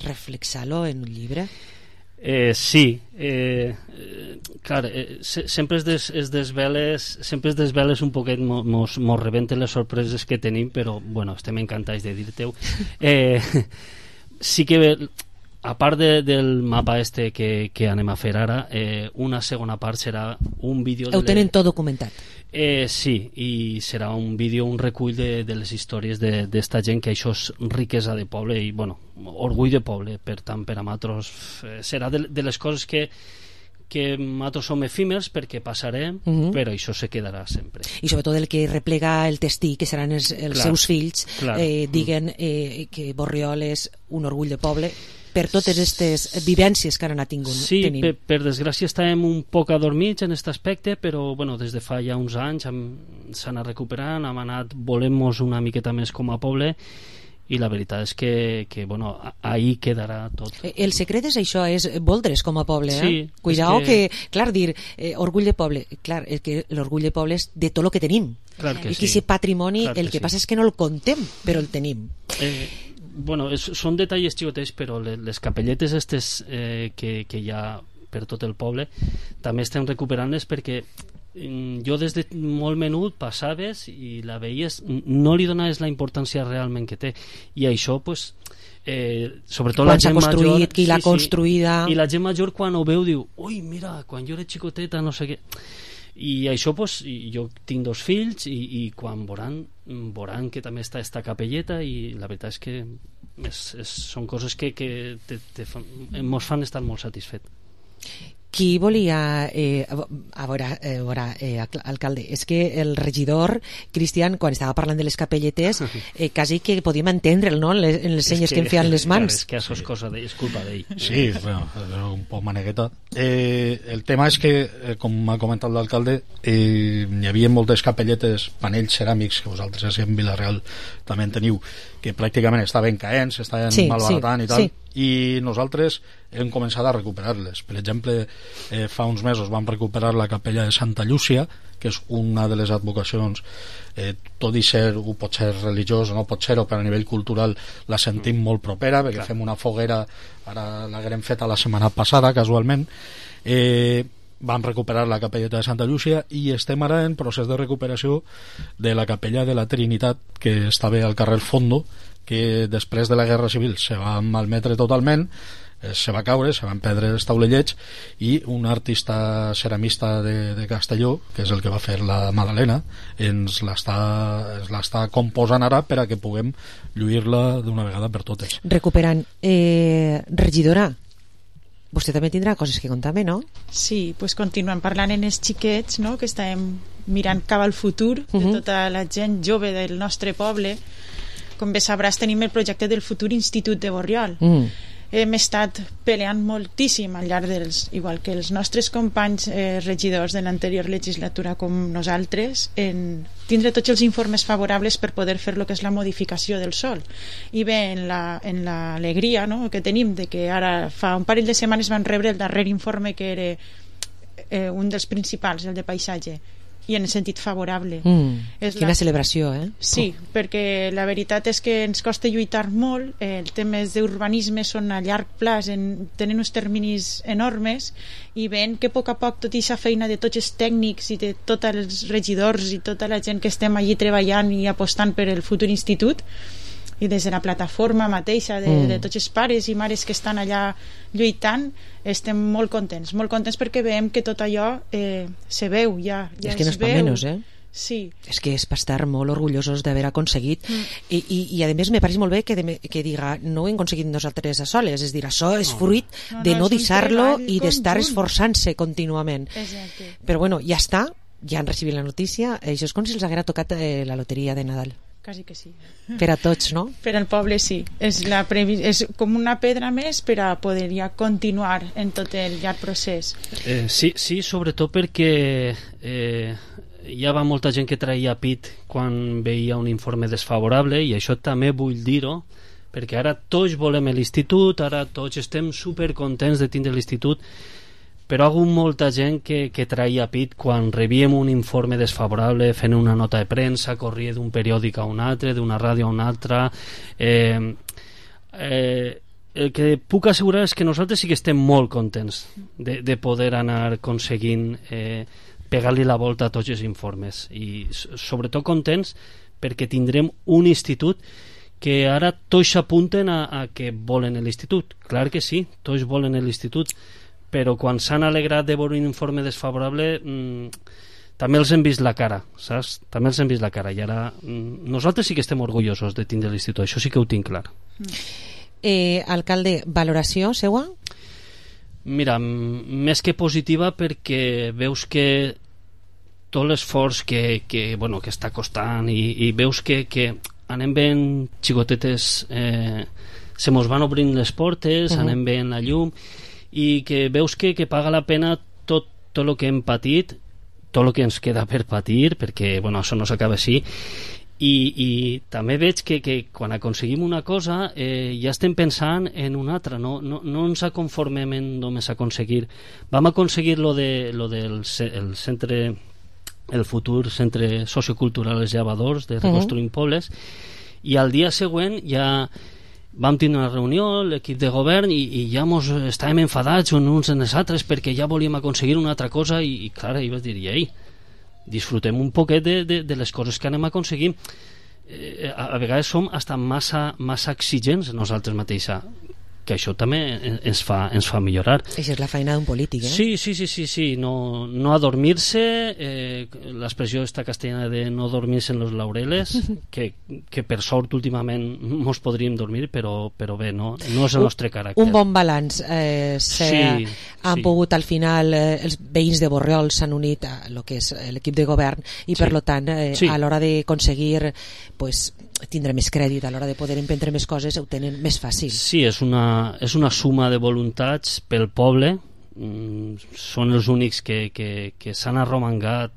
reflexar-lo en un llibre? Sí, clar, sempre es desveles un poquet, mos rebenten les sorpreses que tenim, però bueno, estem encantats de dir-te-ho. Sí que, a part del mapa que anem a fer ara, una segona part serà un vídeo... Ho tenen tot documentat? Sí, i serà un vídeo, un recull de les històries d'esta gent, que això és riquesa de poble i, bueno, orgull de poble. Per tant, per a nosaltres serà de les coses que nosaltres som efímers perquè passarem, però això se quedarà sempre. I sobretot el que replega el testí, que seran els seus fills, diguen que Borriol és un orgull de poble per totes aquestes vivències que ara n'ha tingut. Sí, per desgràcia estàvem un poc adormits en aquest aspecte, però bueno, des de fa ja uns anys s'ha anat recuperant, hem anat volent-nos una miqueta més com a poble, i la veritat és que bueno, ahí quedarà tot. El secret és això, és voldre's com a poble, sí, cuidao que, clar, dir orgull de poble, clar, que l'orgull de poble és de tot el que tenim, clar que i que aquest patrimoni, el que passa és que no el contem, però el tenim. Bueno, són detalls xicotets, però les capelletes estes que hi ha per tot el poble també estem recuperant-les, perquè jo des de molt menut passaves i la veies, no li donaves la importància realment que té, i això pues, sobretot quan la gent construït, major, qui l'ha construïda, i la gent major quan ho veu diu, ui mira, quan jo era xicoteta no sé què, i això pues, jo tinc 2 fills i quan veuran que també està esta capelleta, i la veritat és que són coses que ens fan estar molt satisfets. Qui volia a veure, alcalde, és que el regidor Cristian, quan estava parlant de les capelletes, quasi que podíem entendre'l, no?, en les senyes que em feien les mans. És que això és cosa d'ell, és culpa d'ell. Sí, bueno, és un poc manegueta. El tema és que, com m'ha comentat l'alcalde, hi havia moltes capelletes, panells ceràmics, que vosaltres en Vila-real també en teniu, que pràcticament estaven caents, estaven malbaratant i tal, i nosaltres hem començat a recuperar-les. Per exemple, fa uns mesos vam recuperar la capella de Santa Llúcia, que és una de les advocacions, tot i ser, ho pot ser religiós o no pot ser-ho, però a nivell cultural la sentim molt propera, perquè fem una foguera, ara l'haguem feta la setmana passada casualment. Vam recuperar la capelleta de Santa Llúcia i estem ara en procés de recuperació de la capella de la Trinitat, que estava al carrer Fondo, que després de la Guerra Civil se va malmetre totalment, se va caure, se van perdre els taulellets, i un artista ceramista de Castelló, que és el que va fer la Madalena, ens l'està composant ara per a que puguem lluir-la d'una vegada per totes. Recuperant. Regidora, vostè també tindrà coses que contar-me, no? Sí, pues continuem parlant en els xiquets, no?, que estàvem mirant cap al futur de tota la gent jove del nostre poble. Com bé sabràs, tenim el projecte del futur Institut de Borriol. Hem estat peleant moltíssim al llarg igual que els nostres companys regidors de l'anterior legislatura com nosaltres, en tindre tots els informes favorables per poder fer el que és la modificació del sòl. I bé, en l'alegria, no?, que tenim de que ara fa un parell de setmanes van rebre el darrer informe, que era un dels principals, el de paisatge, i en el sentit favorable. Quina celebració, Sí, perquè la veritat és que ens costa lluitar molt, els temes d'urbanisme són a llarg plaç, tenen uns terminis enormes, i veient que a poc tota aquesta feina de tots els tècnics i de tots els regidors i tota la gent que estem allí treballant i apostant per el futur institut, i des de la plataforma mateixa de tots els pares i mares que estan allà lluitant, estem molt contents perquè veiem que tot allò se veu, ja és que no és per menys, Sí. És que és per estar molt orgullosos d'haver aconseguit i a més me pareix molt bé que diga, no ho hem aconseguit nosaltres a soles, és dir, això és fruit de no deixar-lo i d'estar esforçant-se contínuament. Però bueno, ja està, ja han recibit la notícia, això és com si els haguera tocat la loteria de Nadal. Quasi que sí. Per a tots, no? Per al poble sí. És com una pedra més per a poder ja continuar en tot el llarg procés. Sí, sobretot perquè hi va molta gent que traia pit quan veia un informe desfavorable, i això també vull dir-ho, perquè ara tots volem l'institut, ara tots estem supercontents de tindre l'institut, però hi ha hagut molta gent que traia pit quan rebíem un informe desfavorable, fent una nota de premsa, corria d'un periòdic a un altre, d'una ràdio a una altra. El que puc assegurar és que nosaltres sí que estem molt contents de poder anar aconseguint pegar-li la volta a tots els informes, i sobretot contents perquè tindrem un institut que ara tots s'apunten a que volen l'institut. Clar que sí, tots volen l'institut, però quan s'han alegrat de veure un informe desfavorable també els hem vist la cara, saps? També els hem vist la cara, i ara nosaltres sí que estem orgullosos de tindre l'institut, això sí que ho tinc clar. Alcalde, valoració seua? Mira, més que positiva, perquè veus que tot l'esforç que està costant, i veus que anem ben xicotetes, se mos van obrint les portes, anem ben la llum, i que veus que paga la pena tot el que hem patit, tot el que ens queda per patir, perquè això no s'acaba així, i també veig que quan aconseguim una cosa ja estem pensant en una altra, no ens conformem en només aconseguir. Vam aconseguir lo del centre, el futur centre sociocultural Els Llevadors de Reconstruint Pobles, i al dia següent ja vam tenir una reunió, l'equip de govern, i ja estàvem enfadats uns en els altres perquè ja volíem aconseguir una altra cosa, i clar, jo vaig dir, ei, disfrutem un poquet de les coses que anem aconseguint. A vegades som hasta massa exigents nosaltres mateixos, que això també ens fa millorar. Això és la feina d'un polític, Sí, no adormir-se, l'expressió esta castellana de no dormir-se en los laureles, que per sort últimament mos podríem dormir, però bé, no és el nostre caràcter. Un bon balanç. Han pogut al final, els veïns de Borriol s'han unit a lo que és l'equip de govern, i per tant a l'hora d'aconseguir tindre més crèdit, a l'hora de poder emprendre més coses, ho tenen més fàcil. Sí, és una suma de voluntats pel poble. Són els únics que s'han arromangat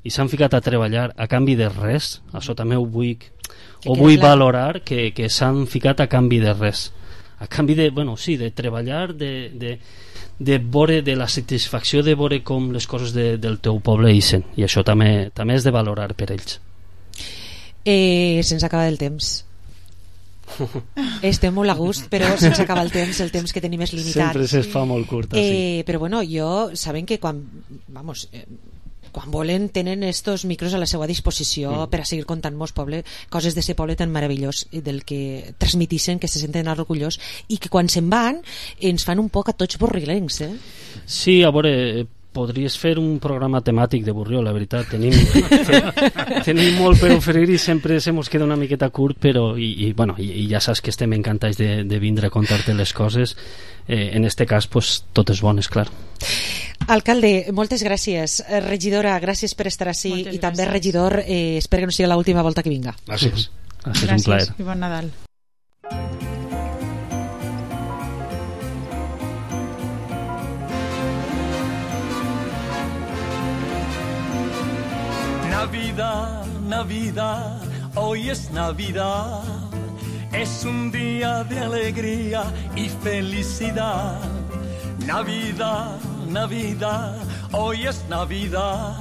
i s'han ficat a treballar a canvi de res. Això també ho vull valorar, que s'han ficat a canvi de res, a canvi de treballar, de veure, de la satisfacció de veure com les coses del teu poble ixen, i això també és de valorar per ells. Se'ns acaba el temps. Estem molt a gust, però se'ns acaba el temps que tenim és limitat. Sempre se'ns fa molt curta, sí. Però bueno, saben que quan volen tenen estos micros a la seva disposició per a seguir contant-nos coses de ser poble tan meravellós, del que transmitixen, que se senten orgullosos, i que quan se'n van ens fan un poc a tots borrilencs. Sí, a veure, podries fer un programa temàtic de Borriol, la veritat. Tenim molt per oferir i sempre se mos queda una miqueta curt, però i ja saps que estem encantats de vindre a contar-te les coses. En este cas, totes bones, clar. Alcalde, moltes gràcies. Regidora, gràcies per estar ací, i també regidor, espero que no sigui l'última volta que vinga. Gràcies. Gràcies, un plaer. I bon Nadal. Navidad, hoy es Navidad, es un día de alegría y felicidad. Navidad, hoy es Navidad,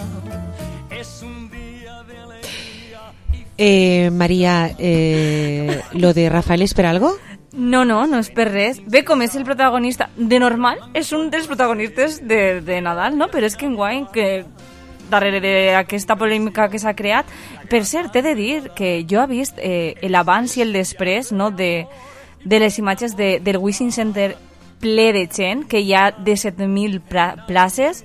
es un día de alegría. María, ¿lo de Rafael es per algo? No és per res. Bé, com és el protagonista de normal, és un dels protagonistes de Nadal, no? Però és que enguany, que darrere d'aquesta polèmica que s'ha creat, per cert, he de dir que jo he vist l'abans i el després, no, de les imatges del Wishing Center ple de gent, que hi ha de 7.000 places,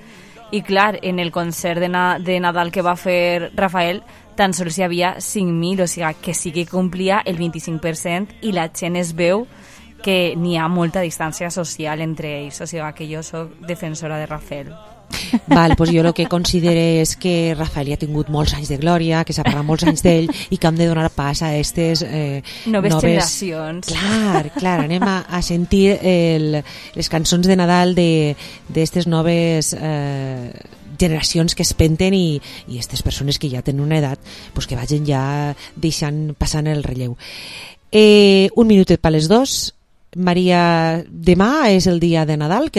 i clar, en el concert de Nadal que va fer Rafael tan sols hi havia 5.000, o sigui que sí que complia el 25%, i la gent es veu que n'hi ha molta distància social entre ells, o sigui que jo soc defensora de Rafael. Val, doncs jo el que considero és que Rafael ja ha tingut molts anys de glòria, que s'ha parlat molts anys d'ell, i que hem de donar pas a aquestes noves generacions. Clar, anem a sentir les cançons de Nadal d'aquestes noves generacions que es penten, i aquestes persones que ja tenen una edat, que vagin ja passant el relleu. Un minutet per les 2. Maria, demà és el dia de Nadal,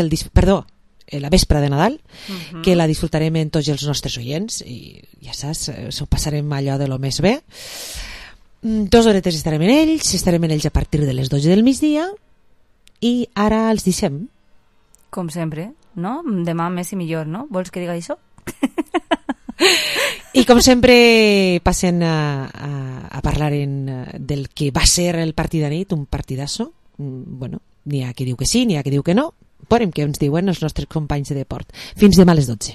la vespre de Nadal, que la disfrutarem en tots els nostres oients, i ja saps, s'ho passarem allò de lo més bé. 2 horetes estarem en ells a partir de les 12 del migdia, i ara els deixem. Com sempre, no? Demà més i millor, no? Vols que diga això? I com sempre passen a parlar del que va ser el partit de nit, un partidasso. N'hi ha qui diu que sí, n'hi ha qui diu que no. Veurem què ens diuen els nostres companys de deport. Fins demà a les 12.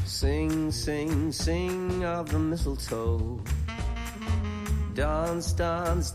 Sing, sing, sing of the mistletoe. Dance, dance,